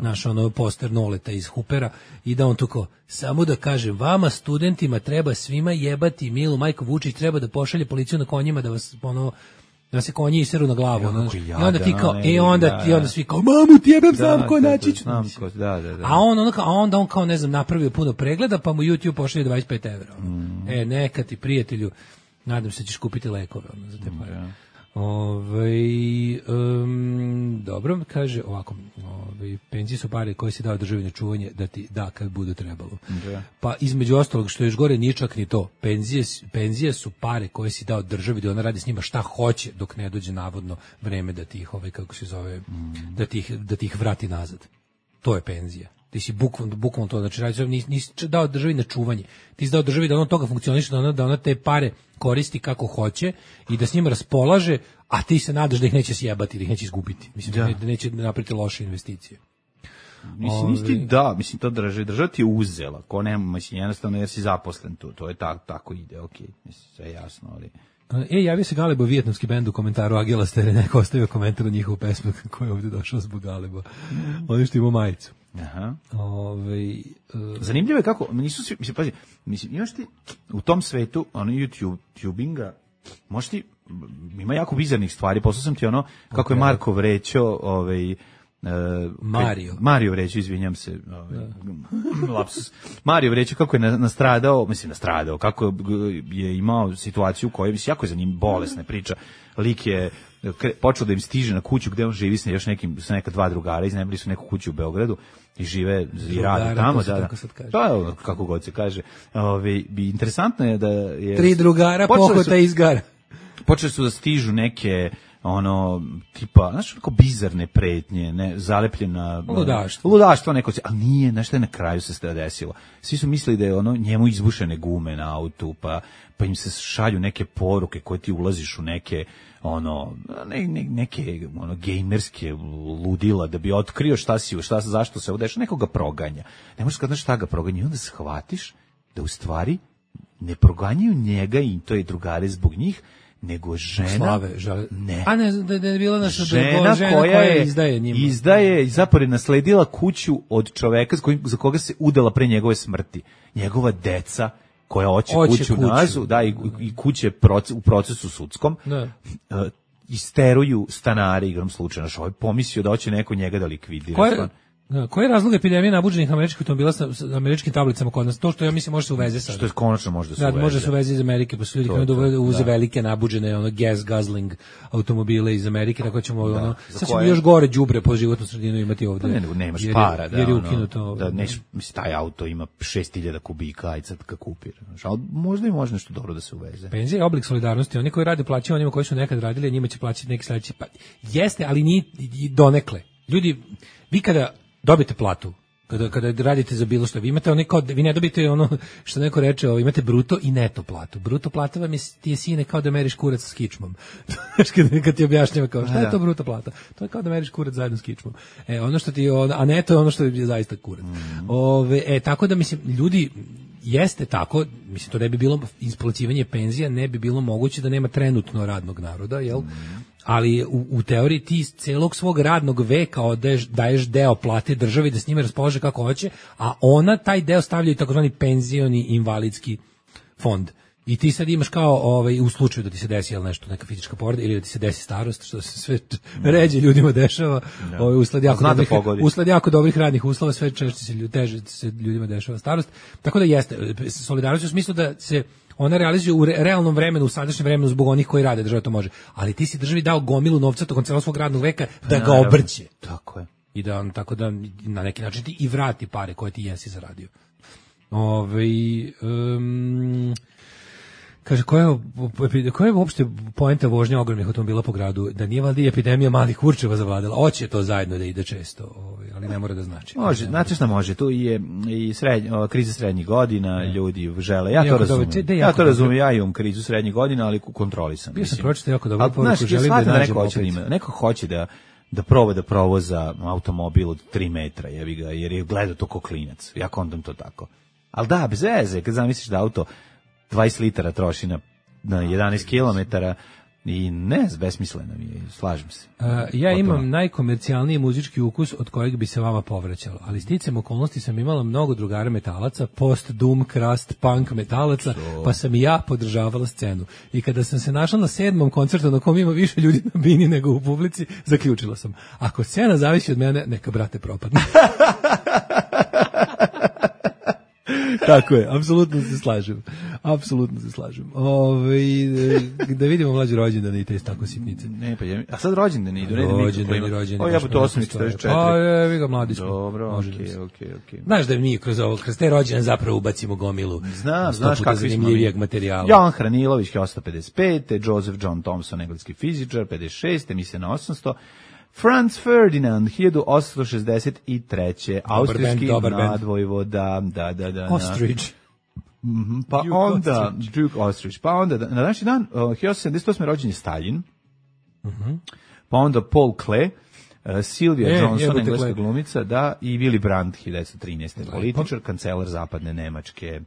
naš poster Noleta iz Hupera i da on tu samo da kaže, vama studentima treba svima jebati milu majku, Vučić treba da pošalje policiju na konjima da vas da se konji iseru na glavu. I onda ti kao, onda svi kao, mamu ti jebem, znam ko načić. A onda on kao, ne znam, napravio puno pregleda, pa mu YouTube pošalje 25 evra. Neka ti, prijatelju, nadam se ćeš kupiti lekove za te pare. Dobro, kaže ovako, penzije su pare koje si dao državi na čuvanje da ti da kad bude trebalo. Pa između ostalog, što je još gore, nije čak ni to. Penzije su pare koje si dao državi da ona radi s njima šta hoće dok ne dođe navodno vreme da ti ih kako se zove, da ti ih vrati nazad. To je penzija. Ti si bukvalno to, znači nisi dao državi na čuvanje. Ti si dao državi da ono toga funkcioniše, da ona te pare koristi kako hoće i da s njima raspolaže, a ti se nadaš da ih neće sjebati, da ih neće izgubiti. Mislim, da neće napraviti loše investicije. Mislim, to država ti je uzela, ko nema, mislim, jednostavno jer si zaposlen tu, to je tako ide, okej, mislim, sve je jasno, ali... Javio se Galebo, vijetnamski bend, u komentaru Agila Stere, neko ostavio komentar o njihovu pesmu koja je ovdje došao zbog Galeba. Oni što imao majicu. Aha. Zanimljivo je kako, nisu svi, mislim, imaš ti u tom svetu, YouTubinga, možeš ti, ima jako bizarnih stvari, poslao sam ti kako je Marko vrećao, Mario vrećao, izvinjam se, lapsus. Mario vrećao kako je nastradao, kako je imao situaciju u kojoj, jako je za njim bolesna priča, lik je počeo da im stiže na kuću gde on živi sa neka 2 drugara, iznajmili su neku kuću u Beogradu i žive i rade tamo, da, kako god se kaže. Interesantno je da je 3 drugara pohota izgara. Počeli su da stižu neke tipa, znaš, neko bizarne pretnje, zalepljena ludaštvo neko, ali nije, nešto je na kraju se desilo. Svi su mislili da je njemu izbušene gume na autu, pa im se šalju neke poruke koje ti ulaziš u neke neke gejmerske ludila da bi otkrio zašto se ovo dešava, nekoga proganja. Ne možeš kada šta ga proganja i onda shvatiš da u stvari ne proganjaju njega i to je drugare zbog njih, nego žena Slave, ne. A ne znam da je bila naša žena koja izdaje njima. Izdaje i zapravo nasledila kuću od čoveka za koga se udala pre njegove smrti. Njegova deca koja hoće kuću nazu, da, i kuće u procesu sudskom, isteruju stanare igrom slučaja. Ovaj je pomislio da hoće neko njega da likvidira. Koji je razlog epidemije nabuđenih američkih automobila sa američkim tablicama kod nas? To što ja mislim može se uveze sad. Što je konačno može da se uveze. Da, može se uveze iz Amerike, pa su ljudi koji uze velike nabuđene gas guzzling automobile iz Amerike, tako ćemo sad ćemo još gore đubre po životnu sredinu imati ovde. Ne, nemaš para, jer je ukinuto. Da mislim taj auto ima 6000 kubika, aj sad ga kupir. Al možda i može nešto dobro da se uveze. Penzija je oblik solidarnosti, oni koji rade plaćaju onima koji su nekad radili, njima će plaćati neki sledeći. Pa jeste, ali ni donekle. Ljudi, vi kada dobite platu, kada radite za bilo što, vi imate vi ne dobite ono što neko reče, imate bruto i neto platu. Bruto plata vam ti je sine kao da meriš kurac s kičmom. Kad ti objašnjava kao šta je to bruto plata, to je kao da meriš kurac zajedno s kičmom. Ono što ti a neto je ono što je zaista kurac. Tako da mislim ljudi jeste tako, mislim to ne bi bilo isplaćivanje penzija, ne bi bilo moguće da nema trenutno radnog naroda, jel? Ali u teoriji ti celog svog radnog veka daješ deo plate državi da s njime raspolaže kako hoće, a ona taj deo stavlja i takozvani penzioni invalidski fond. I ti sad imaš kao u slučaju da ti se desi nešto, neka fizička povreda ili da ti se desi starost, što se sve ređe ljudima dešava, usled jako dobrih radnih uslova, sve teže se ljudima dešava starost. Tako da jeste, solidarnost u smislu da se ona realizuje u realnom vremenu, u sadašnjem vremenu zbog onih koji rade, država to može. Ali ti si državi dao gomilu novca tokom celog svog radnog veka da ga obrće. Tako je. I da tako da na neki način ti i vrati pare koje ti jesi zaradio. Kaže, koja je uopšte poenta vožnja ogromnih automobila po gradu? Da nije valjda epidemija malih kurčeva zavladala? Hoće to zajedno da ide često, ali ne mora da znači. Može, znate šta može? Tu je i kriza srednjih godina, ljudi žele. Ja to razumijem. Ja imam krizu srednjih godina, ali kontrolisam. Bio sam pročitao jako dobro poruku, želim da nađem opet. Neko hoće da proba da provoza automobil od 3 metra, jebi ga, jer je gledao to ko klinac. Ja kontam to tako. Ali da, bez veze, kad zamisliš da auto 20 litara troši na 11 kilometara i besmisleno mi je, slažem se. Ja imam najkomercijalniji muzički ukus od kojeg bi se vama povraćalo, ali sticam okolnosti sam imala mnogo drugara metalaca, post, doom, crust, punk metalaca, pa sam i ja podržavala scenu. I kada sam se našla na 7. koncertu na kom ima više ljudi na bini nego u publici, zaključila sam, ako scena zavisi od mene, neka brate propadne. Tako je, apsolutno se slažem. Da vidimo mlađi rođendan i te tako sitnice. Ne, pa a sad rođendan idu, ne rođendan. Ja to 844. A vi ga mladić. Dobro, okej. Znaš da mi kroz te rođendan zapravo ubacimo gomilu. Znaš kakvi zanimljivijeg materijala. Jan Hranilović 1855, Joseph John Thomson, engleski fizičar, 56, emisija na 800. Franz Ferdinand, 1863. Austrijski nadvojvoda, da. Ostrich. Pa onda, Duke Ostrich. Pa onda, na današnji dan, 1878. rođen je Stalin. Pa onda Paul Klee, Sylvia Johnson, engleska glumica, da, i Willy Brandt, 1913. političar, kancelar zapadne Nemačke.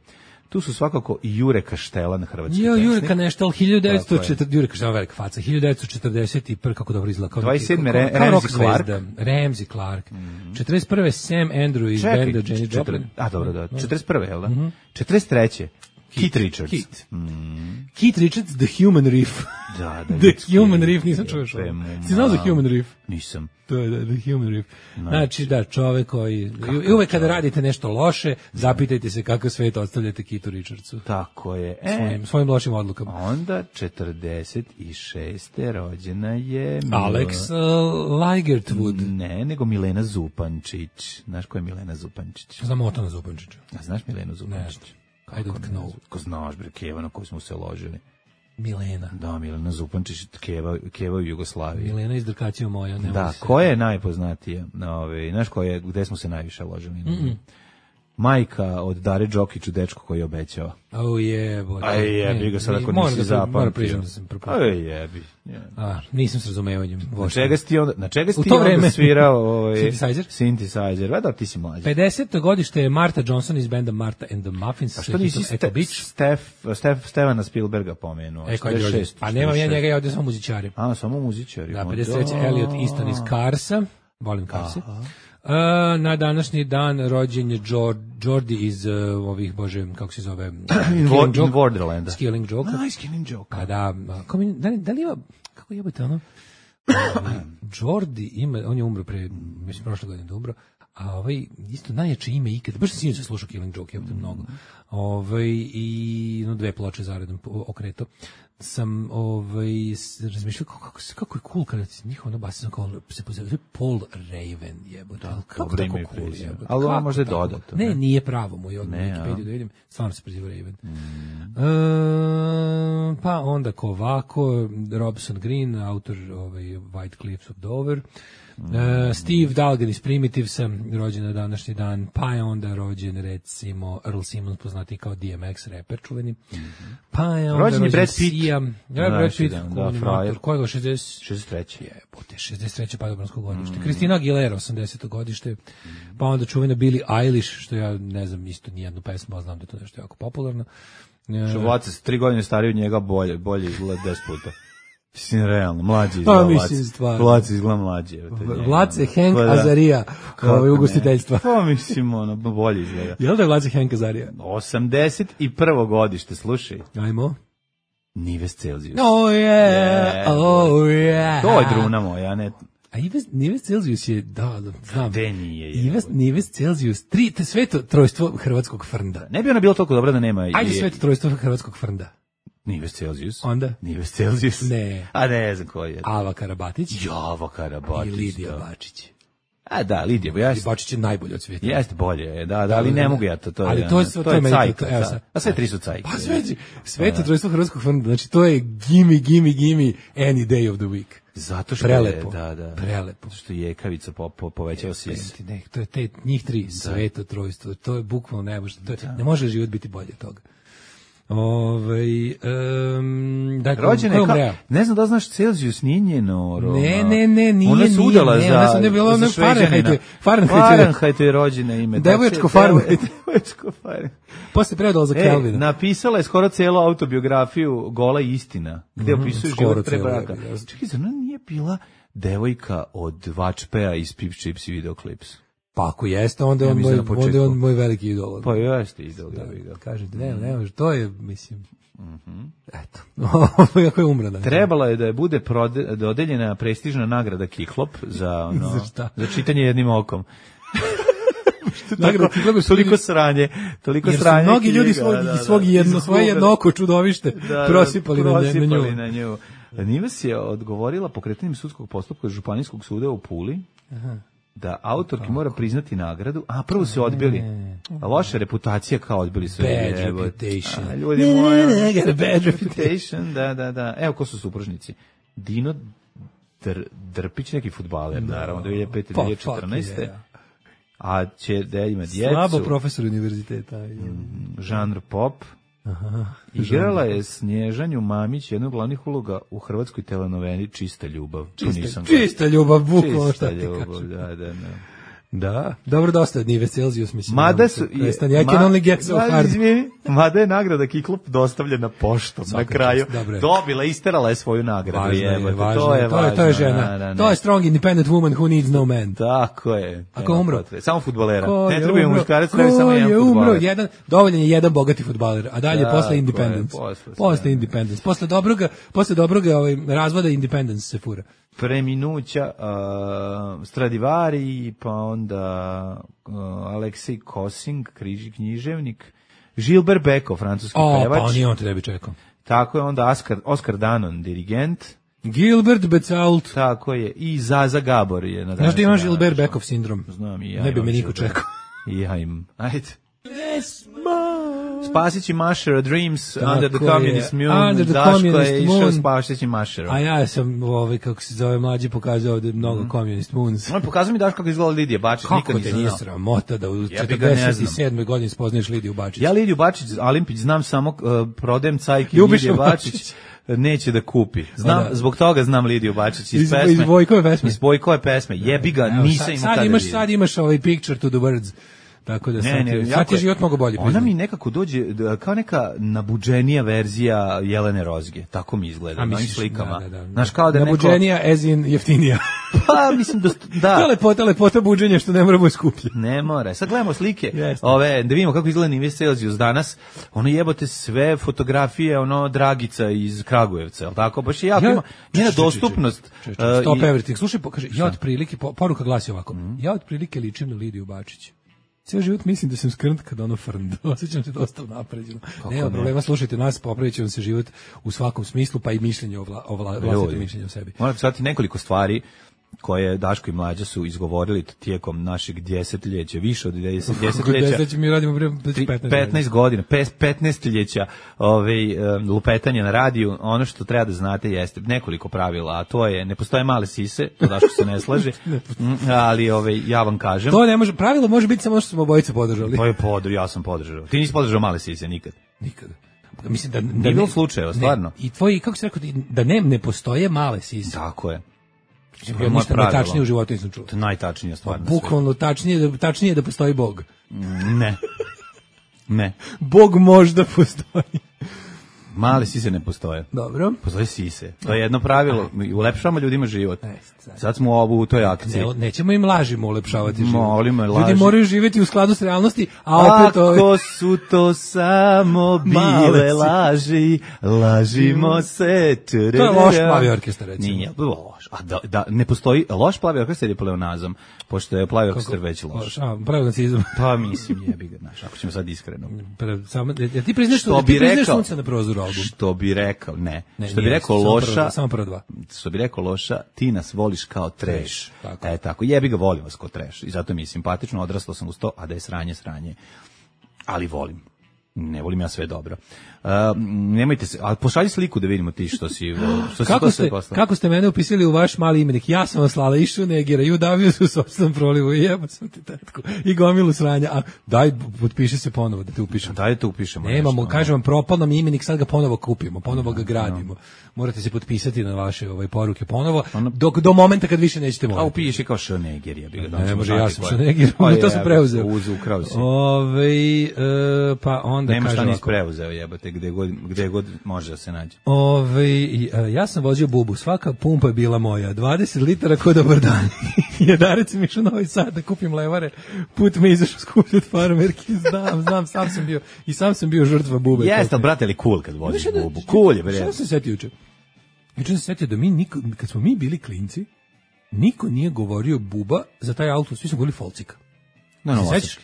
Tu su svakako i Jure Kaštelan, hrvatski pesnik. Jure Kaštelan, 1940, Jure Kaštelan, velika faca, 1941, kako dobro izgleda. 27. Ramsey Clark. 41. Sam Andrew iz benda Jenny Joplin. A, dobro, da. 41. jel da? 43. Keith Richards. Keith Richards, The Human Reef. Da. The Human Reef, nisam čuo što. Si znao za Human Reef? Nisam. To je The Human Reef. Znači, da, čovek koji... I uvek kada radite nešto loše, zapitajte se kako svet ostavljate Keithu Richardsu. Tako je. Svojim lošim odlukama. Onda, 46. rođena je... Alex Ligertwood. Ne, nego Milena Zupančić. Znaš ko je Milena Zupančić? Znam Otona Zupančića. A znaš Milenu Zupančić? I don't know. Ko znaš, bre, Keva na koju smo se ložili. Milena. Da, Milena Zupančić, Keva u Jugoslaviji. Milena iz Drkacija moja. Da, koja je najpoznatija? Znaš gde smo se najviše ložili? majka od Dare Đokiću, dečko koji je obećao. Oh yeah, aj jebi ga sad ako nisi zapamtio. Moram priznam da sam propustio. Aj jebi. Nisam s razumevanjem. Na čega si ti onda svirao synthesizer? Vada, ti si mlađi. 50. godište je Martha Johnson iz benda Martha and the Muffins. A što nisi Stevana Spielberga pomenuo? Pa nemam ja njega, ja ovdje samo muzičari. Samo muzičari. Da, 53. Elliot Easton iz Carsa. Volim Carse. Na današnji dan rođen je Jordi iz ovih, bože, kako se zove? In Borderlanda. Killing Joke. Killing Joke. A da li ima, kako jebate ono? Jordi ima, on je umro pre, mislim, prošle godine da umro, a isto najjače ime ikada, baš sam sinoć slušao Killing Joke, jebate mnogo. I 2 ploče zaredom okreto. Sam razmišljao kako je cool kada njihov ono basisno kao se pozivaju Paul Raven jebote. Kako tako cool jebote. Ali on možda je dodato. Ne, nije pravo mu, od Wikipediju da vidim, stvarno se preziva Raven. Pa onda ko ovako, Robson Green, autor White Cliffs of Dover. Steve Dalgan iz Primitivesa, rođen na današnji dan, pa je onda rođen recimo Earl Simmons, poznati kao DMX rocker čuveni. Pa je onda rođen Brad Pitt. Brad Pitt, koji je 63. Jebote, 63. padobransko godište. Kristina Aguilera, 80. godište. Pa onda čuvena Billie Eilish, što ja ne znam isto nijednu pesmu, ali znam da je to nešto jako popularno. Što Vlaca se 3 godine stariji od njega bolje izgleda 10 puta. Mislim, realno, mlađi izgleda Vlaca izgleda mlađi. Vlace Hank Azarija, ugostiteljstva. Pa mislim, bolje izgleda. Jel da je Vlace Hank Azarija? 81. godište, slušaj. Ajmo. Nives Celsius. Oh yeah. To je druna moja, ne... A Nives Celsius je, da, znam. Gde nije? Nives Celsius, sveto trojstvo hrvatskog frnda. Ne bi ona bilo toliko dobra da nema... Ajde sveto trojstvo hrvatskog frnda. Nives Celsius. Onda? Nives Celsius. Ne. A ne znam ko je. Ava Karabatić. Java Karabatić. I Lidija Bačić. A da, Lidija Bačić je najbolji od svijeta. Jeste bolje, da, ali ne mogu ja to. Ali to je cajka. A sve tri su cajke. Pa sveto trojstvo hrvatskog frnda, znači to je gimme any day of the week. Zato što prelepo, prelepo. Zato što je jekavica povećao sis. To je njih tri, sveto trojstvo, to je bukvalno ne može život biti bolje od toga. Dakle, rođena je ne znam da znaš Celsius nije njeno ne nije ona se udala za Fahrenheit je rođena ime devoječko Fahrenheit posle predala za Kelvina napisala je skoro celu autobiografiju Gola istina gde opisuje život pre braka. Čekaj, zar nije bila devojka od Vačpeja iz Pips Chips i Videoclips? Pa ako jeste, onda je on moj veliki idol. Pa jeste idol. Kažete, ne, to je, mislim... Eto, kako je umrana. Trebala je da je bude dodeljena prestižna nagrada Kiklop za čitanje jednim okom. Toliko sranje. Jer su mnogi ljudi svoje jedno oko čudovište prosipali na nju. Nives je odgovorila pokretanjem sudskog postupka Županijskog suda u Puli. Da autorki mora priznati nagradu, a prvo su odbili. Loša reputacija kao odbili sve. Bad reputation. Ljudi moji. Bad reputation, da. Evo ko su supružnici. Dino Drpić, neki fudbaler, naravno, 2005-2014. A će da ima djecu. Slabo profesor univerziteta. Žanr pop. Igrala je Snježanju Mamić jednu od glavnih uloga u hrvatskoj telenoveli Čista ljubav. Čista ljubav, bukvalno šta ti kažem. Da. Da, dobro, dosta od Nives Celsius, mislim. Mada je nagrada Kiklop dostavljena poštom na kraju. Dobila, isterala je svoju nagradu. To je žena. To je strong independent woman who needs no man. Tako je. Ako umro? Samo fudbalera. Ne treba muškarac, treba samo jedan fudbaler. Dovoljan je jedan bogati fudbaler, a dalje posle independence. Posle independence. Posle dobrog razvoda independence se fura. Preminuća Stradivari, pa onda Aleksej Kosing, književnik, Gilbert Beko, francuski pevač. Pa nije on te ne bi čekao. Tako je onda Oskar Danon, dirigent. Gilbert Becault. Tako je, i Zaza Gabor je. Znaš da imaš Gilbert Bekov sindrom? Znam i ja. Ne bi me niko čekao. I ja im. Ajde. Spasići Mašera Dreams, Tako Under the je. Communist Moon, Under the Daško Communist je išao Moon. Spasići Mašera. A ja sam, kako se zove, mlađi pokazao ovde mnogo Communist Moons. On pokazao mi Daško kako izgleda Lidija Bačić, Kako nikad te nisam nije znao. sramota da u Jebi ga, ne znam. 47. godini spoznaješ Lidiju Bačić? Ja Lidiju Bačić, Alimpić, znam samo prodajem cajke Ljubiša Lidije Bačić. Bačić. Neće da kupi. Znam, Da. zbog toga znam Lidiju Bačić iz pesme. Iz Vojkove pesme. Iz Vojkove pesme. Jebi ga, Evo, nisam imao tada vidio. sad imaš ovaj picture to the words. Tako da sad ti je život mnogo bolji. Ona priznam. mi nekako dođe kao neka nabuđenija verzija Jelene Rozge. Tako mi izgleda, na ovim misliš, slikama. da. Znaš, kao da je neko... Nabuđenija as in jeftinija. Pa, mislim, da. To je lepota buđenja što ne mora biti skuplje. Ne mora. Sad gledamo slike, Jeste. da vidimo kako izgleda Nives Celsius danas. Ono jebote sve fotografije, Dragica iz Kragujevca, je li tako? Baš je jako ima njena dostupnost. Stop everything. Slušaj, kaže, ja otprilike, poruka glasi ovako, ja otprilike ličim na Lidiju Bačić. Cijel život mislim da sam skrnt kad ono frnd. Osjećam se dosta napređeno. Nema problema, slušajte nas, popravit će vam se život u svakom smislu, pa i mišljenje vlastito mišljenje o sebi. Moram pisati nekoliko stvari koje Daško i Mlađa su izgovorili tijekom našeg desetljeća, više od desetljeća. Mi radimo 15 godina, 15-ljeća lupetanja na radiju. Ono što treba da znate jeste nekoliko pravila, a to je, ne postoje male sise, to Daško se ne slaže, ali ja vam kažem. To ne može, pravilo može biti samo što smo obojice podržali. To je ja sam podržao. Ti nisi podržao male sise nikad? Nikad. Mislim da nije bilo slučajeva, stvarno. I tvoji, kako se rekao, da ne postoje male sise. Tako je. Ja ništa najtačnije u životu nisam čuo. To je najtačnije stvar. Bukvalno tačnije da postoji Bog. Ne. Bog možda postoji. Male sise ne postoje. Dobro. Postoje sise. To je jedno pravilo. Ulepšavamo ljudima život. Sad smo u toj akciji. Nećemo im lažimo ulepšavati život. Molimo, ljudi moraju živjeti u skladu s realnosti, a opet... Ako su to samo bile laži, lažimo se. To je loš plavi orkestar, recimo. Nije loš. A da ne postoji loš plavi orkestar je pleonazam, pošto je plavi orkestar već loš. Pleonazam. Pa mislim, jebi ga, znaš, ako ćemo sad iskreno. Ti priznaš sunce na prozoru albumu? Što bi rekao, ne. Što bi rekao loša, samo prva dva. Što bi rekao loša, ti nas voliš kao trash. Tako, jebi ga, volim vas kao trash. I zato mi je simpatično, odrastao sam uz to, a da je sranje. Ali volim. Ne volim ja sve dobro. Nemojte se, ali pošalji sliku da vidimo ti što si kako ste mene upisali u vaš mali imenik. Ja sam vam slala i Šunegira i udavio se u sopstvenom prolivu i jeba sam ti tetku i gomilu sranja. A daj, potpiši se ponovo da te upišemo. Daj te upišemo. Nemamo, kažem vam, propal nam imenik, sad ga ponovo kupimo, ponovo ga gradimo. Morate se potpisati na vaše poruke ponovo, do momenta kad više nećete morati. A upiši kao Šunegir, ja bih ga. Ne može, ja sam Šunegir, to sam preuzeo. Ukrao si. Pa onda nema šta nisi preuzeo, jebate, gde god može da se nađe. Ja sam vozio bubu, svaka pumpa je bila moja, 20 litara ko dobar dan. Jedarec mi išao Novi Sad da kupim levare, put me izašao skuplje od farmerki, znam, sam sam bio žrtva bube. Jeste, brate, ali cool kad voziš bubu, cool je, bre. Šta sam se setio juče? Juče sam se setio da kad smo mi bili klinci, niko nije govorio buba za taj auto, svi su govorili Folcika.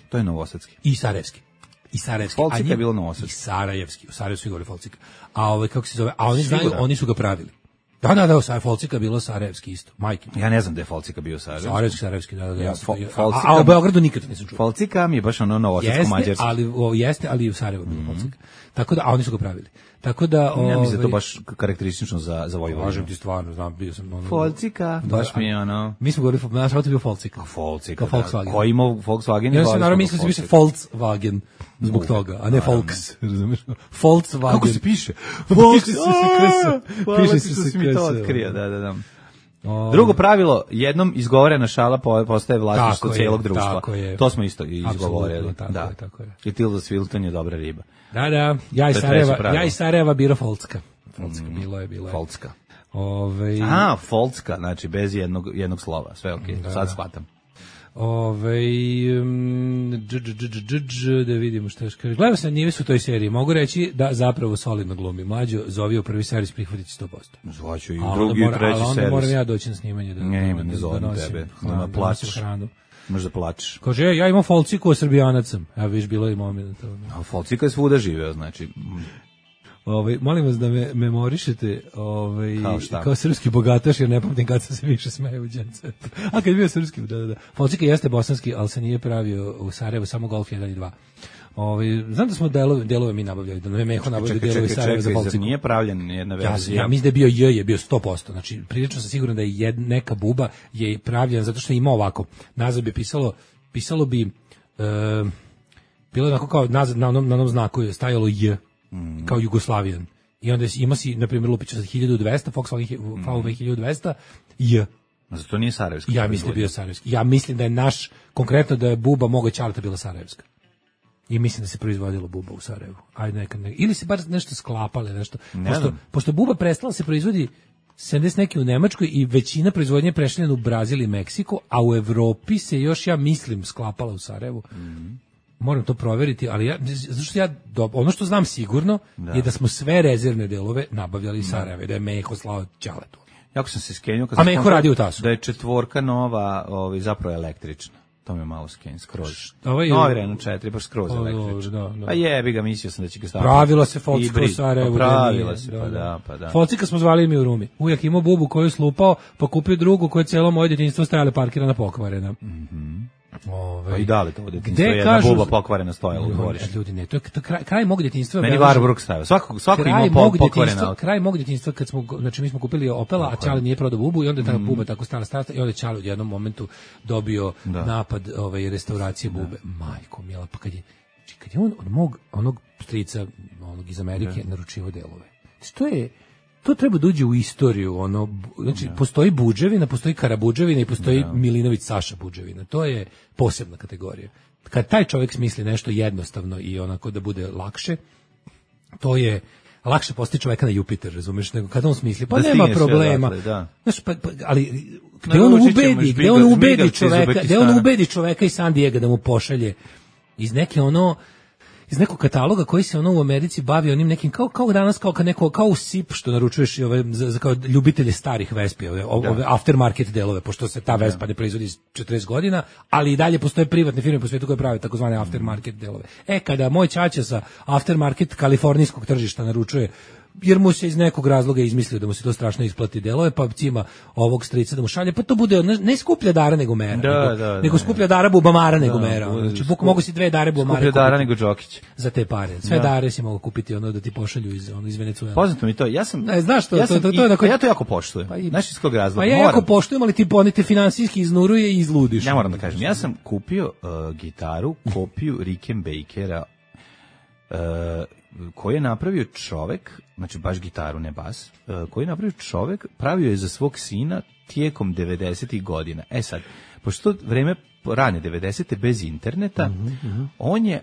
To je novosadski. I sarajevski. Folcika je bilo novosadski. I sarajevski, u Sarajevu su govori Folcika. A kako se zove? A oni znaju, oni su ga pravili. Da, Folcika bilo sarajevski isto, majke. Ja ne znam da je Folcika bio sarajevski, da. A u Beogradu nikad nisam čuo. Folcika mi je baš ono novosadsko-mađarski. Jeste, ali i u Sarajevu bilo Folcika. Tako da, a oni su ga pravili. Tako da, ja mislim da to baš karakteristično za Vojvodinu. Kažem ti stvarno, znam, bio sam Folcika, baš mi je ono. Mi smo govorili, naš auto bio Folcika. Folcika. Volkswagen. Ko ima Volkswagen? Ja sam naravno mislio da se piše Volkswagen zbog toga, a ne Volks, razumiješ? Volkswagen. Kako se piše? Piše se se mi to otkrio, da. Drugo pravilo, jednom izgovorena šala postaje vlasništvo cijelog društva. To smo isto izgovorili. Tako je. I Tilda Swinton je dobra riba. Da, ja iz Sarajeva biro Folcka. Folcka, bilo je. Folcka. Folcka, znači bez jednog slova, sve okej, sad shvatam. Da vidimo šta još kaže. Gledao sam Nives u toj seriji. Mogu reći da zapravo solidno glumi. Mlađo zove u prvi servis prihvatiti 100%. Zvaću i drugi i treći servis. Ali onda moram ja doći na snimanje ne zovem tebe. Da plačeš. Možda plačeš. Kaže, ja imam Folciku, a Srbijanac sam. Ja viš bilo i moment. A Folcika je svuda živeo, znači. Molim vas da me memorišete kao srpski bogataš, jer ne pamtim kad sam se više smeo u Jet Setu. A kad je bio srpski, da. Folcika jeste bosanski, ali se nije pravio u Sarajevu, samo Golf 1 i 2. Znam da smo delove mi nabavljali, da nam je Meho nabavljali delove iz Sarajeva za Balciku. Nije pravljen jedna verzija. Ja mislim da je bio je bio 100%. Znači, prilično sam siguran da je neka buba je pravljena zato što ima ovako. Nazad bi pisalo bi bilo je onako kao nazad na onom znaku je stajalo J, kao Jugoslavijan. I onda ima si, na primjer, lupića za 1200, Volkswagen VW 1200, J. Zato nije sarajevski. Ja mislim da je bio sarajevski. Ja mislim da je konkretno da je buba moga ćaleta bila sarajevska. I mislim da se proizvodilo buba u Sarajevu. Ajde ili se bar nešto sklapale, nešto. Pošto buba prestala se proizvodi 70 neki u Nemačkoj i većina proizvodnje je prešla u Brazil i Meksiko, a u Evropi se još, ja mislim, sklapala u Sarajevu. Moram to proveriti, ali ono što znam sigurno je da smo sve rezervne delove nabavljali iz Sarajeva, da je Meho slao ćaletu. Jako sam se skenio a Meho radi u Tasu. Da je 4 nova, zapravo električna. To me malo skenio, skroz. Novi Renault 4, baš skroz električna. A jebi ga, mislio sam da će ga staviti. Pravila se Folcika u Sarajevu. Pravila se, pa da. Folcika smo zvali mi u Rumi. Ujak imao bubu koju je slupao, pa kupio drugu koju je cijelo moje djetinjstvo stajale parkirana pokvarena. Pa i da li to djetinjstvo je jedna buba pokvarena stojala u dvorištu. Ljudi, ne, to je kraj mog djetinjstva. Meni Warburg stavio. Svako ima pokvarena. Kraj mog djetinjstva kad smo, znači mi smo kupili Opela, a Čale nije prodao bubu i onda je ta buba tako stara i onda je Čale u jednom momentu dobio napad restauracije bube. Majko mila, pa kad je on od onog strica, onog iz Amerike, naručivao delove. To treba da uđe u istoriju, znači postoji Budževina, postoji Karabuđevina i postoji Milinović Saša Budževina. To je posebna kategorija. Kad taj čovjek smisli nešto jednostavno i onako da bude lakše, to je lakše postići čovjeka na Jupiter, razumeš, nego kad on smisli, pa nema problema. Znaš, ali gde on ubedi čovjeka iz San Diego da mu pošalje iz neke iz nekog kataloga koji se u Americi bavi onim nekim kao danas kao u SIP što naručuješ za kao ljubitelje starih Vespi, ove aftermarket delove, pošto se ta Vespa ne proizvodi 40 godina, ali i dalje postoje privatne firme po svijetu koje prave takozvane aftermarket delove. Kada moj ćaća sa aftermarket kalifornijskog tržišta naručuje, jer mu se iz nekog razloga izmislio da mu se to strašno isplati delove, pa cima ovog strica da mu šalje, pa to bude ne skuplja dara nego mera, nego skuplja dara bubamara nego mera. Znači, mogu si 2 dare bubamare kupiti. Skuplja dara nego Đokić. Za te pare. Sve dare si mogu kupiti da ti pošalju iz Venecuela. Poznato mi to. Ja sam znaš to, ja to jako poštujem. Znaš iz kog razloga? Pa ja jako poštujem, ali ti ponete finansijski iznuruje i izludiš. Ja moram da kažem, ja sam kupio gitaru, kopiju Rickenbackera, koji je napravio čovek, znači baš gitaru, ne bas, koji je napravio čovek, pravio je za svog sina tijekom 90-ih godina. Sad, pošto vreme rane 90-te bez interneta,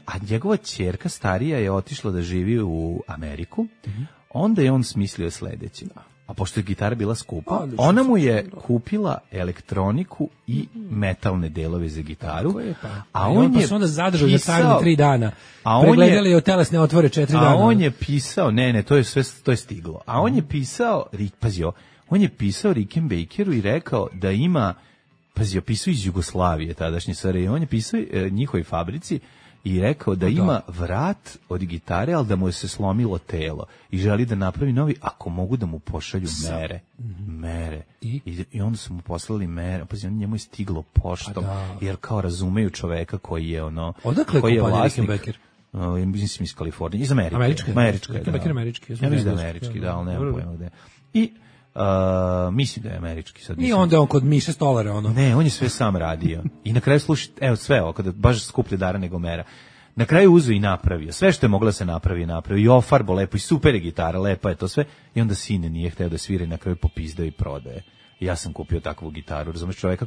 a njegova ćerka starija je otišla da živi u Ameriku, onda je on smislio sledeće. A pošto je gitara bila skupa, ona mu je kupila elektroniku i metalne delove za gitaru. A on je onda zadržao za trajno 3 dana. Pregledali je telesne otvore 4 dana. A on je pisao, to je stiglo. A on je pisao, on je pisao Rickenbackeru i rekao da ima, pisao iz Jugoslavije tadašnje SRJ, on je pisao njihovoj fabrici i rekao da ima vrat od gitare, ali da mu je se slomilo telo i želi da napravi novi, ako mogu da mu pošalju mere. I onda su mu poslali mere, njemu je stiglo poštom, jer kao razumeju čoveka koji je Odakle je vlasnik. Mislim iz Kalifornije, iz Amerike. Američki. Ja mislim da je američki, ali nemam pojma gde. I mislim da je američki sad. I onda on kod Miše Stolara Ne, on je sve sam radio. I na kraju sluši, sve ovo, kada baš skuplje dara nego mera. Na kraju uzeo i napravio. Sve što je moglo da se napravi. I ofarbo lepo i super je gitara, lepa je to sve. I onda sine nije hteo da svira i na kraju popizdao i prodaje. Ja sam kupio takvu gitaru. Razumeš, čoveka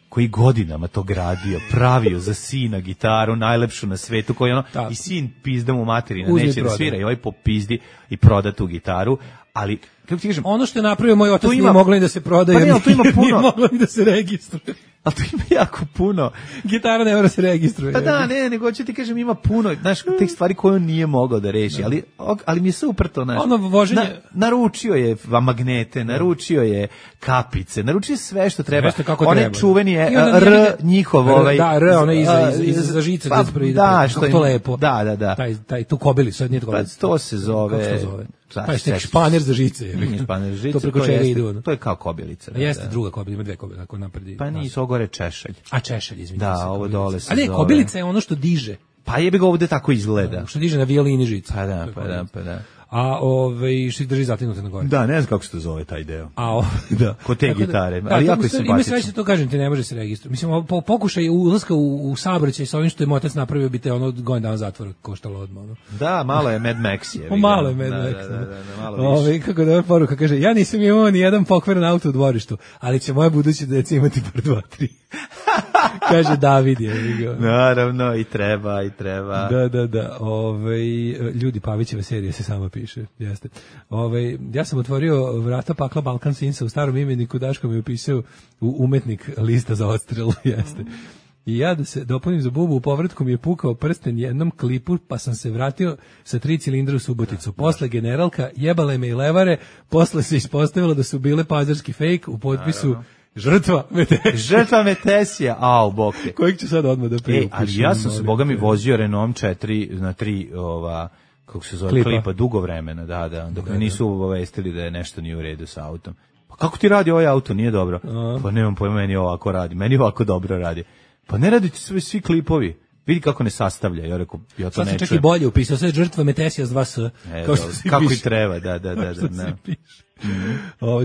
koji godinama to gradio, pravio za sina gitaru, najlepšu na svetu, i sin pizda mu materina, neće da svira, i ovaj popizdi i proda tu gitaru, ali, kako ti kažem... Ono što je napravio moj otac nije moglo ni da se prodaje, nije moglo ni da se registruje. Ali to ima jako puno. Gitara ne mora se registruje. Pa da, nego ću ti kažem, ima puno, znaš, tih stvari koje on nije mogao da reši, ali mi je super to, znaš. Naručio je magnete, naručio je kapice, naručio je sve što treba. One čuveni je njihov ovaj... Da, onaj iza žice. Da, što je... To lepo. Da. Tu kobili, sad nije to kobili. Pa to se zove... Kako se zove? Španer za žice. Nije španer za žice, to preko čega ide. To je kao kobilica. Jeste druga kobilica, ima 2 kobilice, ako napredi. Pa nisu, ovo gore češelj. A češelj, izvinite. Da, ovo dole se zove. Ali kobilica je ono što diže. Pa jebi ga ovde tako izgleda. Što diže na violini žica. Pa da. A što drži zatinute na gore. Da, ne znam kako se to zove taj deo. Da. Kod te gitare, ali jako je simpatično. Ima sreće, to kažem ti, ne može se registrovati. Mislim, pokušaj ulaska u saobraćaj sa ovim što je motac napravio, bi te godinu dana zatvora koštalo odmah. Da, malo je Mad Max. Malo je Mad Max. Malo više. Kako da poruka kaže, ja nisam imao ni jedan pokvaren auto u dvorištu, ali će moje buduće deca imati par 2, 3. Kaže David je. Naravno, i treba. Da. Ljudi, Pavićeva serija se sama piše. Jeste. Ja sam otvorio vrata pakla Balkan Sinsa u starom imeniku, Daško mi je upisao u umetnik lista za odstrel. Jeste. I ja da se dopunim za bubu, u povratku mi je pukao prsten jednom klipu, pa sam se vratio sa 3 cilindra u Suboticu. Posle generalka jebale me i levare, posle se ispostavilo da su bile pazarski fake u potpisu Žrtva Metesija. Bog te. Kojeg ću sad odmah da priupišem? Ali ja sam se, boga mi, vozio Renault 4 na 3, kako se zove, klipa dugo vremena, da, dok me nisu obavestili da je nešto nije u redu sa autom. Pa kako ti radi ovaj auto, nije dobro? Pa nemam pojma, meni ovako radi, meni ovako dobro radi. Pa ne radite svi klipovi. Vidi kako ne sastavlja. Ja rekao, ja to sad ne čujem. Sad sam čak i bolje upisao, sve Žrtva Metesija s 2 S. Kako i treba, da.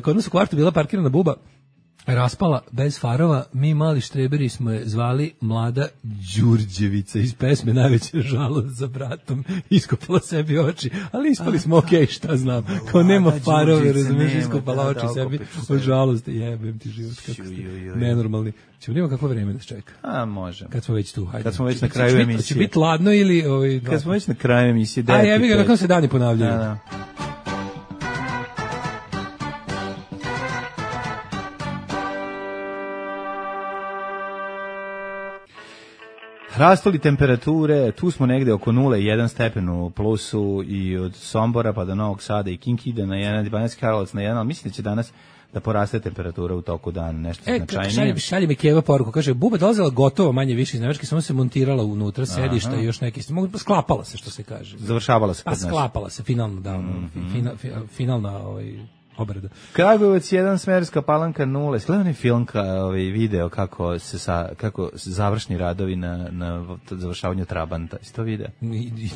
Kod nas u kvartu bila parkirana buba, raspala, bez farova, mi mali štreberi smo je zvali Mlada Đurđevica iz pesme Najveća žalost za bratom, iskopala sebi oči, ali ispali smo okej, šta znam, kao nema farove, razumiješ, iskopala oči sebi od žalosti, jebem ti život, kako ste nenormalni. Ćemo vidimo kakvo vreme nas čeka. Može. Kad smo već tu, hajde. Kad smo već na kraju emisije. Će biti ladno ili... Kad smo već na kraju emisije. Jebi ga, nakon se dani ponavljaju. Da. Rastu li temperature, tu smo negde oko 0,1 stepen u plusu i od Sombora pa do Novog Sada i Kinkida na 1, Banjski Karlovac na 1, ali mislim da će danas da poraste temperatura u toku dana, nešto značajnije. Šalje mi Keva poruku, kaže, buba dolazila gotovo manje više iz Nemačke, samo se montirala unutra, sedišta i još neki, sklapala se, što se kaže. Završavala se kod nas. Sklapala se, finalno, da, finalna obrada. Kragujevac 1, Smederevska Palanka 0. Gledaj onaj film, video kako se završni radovi na završavanju Trabanta. Isto video?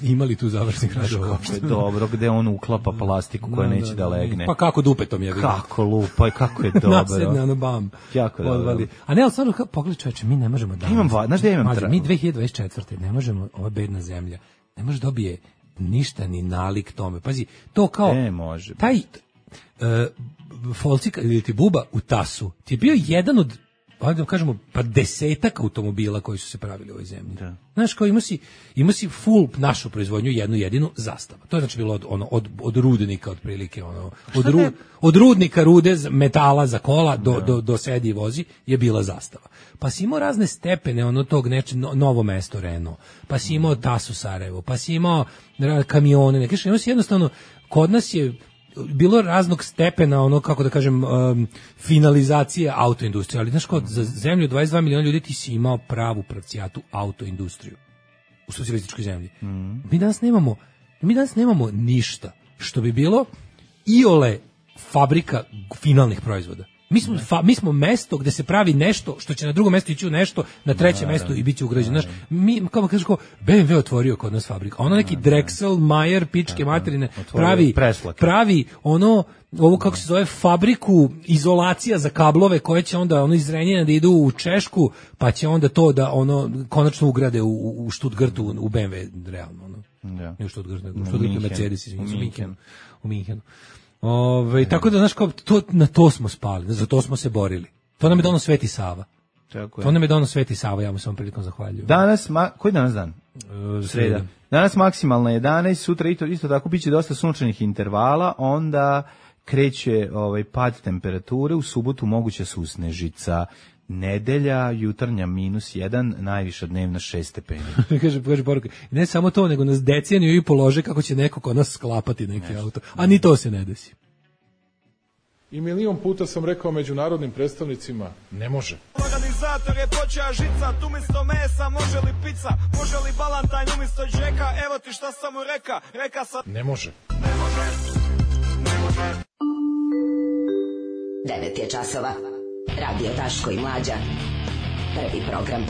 Imali tu završnih radova? Kako je dobro, gde on uklapa plastiku koja neće da legne. Pa kako dupetom je. Kako lupa i kako je dobro. Nasedne ono bam. Jako dobro. A ne, ali stvarno, pogledaj čoveče, mi ne možemo da... Znaš da ja imam mi 2024. ne možemo, ova bedna zemlja, ne može dobije ništa ni nalik tome. Pazi, to kao... Ne može. Taj... Folcika ili ti buba u Tasu ti je bio jedan od, da kažemo, pa 10 automobila koji su se pravili u ovoj zemlji. Da. Znaš, kao ima si full našu proizvodnju, jednu jedinu Zastava. To je znači bilo od rudnika otprilike, od rudnika rude metala za kola do sedi i vozi je bila Zastava. Pa si imao razne stepene tog Novo Mesto Renault, pa si imao Tasu Sarajevo, pa si imao kamione, imao si jednostavno, kod nas je bilo raznog stepena, kako da kažem, finalizacije autoindustrije, ali znaš kao, za zemlju 22 miliona ljudi ti si imao pravu pravcijatu autoindustriju u socijalističkoj zemlji. Mi danas nemamo ništa što bi bilo iole fabrika finalnih proizvoda. Mi smo mesto gde se pravi nešto što će na drugom mestu ići u nešto, na trećem mestu i bit će ugrađeno. Znaš, mi, kao kažeš, BMW otvorio kod nas fabrika. Ono neki Drexel, Mayer, pičke materine, pravi ovu kako se zove, fabriku izolacija za kablove koje će onda iz Renjina da idu u Češku, pa će onda to da konačno ugrade u Stuttgartu, u BMW, realno. Ne u Stuttgartu, nego u Stuttgartu Mercedes, u Minhenu. Tako da, znaš, na to smo spali, za to smo se borili. To nam je dono Sveti Sava. Ja mu se ovom prilikom zahvaljujem. Danas, koji danas dan? Sreda. Danas maksimalna 11, sutra isto tako biće dosta sunčanih intervala, onda kreće pad temperature, u subotu moguća susnežica. Nedelja, jutarnja -1, najviša dnevna 6 stepeni. Kaže poruka, ne samo to, nego nas deceniju i polože kako će neko kod nas sklapati neki auto. A ni to se ne desi. I milion puta sam rekao međunarodnim predstavnicima, ne može. Organizator je počeo žicat, umjesto mesa, može li pizza, može li balantajn umjesto džeka, evo ti šta sam mu reka sam... Ne može. 9 je časova. Radio Daško i Mlađa. Prvi program.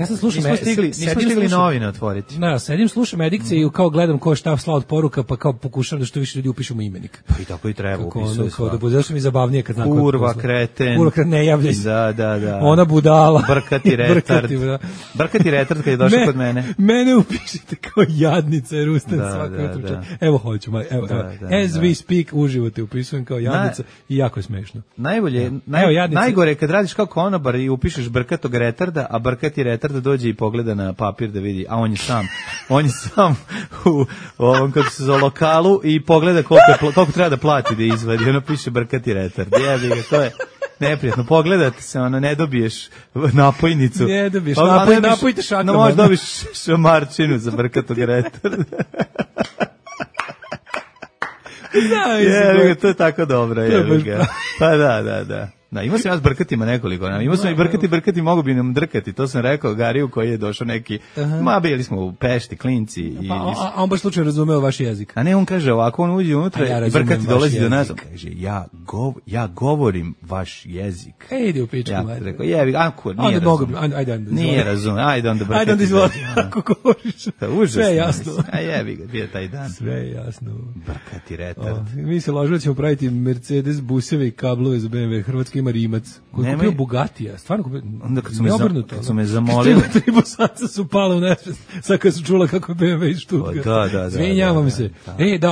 Ja sam slušam, nismo stigli novine otvoriti. Da, sedim, slušam edikcije i kao gledam ko šta slao od poruka, pa kao pokušavam da što više ljudi upišemo imenik. Pa i tako i treba, upisuje sva. Da bude, zašto mi zabavnije kad znam kurva, kreten. Kurva, kreten, ne javljaj se. Da. Ona budala. Brkati retard. Brkati retard kad je došao kod mene. Mene upišite kao jadnica, jer ustanem svako jutro. Evo hoću, evo. As we speak, uživo te upisujem kao jadnica i jako je smešno. Najgore kad radiš kao konobar i upišeš brkatog retarda, a brkati retarda dođe i pogleda na papir da vidi, a on je sam u ovom, kako se zove, lokalu i pogleda koliko treba da plati da izvadi, ono piše brkati retard. Jebi ga, to je neprijatno. Pogledate se, ne dobiješ napojnicu. Ne dobiješ, napojite šakama. No, možeš dobiš šamarčinu za brkatog retarda. To je tako dobro. Pa da. Da, imao sam ja s brkatima nekoliko. Imao sam i brkati, mogu bi nam drkati. To sam rekao Gariju koji je došao neki, bili smo u Pešti, klinci. A on baš slučajno razumeo vaš jezik. A ne, on kaže ovako, on uđe unutra i brkati dolazi do nas. Kaže, ja govorim vaš jezik. Ide u pičku. Ja rekao, nije razumio. Nije razumio, ajde onda brkati. Ajde onda izvodi, ako govoriš. Sve je jasno. A jebi ga, bio taj dan. Sve je jasno. Brkati retard. Mi se lažemo da ćemo praviti Mercedes buseve i kablove za BMW. Hrvatski ima Rimac, koji je kupio Bugatija, stvarno kupio, onda kad su me zamolili. Tri bosanca su pale u nesvest, sad kad su čula kako je BMW iz Stuttgarta. Da. Svinjavam se.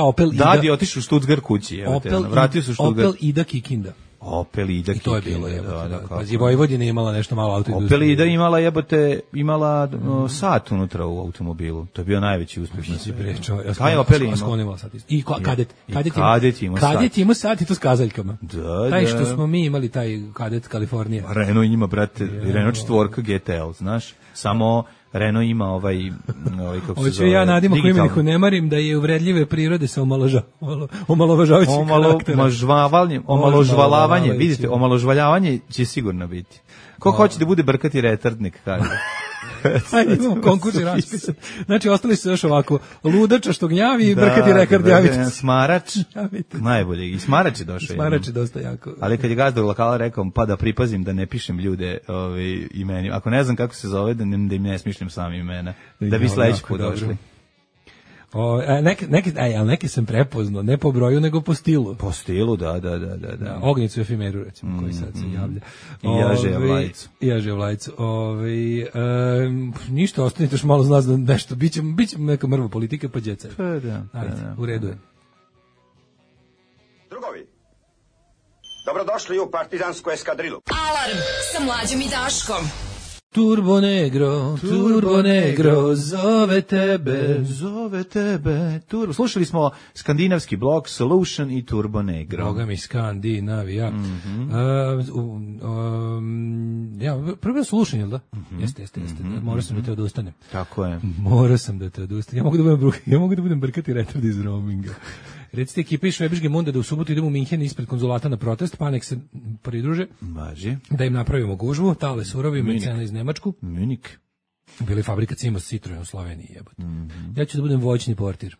Opel Ida. Dadi otišao u Stuttgart kući, vratio se u Stuttgart. Opel Ida Kikinda. Opel Ida Kikinda. I to je bilo jebote. Pazi, Vojvodina je imala nešto malo autoindustrije. Opel Ida imala sat unutra u automobilu. To je bio najveći uspjeh na svijetu. Taj Opel imao sat. I Kadet. Kadet ima sat i to s kazaljkama. Da. Taj što smo mi imali, taj Kadet Kalifornija. Renault ima, brate, Renault 4 GTL, znaš? Samo Renault ima ovaj kako se zove. Ja nadimo ko imeniku ne marim da je uvredljive prirode sa omalovažavajućim karakterom. Omalovažavanje, vidite, omalovažavanje će sigurno biti. Ko hoće da bude brkati retardnik, kaže. Ajde, imamo konkurs i raspisan. Znači, ostali su još ovako, ludača što gnjavi i brkati rekord, javite se. Smarač, najbolje. I Smarač je došao. Smarač je dosta jako. Ali kad je gazda u lokala rekao, pa da pripazim da ne pišem ljude imeni. Ako ne znam kako se zove, da im ne smišljam sami imena. Da bi sledeći put došli. Neke sam prepoznao, ne po broju, nego po stilu. Po stilu, da. Ognjicu Efimeru, recimo, koji sad se javlja. I Jažeja Vlajcu. Ništa, ostanite još malo znas da nešto, bit će neka mrva politika, pa djeca. Pa da. Ajde, u redu je. Drugovi, dobrodošli u partizansku eskadrilu. Alarm sa Mlađom i Daškom. Turbo Negro, zove tebe. Slušali smo skandinavski blok Solution i Turbo Negro. Boga mi Skandinavija. Prvo Solution, jel da? Jeste. Morao sam da te odustanem. Tako je. Morao sam da te odustanem. Ja mogu da budem brkati retard iz roaminga. Recite ekipi iz Švebiške Munde da u subotu idemo u Minhen ispred konzulata na protest, pa nek se pridruže. Maži. Da im napravimo gužvu, Tale Surovi, Mercena iz Nemačku. Munik. Bili fabrika Cimos Citroen u Sloveniji, jebote. Ja ću da budem voćni portir.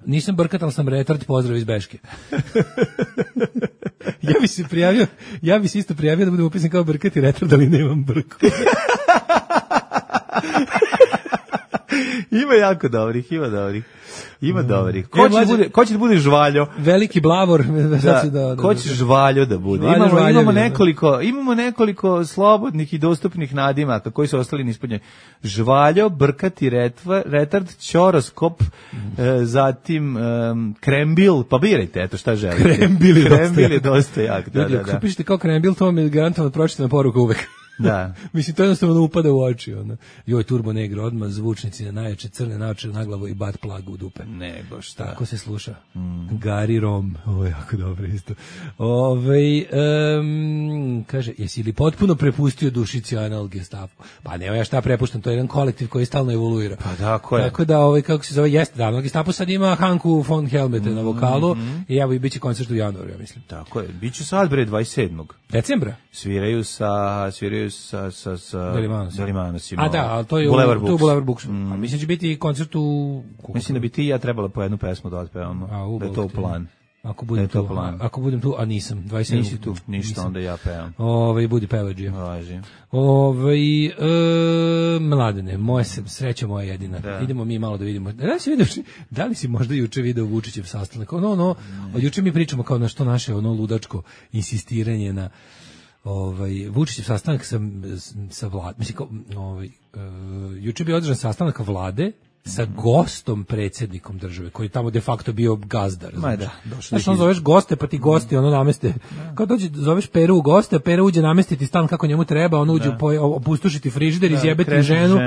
Nisam brkat, ali sam retard, pozdrav iz Beške. Ja bi se isto prijavio da budem upisan kao brkat i retard, ali nemam brku. Ima jako dobrih. Ko će da bude žvaljo? Veliki blavor. Ko će žvaljo da bude? Imamo nekoliko slobodnih i dostupnih nadimaka koji su ostali neispunjeni. Žvaljo, brkati retard, ćoroskop, zatim krembil, pa birajte, eto šta želite. Krembil je dosta jak. Da. Ako pišete kao krembil, to mi je garantovano pročitana poruka uvek. Da. Mislim, to jednostavno upada u oči. Joj, Turbo Negro, odmah zvučnici na najjače, crne naočare na glavu i bat plagu u dupe. Nego šta. Tako se sluša. Gari Rom. Ovo je jako dobro isto. Kaže, jesi li potpuno prepustio dušici anal Gestapo? Pa ne, ja šta prepuštam, to je jedan kolektiv koji stalno evoluira. Pa tako je. Tako da, kako se zove, jeste davno. Gestapo sad ima Hanku von Helmete na vokalu i evo i bit će koncert u januaru, ja mislim. Tako je. Biće sad, 27. Decembra? Sviraju sa Delimanosima. A da, ali to je Boulevard Books. A mislim će biti koncert u... Mislim da bi ti i ja trebala po jednu pesmu da otpevamo. Da je to u plan. Ako budem tu, a nisam, 27. Nisi tu, ništa, onda ja pevam. Budi pevađija. Važi. Mladene, sreća moja jedina. Da. Idemo mi malo da vidimo. Da li si možda juče video Vučićev sastanak? Juče mi pričamo kao na što naše ludačko insistiranje na Vučićev sastanak sa Vladom. Mislim, juče bi održan sastanak Vlade sa gostom predsjednikom države, koji tamo de facto bio gazdar. Znaš, zoveš goste, pa ti gosti nameste. Kao zoveš Peru u goste, Pera uđe namestiti stan kako njemu treba, on uđe opustošiti frižider, izjebeti ženu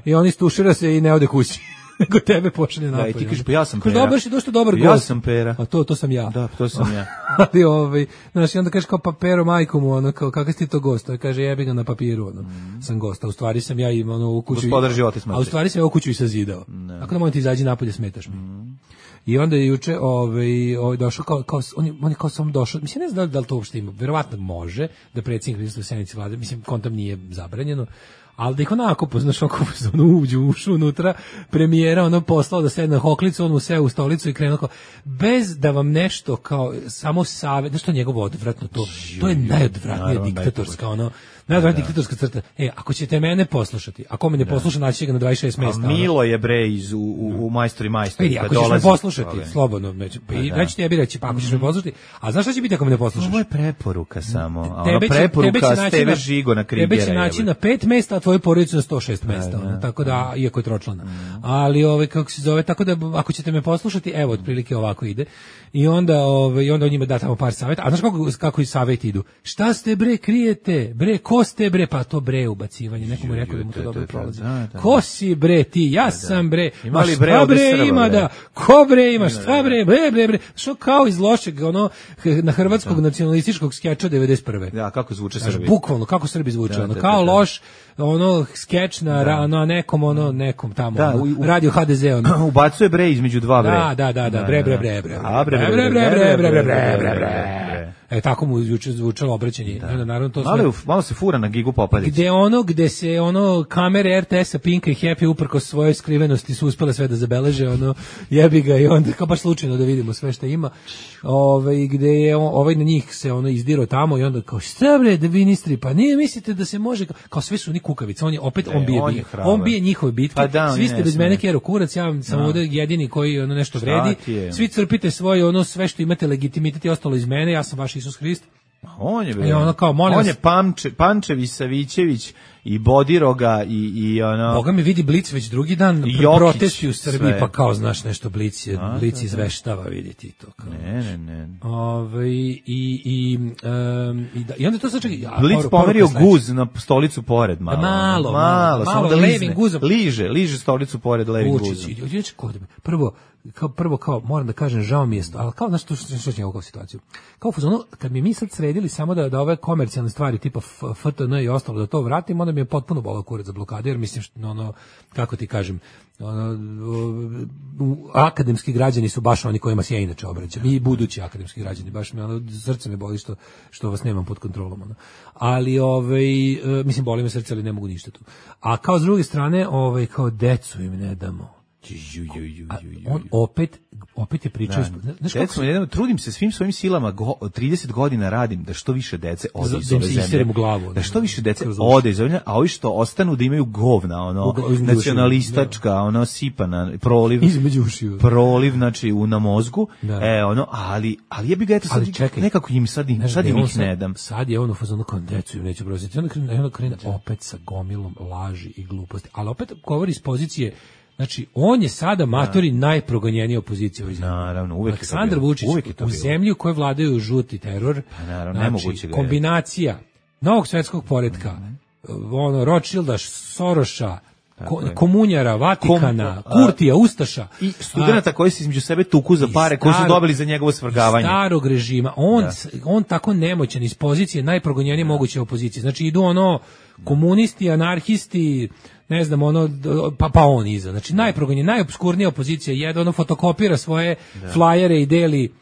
i on istušira se i ne ode kući. Nego tebe pošalje napolje. Da, i ti kažeš, pa ja sam Pera. Dobar si, došto dobar gost. Ja sam Pera. A to sam ja. Da, to sam ja. Ali znaš, i onda kažeš kao, pa Pero, majko mu, kao, kakav si ti to gost? To kaže, jebi ga na papiru, sam gost. A u stvari sam ja i u kuću. Gospodar života smrti. A u stvari sam ja u kuću i sazidao. Ako da molim ti izađi napolje, smetaš mi. I onda je juče došao on je kao sam došao, mislim, ne znam da li to uopšte ima, verovatno može da predsjednik prisustvuje sednici Vlade, mislim, kontam nije zabranjeno, ali da ih onako poznaš, ušao unutra, premijera, poslao da sedne na hoklicu, on mu seo u stolicu i krenuo kao, bez da vam nešto kao, samo savjet, nešto je njegovo odvratno to je najodvratnija diktatorska, najodvratnija diktatorska crta. Ako ćete mene poslušati, ako me ne posluša, naći ga na 26 mesta. Milo je bre u Majstori. Ako ćeš me poslušati, slobodno, neću tebi reći, pa ako ćeš me poslušati, a znaš šta će biti ako me ne poslušaš? Ovo je preporuka samo, preporuka s TV Žigo na Krigera. Tebe će naći na 5 mesta, a tvoju porodicu na 106 mesta, tako da, iako je tročlana. Ali, kako se zove, tako da, ako ćete me poslušati, evo, otprilike ovako ide. I onda on njima da tamo par savjeta. A znaš kako i savjeti idu? Šta ste bre krijete? Bre, ko ste bre? Pa to bre ubacivanje. Nekomu je rekao da mu to dobro prolazi. Ko si bre ti? Ja sam bre. Ma šta bre ima da? Ko bre ima? Šta bre? Bre. Što kao iz lošeg na hrvatskog nacionalističkog skeča 91. Ja, kako zvuče Srbi? Bukvalno, kako Srbi zvuče. Kao loš skeč na nekom tamo. Radio HDZ. Ubacuje bre između dva bre. Da. Bre. Tako mu juče zvučalo obraćanje. Naravno to malo se fura na Gigu Popadić. Gde se kamere RTS-a, Pinka i Happy uprkos svojoj skrivenosti su uspele sve da zabeleže, jebi ga i onda kao baš slučajno da vidimo sve što ima. Gde je na njih se izdirao tamo i onda kao šta bre da ministri, pa nije mislite da se može, kao sve su oni kukavice, on bije njihove bitke, svi ste bez mene kero kurac, ja sam ovde jedini koji nešto vredi, svi crpite svoje sve što imate legitimitet i ostalo iz mene, ja sam vaš Isus Hrist. On je Pančević, Savićević i Bodiroga i Boga mi vidi Blic već drugi dan protesti u Srbiji, pa kao znaš nešto Blic izveštava, vidi ti to kao. Ne. I onda to sad čekaj. Blic pomerio guz na stolicu pored malo, samo da levim guzom liže stolicu pored levim guzom. Prvo moram da kažem, žao mi je, ali kao znaš što će ovu situaciju. Kao fuzonu, kad mi sad sredili samo da ove komercijalne stvari tipa FTN i ostalo da to vratim, onda mi je potpuno bolao kurac za blokade, jer mislim kako ti kažem, akademski građani su baš oni kojima se ja inače obraćam, i budući akademski građani, baš me srce me boli što vas nemam pod kontrolom. Ali mislim, boli me srce, ali ne mogu ništa tu. A kao s druge strane, kao decu im ne damo. On opet je pričao. Trudim se svim svojim silama, 30 godina radim da što više dece ode iz ove zemlje. Da što više dece ode iz ove zemlje, a ovi što ostanu da imaju govna, nacionalistačka, sipana, proliv, znači, na mozgu, ali je bi ga eto sad nekako im sad im ih ne dam. Sad je ono fazonu kao decu im neću broziti. Onda krene opet sa gomilom laži i gluposti, ali opet govori iz pozicije. Znači, on je sada matori najprogonjenija opozicija u zemlji. Naravno, uvek Aleksandar Vučić u zemlji u kojoj vladaju žuti teror. Pa naravno, nemoguće ga je. Kombinacija novog svetskog poretka, Rothschilda, Soroša, komunjara, Vatikana, Kurtija, Ustaša. I studenta koji se između sebe tuku za pare koje su dobili za njegovo svrgavanje. Starog režima. On tako nemoćan iz pozicije najprogonjenije moguće opozicije. Znači, idu komunisti, anarhisti, ne znam, pa on iza. Znači, najprogonjenije, najobskurnija opozicija je fotokopira svoje flajere i deli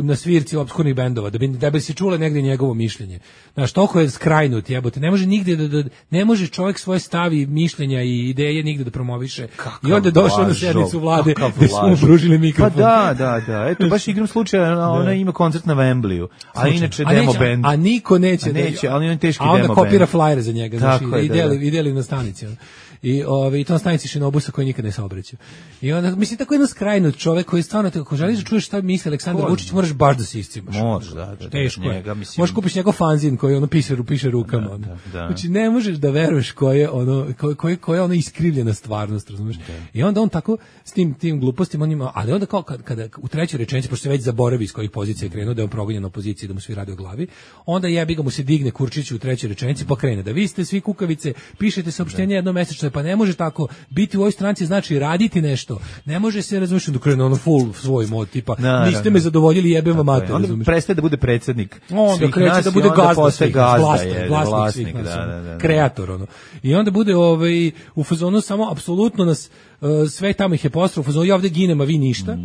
na svirci opskurnih bendova, da bi se čule negde njegovo mišljenje. Znaš, toliko je skrajnut, jebote, ne može nigde ne može čovjek svoje stavi, mišljenja i ideje nigde da promoviše. I onda je došao na sednicu vlade gde su mu pružili mikrofon. Pa da, eto, baš igram slučaja, ona ima koncert na Wembleyu, a inače demo band. A niko neće, ali on je teški demo band. A onda kopira flyer za njega, znači, i deli na stanici. I to na stanici Šinobusa koji nikad ne saobraća. I onda, mislim, tako jedan skrajnut čovek koji stvarno, ako želiš da čuješ šta misli Aleksandar Vučić, moraš baš da se iscimaš. Možeš, da. Teško je. Možeš kupiš njegov fanzin koji piše rukama. Znači, ne možeš da veruješ koja je ono iskrivljena stvarnost, razumiješ? I onda on tako, s tim glupostima, on ima, ali onda kao kada u trećoj rečenici, pošto se već zaboravi iz kojih pozicija je krenuo, da je on progonjen opoziciji, da mu svi radi o glavi, onda jebi ga mu se digne Kurčiću u trećoj rečenici, pa krene da vi ste svi kukavice, pišete saopštenje jednomesečno, pa ne može tako biti u ovoj stranci, znači raditi nešto. Ne može se, razumiješ, da krene ono full svoj mod, tipa, niste me zadovoljili, jebem vam mater, razumiješ. Onda prestaje da bude predsjednik. Onda kreće da bude vlasnik svih nas, kreator, ono. I onda bude u fazonu samo apsolutno nas sve tamo ih je postrao, u fazonu ja ovde ginem, a vi ništa.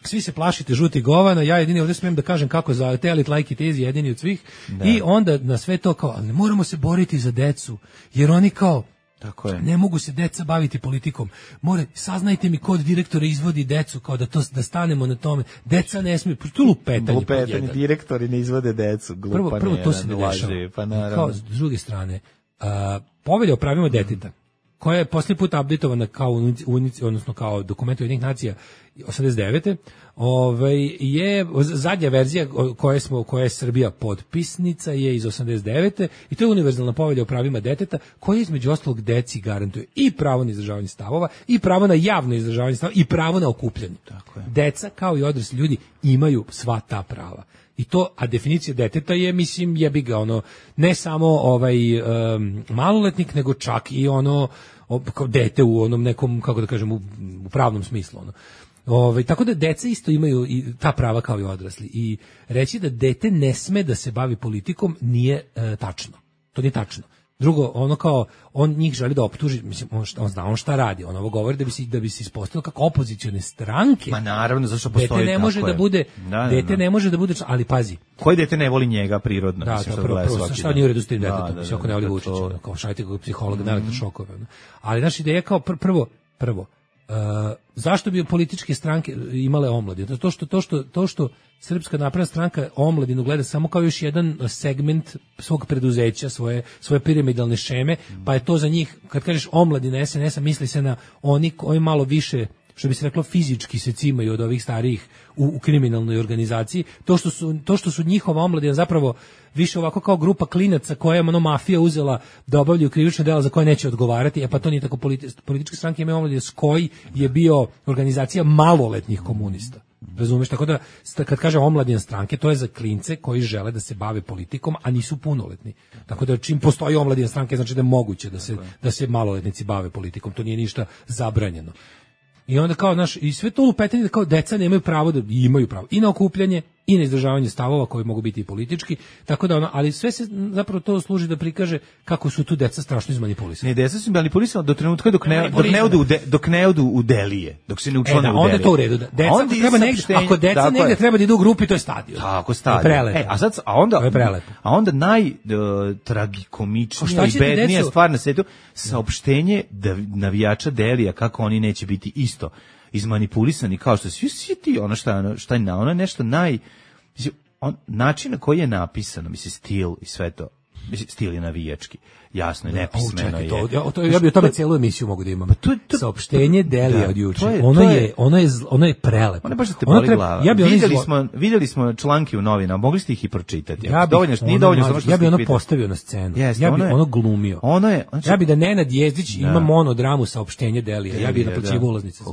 Svi se plašite žuti govana, ja jedini ovdje smijem da kažem kako za telit like it is jedini od svih. I onda na sve to kao, ne moramo se boriti za decu, jer oni kao tako je. Ne mogu se deca baviti politikom. Saznajte mi kod direktora izvodi decu, kao da stanemo na tome. Deca ne smiju, to lupetanje. Direktori ne izvode decu. Prvo to se ne dešava. Pa naravno. Kao, s druge strane, povelja o pravima deteta, koja je posljednji put updateovana odnosno kao dokument Ujedinjenih nacija 89. Je zadnja verzija koja je Srbija potpisnica je iz 89. i to je univerzalna povelja o pravima deteta koja između ostalog deci garantuje i pravo na izražavanje stavova i pravo na javno izražavanje stavova i pravo na okupljanje. Tako je. Deca kao i odrasli ljudi imaju sva ta prava. I to, a definicija deteta je, mislim, jebi ga, ne samo maloletnik, nego čak i kao dete u onom nekom, kako da kažem, u pravnom smislu. Tako da deca isto imaju i ta prava kao i odrasli. I reći da dete ne sme da se bavi politikom nije tačno. To nije tačno. Drugo, on njih želi da optuži, mislim, on zna šta radi, on ovo govori da bi se ispostavilo kako opozicione stranke. Ma naravno, zašto postoji dete ne može da bude, ne može da bude, ali pazi. Koji dete ne voli njega prirodno? Da, to prvo, šta nije u redu s tim detetom, mislim, ako ne voli Vučića, kao šajte kod psihologa, na elektrošokove. Ali naša ideja je kao prvo, zašto bi političke stranke imale omladinu? To što Srpska napredna stranka omladinu gleda samo kao još jedan segment svog preduzeća, svoje piramidalne šeme, pa je to za njih, kad kažeš omladina SNS-a, misli se na oni koji malo više, što bi se reklo, fizički se cimaju od ovih starijih u kriminalnoj organizaciji. To što su njihova omladina zapravo više ovako kao grupa klinaca koja je mafija uzela da obavljaju krivična dela za koje neće odgovarati, pa to nije tako. Političke stranke imaju omladine, SKOJ je bio organizacija maloletnih komunista. Razumeš, tako da kad kaže omladina stranke, to je za klince koji žele da se bave politikom, a nisu punoletni. Tako da čim postoji omladina stranke, znači da je moguće da se maloletnici bave politikom, to nije ništa zabranjeno. I onda kao, i sve to lupetanje da kao deca nemaju pravo, da imaju pravo i na okupljanje i na izdržavanje stavova koji mogu biti i politički, tako da ali sve se zapravo to služi da prikaže kako su tu deca strašno izmanipulisana. Ne, deca su manipulisana do trenutka dok ne odu u delije, dok se ne učlane u delije. Onda je to u redu. Deca treba negdje, ako deca negdje treba da idu u grupi, to je stadion. Tako, stadion. A onda najtragikomičnija i bednija stvar na svijetu, saopštenje navijača delija kako oni neće biti isto izmanipulisani, kao što svi ti, ono je nešto način na koji je napisano, mislim, stil i sve to, mislim, stil je navijački, jasno je, nepismeno je. Ja bi o tome cijelu emisiju mogu da imam. Saopštenje Delija od juče, ono je prelepo. Ono je baš da te boli glava. Vidjeli smo članke u novinama, mogli ste ih i pročitati. Ja bi ono postavio na scenu, ja bi ono glumio. Ja bi da Nenad Jezdić ima monodramu Saopštenje Delija, ja bi naplaćivao ulaznice.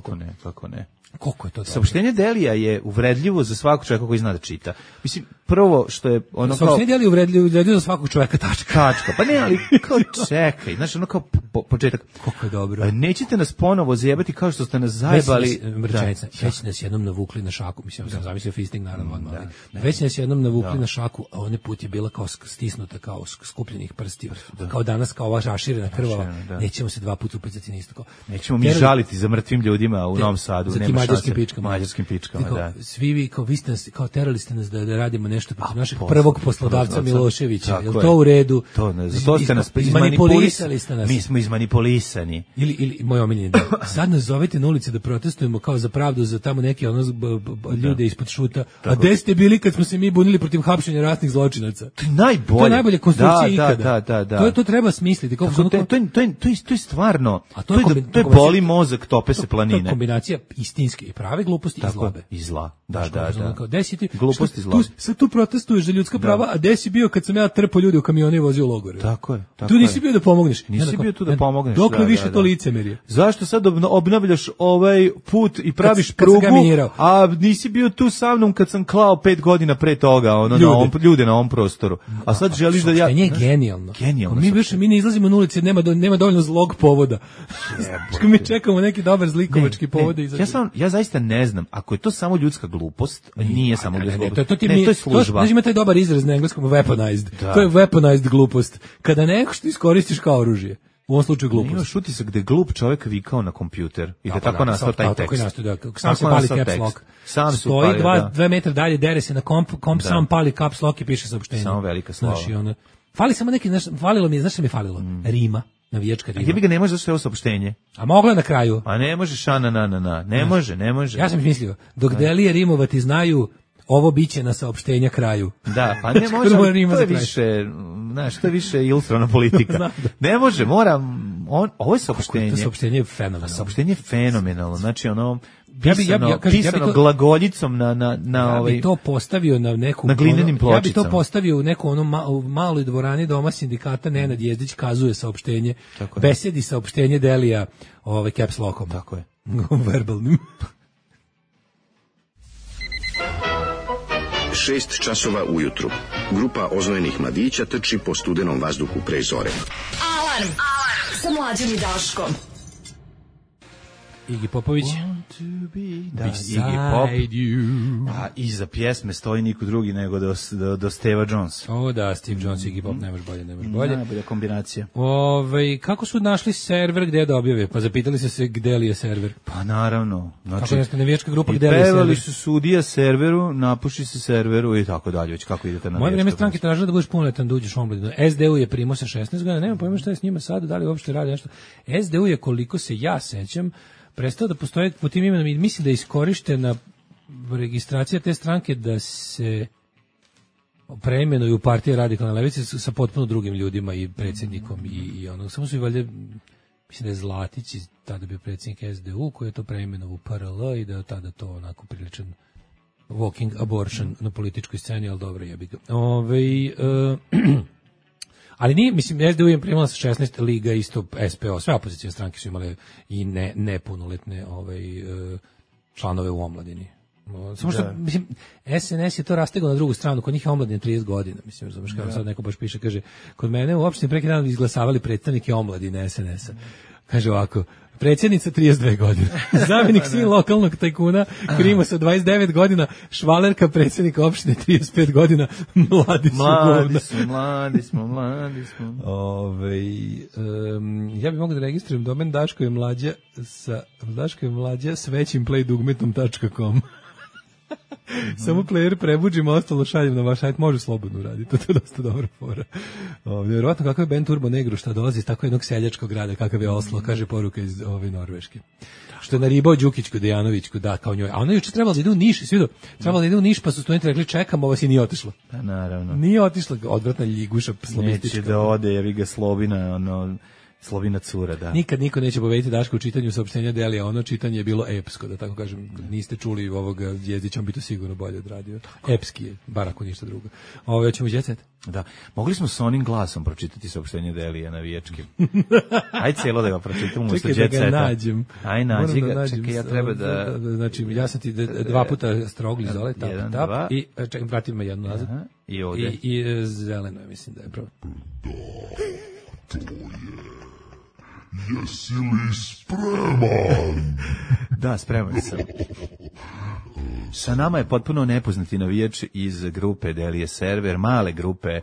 Kako ne. Koliko je to? Saopštenje Delija je uvredljivo za svakog čovjeka koji zna da čita. Mislim, prvo što je ono kao... Saopštenje Delija je uvredljivo za svakog čovjeka tačka. Pa ne, ali kao čekaj, znaš, ono kao početak. Kako je dobro. Nećete nas ponovo zajebati kao što ste nas zajebali. Već nas jednom navukli na šaku, mislim, sam zamislio fisting naravno odmah. Već nas jednom navukli na šaku, a onaj put je bila kao stisnuta, kao skupljenih prstiju, kao danas, kao ova raširena krvava. Nećemo se dva puta upecati na isto. Kao. Nećemo mi žaliti za mrtvim ljudima u Novom Sadu. Za tim mađarskim pičkama. Da. Svi vi, kao vi ste nas, kao terali ste nas da radimo nešto protiv našeg prvog poslodavca Miloševića. Je li to u redu? Zato ste nas izmanipulisali ste nas. Mi smo izmanipulisani. Ili moj omiljeni dan. Sad nas zovete na ulici da protestujemo kao za pravdu za tamo neke ljude ispod šuta. A gde ste bili kad smo se mi bunili protiv hapšenja ratnih zločinaca? To je najbolje. To je najbolja konstrukcija ikada. Da. To treba smisliti. To je stvarno. To je boli mozak, tope se planine. To je kombinacija istinske i prave gluposti i zlobe. I zla. Da. Glupost i zla. Sad tu protestuješ za ljudska prava, a gde si bio kad sam ja trpao ljude u kamionu i vozio u logore? Tako je. Tu nisi bio da pomogneš. Nisi bio tu da pomogneš. Dokle više to licemerje? Zašto sad obnavljaš ovaj put i praviš prugu, a nisi bio tu sa mnom kad sam klao 5 godina pre toga ljude na ovom prostoru. A sad želiš da ja... Saopštenje je genijalno. Mi ne izlazimo na ulici, nema dovoljno zlog povoda. Mi čekamo neki dobar zlikovački povod. Ja zaista ne znam, ako je to samo ljudska glupost, nije samo ljudska glupost. To je služba. Znaš, ima taj dobar izraz na engleskom, weaponized. To je weaponized glupost. Kada nešto iskoristiš kao oružje. U ovom slučaju glupost. Imaš utisak gde glup čovjek vikao na kompjuter i da tako nastao taj tekst. Sam se pali caps lock. Stoji 2 metra dalje, dere se na komp sam pali caps lock i piše saopštenje. Samo velika slava. Fali samo neki, falilo mi je, znaš što mi je falilo? Rima. Navijačka rima. A jebi ga ne može zašto je ovo saopštenje. A mogla na kraju. A ne može na. Ne može. Ja sam mislio, dok Delije rimovati znaju, ovo biće na saopštenja kraju. Da, pa ne može, to je više, znaš, to je više ilustrana politika. Ne može, ovo je saopštenje. To saopštenje je fenomenalno. Saopštenje je fenomenalno, znači ono, pisano glagoljicom na bi to postavio na neku... Na glinenim pločicama. Ja bi to postavio u neku maloj dvorani Doma sindikata, Nenad Jezdić kazuje saopštenje, besedi saopštenje Delija caps lockom. Tako je. Verbalnim. 6 časova ujutru. Grupa oznojenih mladića trči po studenom vazduhu pre zore. Alarm sa Mlađom i Daškom. Iggy Popović. Iggy Pop. A iza pjesme stoji niko drugi nego do Steva Jones. Da, Steve Jones i Iggy Pop, nemaš bolje. Najbolja kombinacija. Kako su našli server gde da objave? Pa zapitali se gde li je server? Pa naravno. Znači, navijačka grupa gde li je server? Pevali su sudija serveru, napuši se serveru i tako dalje. Već kako idete na moje vreme stranke tražila da budeš punoletan, da uđeš u omladinu. SDU je primao sa 16 godina, nema pojma šta je s njima sada, da li uopšte radi nešto. SDU je, koliko se ja sećam, prestao da postoje po tim imenom i mislim da je iskorištena registracija te stranke da se preimenuju partije Radikalne levice sa potpuno drugim ljudima i predsjednikom i ono, samo su i valjda, mislim da je Zlatić tada bio predsjednik SDU koji je to preimenovao u PRL i da je tada to onako priličan walking abortion na političkoj sceni, ali dobro jebi ga. Ali nije, mislim, SDU je primala sa 16 liga, isto SPO, sve opozicijne stranke su imale i nepunoletne članove u omladini. Samo što, mislim, SNS je to rastegao na drugu stranu, kod njih je omladine 30 godina, mislim, razumeš, kao sad neko baš piše, kaže, kod mene u opštini preki dan izglasavali predstavnike omladine SNS-a. Kaže ovako, predsjednica 32 godine, zamjenik sin lokalnog tajkuna Krimosa 29 godina, švalerka predsjednika opštine 35 godina, mladi smo. Ja bih mogao da registrujem domen Daško je mlađa s većim playdugmetom.com. Samo player prebuđim, ostalo šaljem na vaš sajt, može slobodno raditi, to je dosta dobra fora. Vjerovatno kakav je Ben Turbo Negro, šta dolazi iz tako jednog seljačkog grada, kakav je Oslo, kaže poruka iz Norveške. Što je naribao Đukićku, Dejanovićku, da, kao njoj. A ona juče trebala da ide u Niš, trebala da ide u Niš, pa su studenti rekli čekamo vas i nije otišla. Pa naravno. Nije otišla, odvratna ljiguša slobistička. Neće da ode, jer ga Slobina, Slovina cura, da. Nikad niko neće pobediti Daška u čitanju saopštenja Delija, ono čitanje je bilo epsko, da tako kažem. Niste čuli ovog Jezdića, on bi to sigurno bolje odradio. Epski je, bar ako ništa drugo. Hoćemo Jet Set? Da. Mogli smo s onim glasom pročitati saopštenje Delija navijačkim. Aj cijelo da ga pročitamo umesto Jet Seta. Čekaj da ga nađem. Aj nađi ga, čekaj, ja treba da... Znači, ja sam ti dva puta strogli zole, tap, i čekaj, vratim me jednu nazad. I ovdje. I zeleno je, mislim da je pravo. To je. Jesi li spreman? Da, spreman sam. Sa nama je potpuno nepoznati navijač iz grupe Delije server, male grupe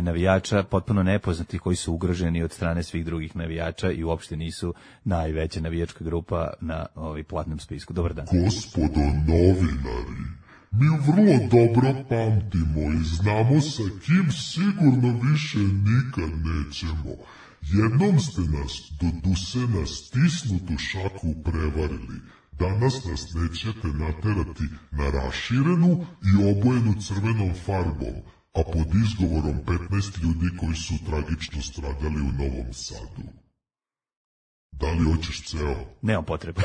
navijača, potpuno nepoznati koji su ugroženi od strane svih drugih navijača i uopšte nisu najveća navijačka grupa na platnom spisku. Dobar dan. Gospodo novinari, mi vrlo dobro pamtimo i znamo sa kim sigurno više nikad nećemo. Jednom ste nas do dusena stisnutu šaku prevarili. Danas nas nećete naterati na raširenu i obojenu crvenom farbom, a pod izgovorom 15 ljudi koji su tragično stradali u Novom Sadu. Da li hoćeš ceo? Nemam potrebe.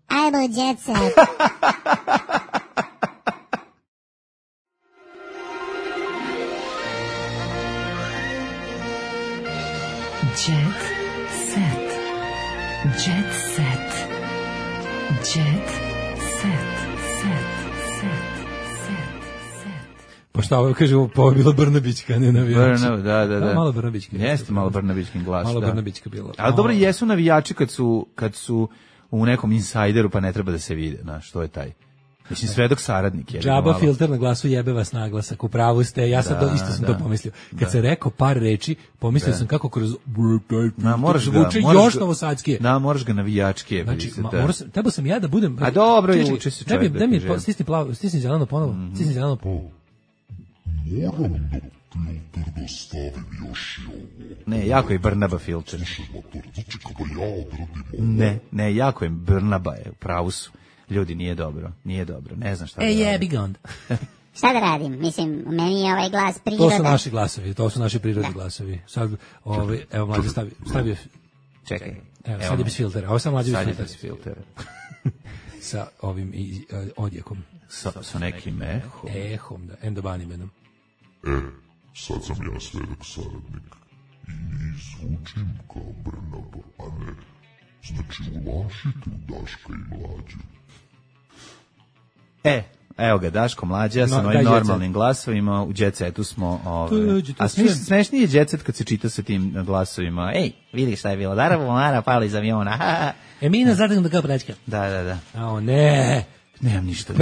Ajmo, Jet Set. Jet Set. Jet Set. Jet Set. Pa šta ovo kažemo, pa ovo je bilo Brnabićka, ne navijači. Da. Malo Brnabićka. Jeste malo Brnabićkin glas. Malo Brnabićka bilo. Ali dobro, jesu navijači kad su u nekom insajderu, pa ne treba da se vide, znaš, što je taj. Mislim, svedok saradnik je. Džaba filter na glasu, jebe vas naglasak, u pravu ste, ja sad isto sam to pomislio. Kad se rekao par reči, pomislio sam kako kroz zvuče još novosadskije. Da, moraš ga navijačke. Znači, trebao sam ja da budem... A dobro, uči se čovjek da kaže. Stisni zeleno ponovo, stisni zeleno ponovo. Moram da filter da stavim još i ovo. Ne, jako je Brnaba filter. Slušaj, mator, znači kada ja odradim ovo... Ne, jako je Brnaba, u pravu su. Ljudi, nije dobro, ne znam šta da radim. Jebi ga onda. Šta da radim? Mislim, meni je ovaj glas priroda. To su naši glasovi, to su naši prirodni glasovi. Sad, evo mlađe stavio. Čekaj. Evo, sad je bez filtera, ovo sam mlađe bez filtera. Sa ovim odjekom. Sa nekim ehom. Ehom, da, endobanimenom. Sad sam ja svedok saradnik. I zvučim kao Brnaba, a ne. Znači, ulašite u Daška i Mlađu. Evo ga, Daško Mlađa sa novim normalnim glasovima, u Jet Setu smo... A smešniji je Jet Set kad se čita sa tim glasovima. Ej, vidi šta je bilo, Mara pala iz aviona. Emina zategnuta kao praćka. Da. A ne... Nemam ništa.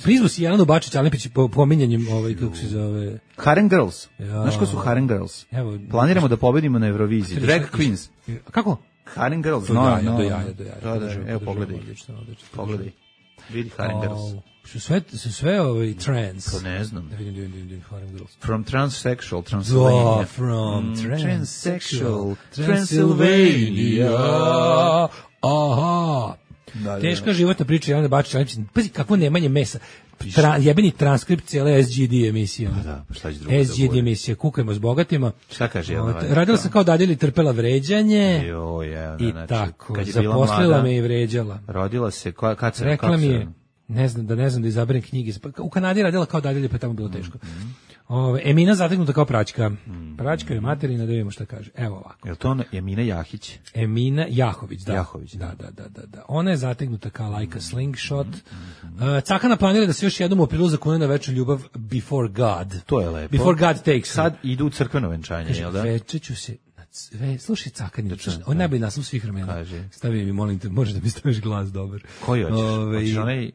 Prizvu si Jelenu Bačić-Alepić pominjanjem kako se zove... Harem Girls. Znaš ko su Harem Girls? Planiramo da pobedimo na Euroviziji. Drag Queens. Kako? Harem Girls. Do jaja. Evo, pogledaj. Vidi Harem Girls. Su sve trans. To ne znam. Da vidim Harem Girls. From Transsexual Transylvania. From Transsexual Transylvania. Aha. Teška životna priča Jelene Bačić-Alepić. Pazi, kakvo nemanje mesa. Jebeni transkript cijele SGD emisije. SGD emisije, kukajmo s bogatima. Šta kaže Jelena? Radila sam kao dadilja, trpela vređanje. I tako, zaposlila me i vređala. Rodila se, kad se... Rekla mi je, ne znam da izaberem knjige. U Kanadi radila kao dadilja, pa je tamo bilo teško. Emina zategnuta kao praćka. Praćka je materina, da vidimo šta kaže. Evo ovako. Je li to Emina Jahić? Emina Jahović, da. Jahović, da. Ona je zategnuta kao lajka slingshot. Cakana planira da se još jednom u aprilu zakune na večnu ljubav Before God. To je lepo. Before God takes. Sad idu u crkveno venčanje, jel da? Večer ću se... Slušaj, Cakan, on je najbolji naslov svih vremena. Stavi mi, molim te, možeš da mi staviš glas dobar. Koji hoćeš? Hoćeš onaj...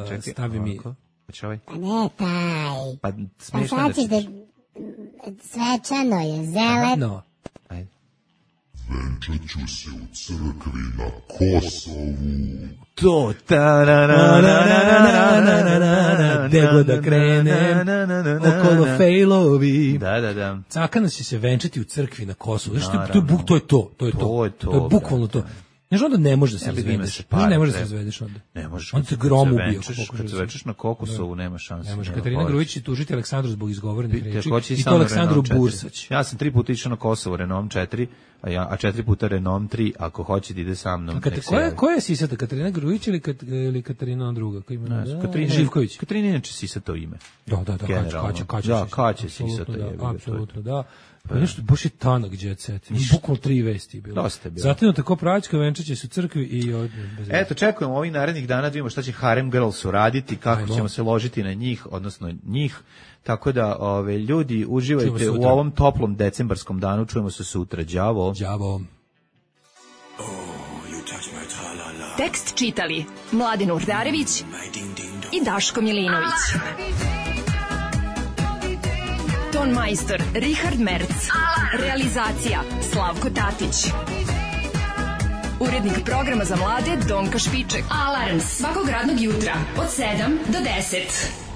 Čekaj, stavi mi... Pa ne taj. Pa smiješno sad ćeš da... Svečano je, zeleno. Ajde. Venčat ću se u crkvi na Kosovu. To, Dego da krene, okolo fejlovi. Da. Cakana će se venčati u crkvi na Kosovu. Znaš, to je to. To je bukvalno to. Znaš, onda ne možeš da se razvedeš. Ne možeš da se razvedeš onda. Ne možeš. On te grom ubio. Kad se večeš na Kokosovu, nema šanse. Ne može. Katarina Grujić će tužiti Aleksandru zbog izgovorenih reči. I to Aleksandru Bursać. Ja sam 3 puta išao na Kosovo Renault 4, a 4 puta Renault 3, ako hoće da ide sa mnom. Koja je sisata? Katarina Grujić ili Katarina druga? Katarina Živković. Katarina inače sisata ime. Da, Kaće sisata je. Apsolutno, da. Pa nešto, baš je tanak jet set. Bukvalno 3 vesti bilo. Dosta je bilo. Zatim tako pravička venčaće se u crkvi i eto, čekujemo ovih narednih dana da vidimo šta će Harem Girls uraditi, kako ćemo se ložiti na njih, odnosno njih. Tako da, ljudi, uživajte u ovom toplom decembarskom danu. Čujemo se sutra. Đavo. Đavo. Tekst čitali Mladin Urdarević i Daško Milinović. Ton majstor Richard Merc. Realizacija Slavko Tatić. Urednik programa za mlade Donka Špiček. Alarms svakog radnog jutra od 7 do 10.